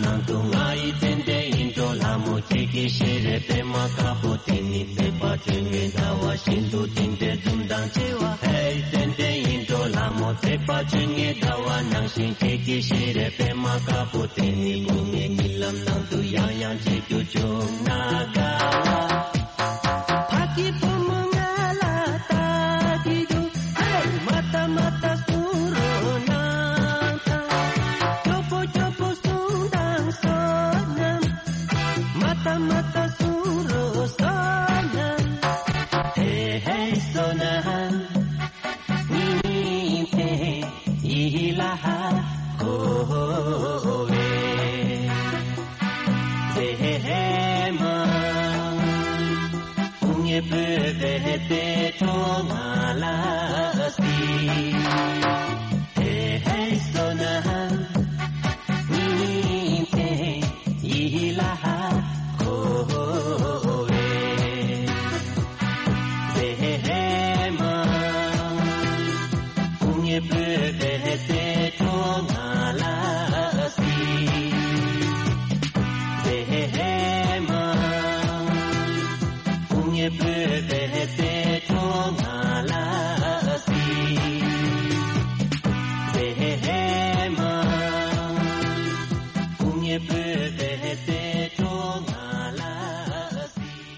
ནང་དུ་ང་ཡི་ཙན་དན་ཡིད་འཕྲོག་ལྷ་མོ་ཁྱེད་ཀྱི་ཞལ་རས་པད་མ་དཀར་པོ་དེ་ནི་མཛེས་པ་སྤྱོད་ངན་ཟླ་བ་བཞིན་དུ་བསྟན་པའི་འཛུམ་མདངས་ཆེ་བ། ཧེ་ཙན་དན་ཡིད་འཕྲོག་ལྷ་མོ་མཛེས་པ་སྤྱོད་ངན་ཟླ་བ་ནང་བཞིན་ཁྱེད་ཀྱི་ཞལ་རས་པད་མ་དཀར་པོ་དེ་ནི་སྒོ་ངའི་རྨི་ལམ་ནང་དུ་ཡང་ཡང་མཇལ་རྒྱུ་བྱུང་ན་དགའ་བ། ཕ་གི་བུ་མོ་ང་ལ་ལྟ་གི་འདུག་ཧེ། མ་ལྟ་མ་ལྟ་གསུང་རོགས་གནང་དང་། སྐྱོ་པོ་སྐྱོ་པོ་གསུང་དང་བསོད་ནམས། མ་ལྟ་མ་ལྟ་གསུང་རོགས་བསོད་ནམས། ཧེ་ཧེ་བསོད་ནམས། ཉིན་མཚན་ཡིད་ལ་ཧ་གོ་བའི་མཛེས་མ། སྐུ་ངལ་བོད་པའི་གཏེར་གྲོགས་ང་ལ་སྲིད། ཧེ་ཧེ་བསོད་ནམས། ཉིན་མཚན་ཡིད་ལ་ཧ་གོ་བའི་མཛེས་མ། སྐུ་ངལ་བོད་པའི་གཏེར་གྲོགས་ང་ལ་སྲིད། མཛེས་མ། སྐུ་ངལ་བོད་པའི་གཏེར་གྲོགས་ང་ལ་སྲིད། མཛེས་མ། སྐུ་ངལ་བོད་པའི་གཏེར་གྲོགས་ང་ལ་སྲིད།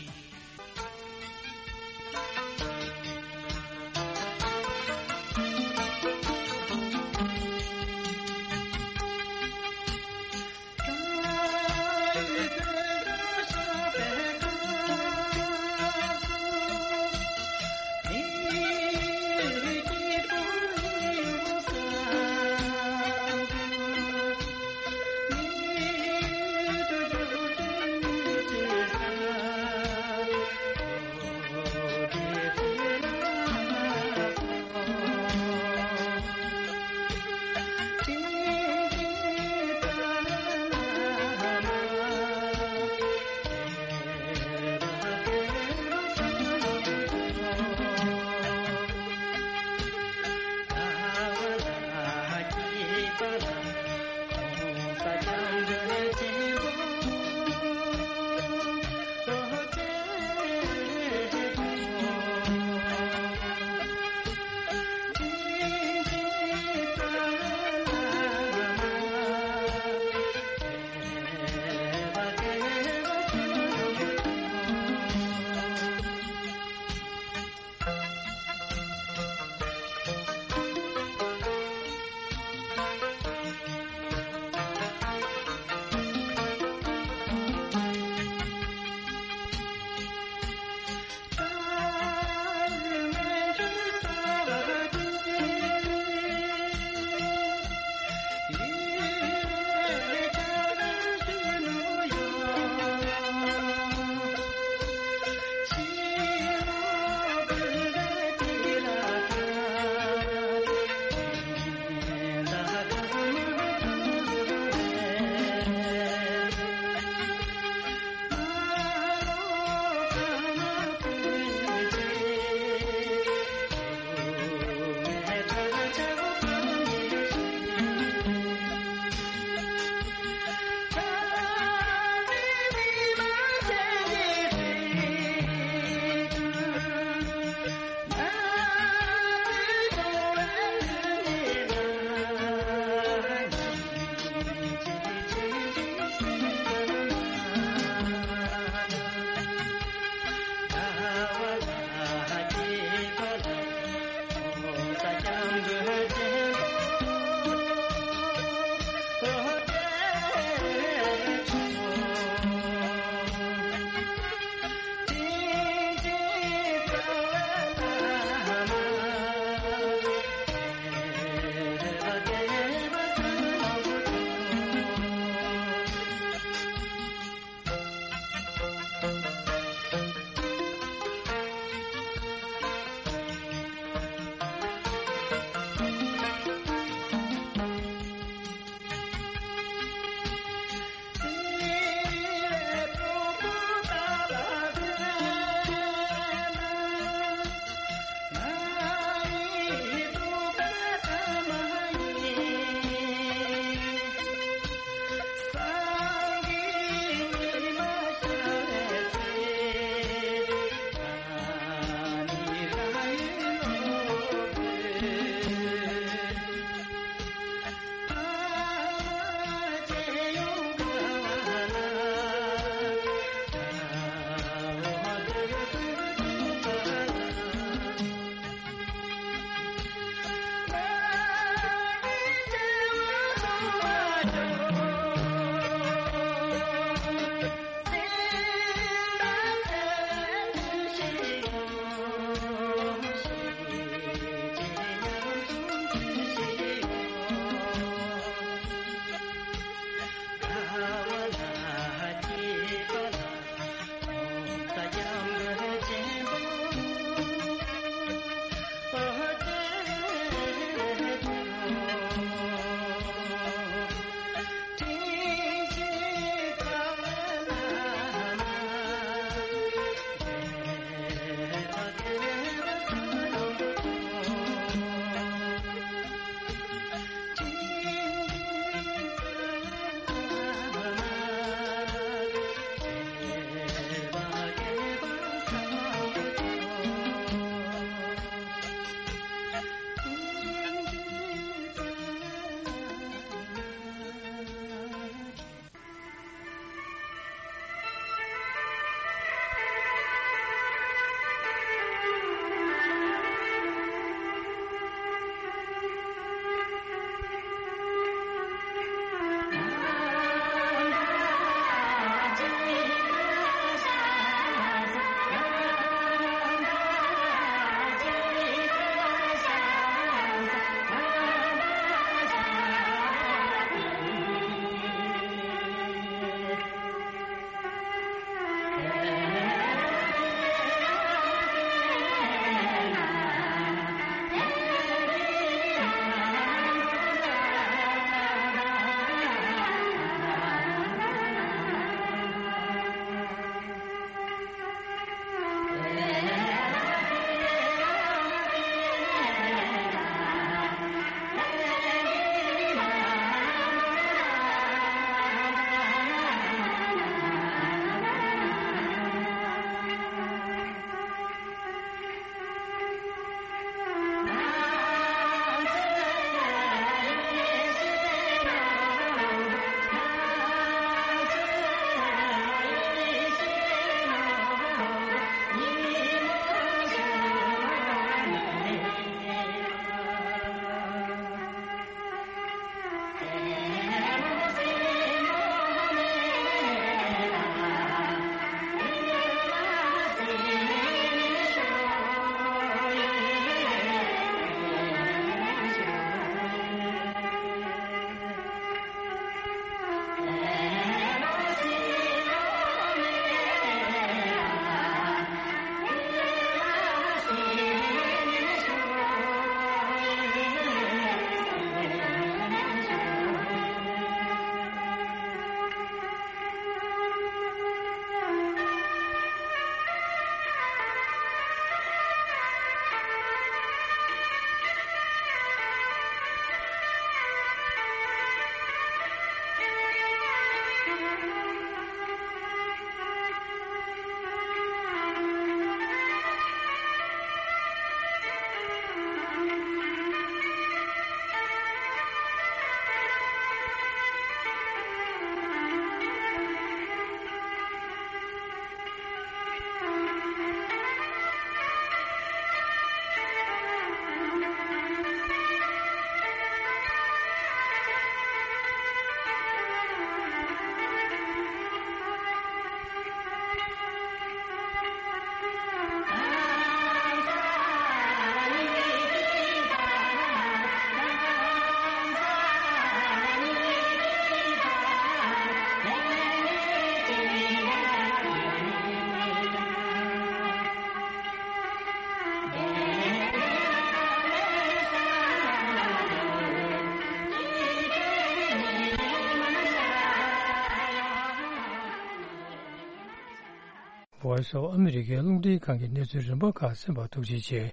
Voice of America རླུང་འཕྲིན་ཁང་གི་གནས་ཚུལ་རིམ་པ་ཁག་གསན་པར་ཐུགས་རྗེ་ཆེ།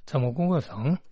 ཚང་མ་སྐུ་ཁམས་བཟང་།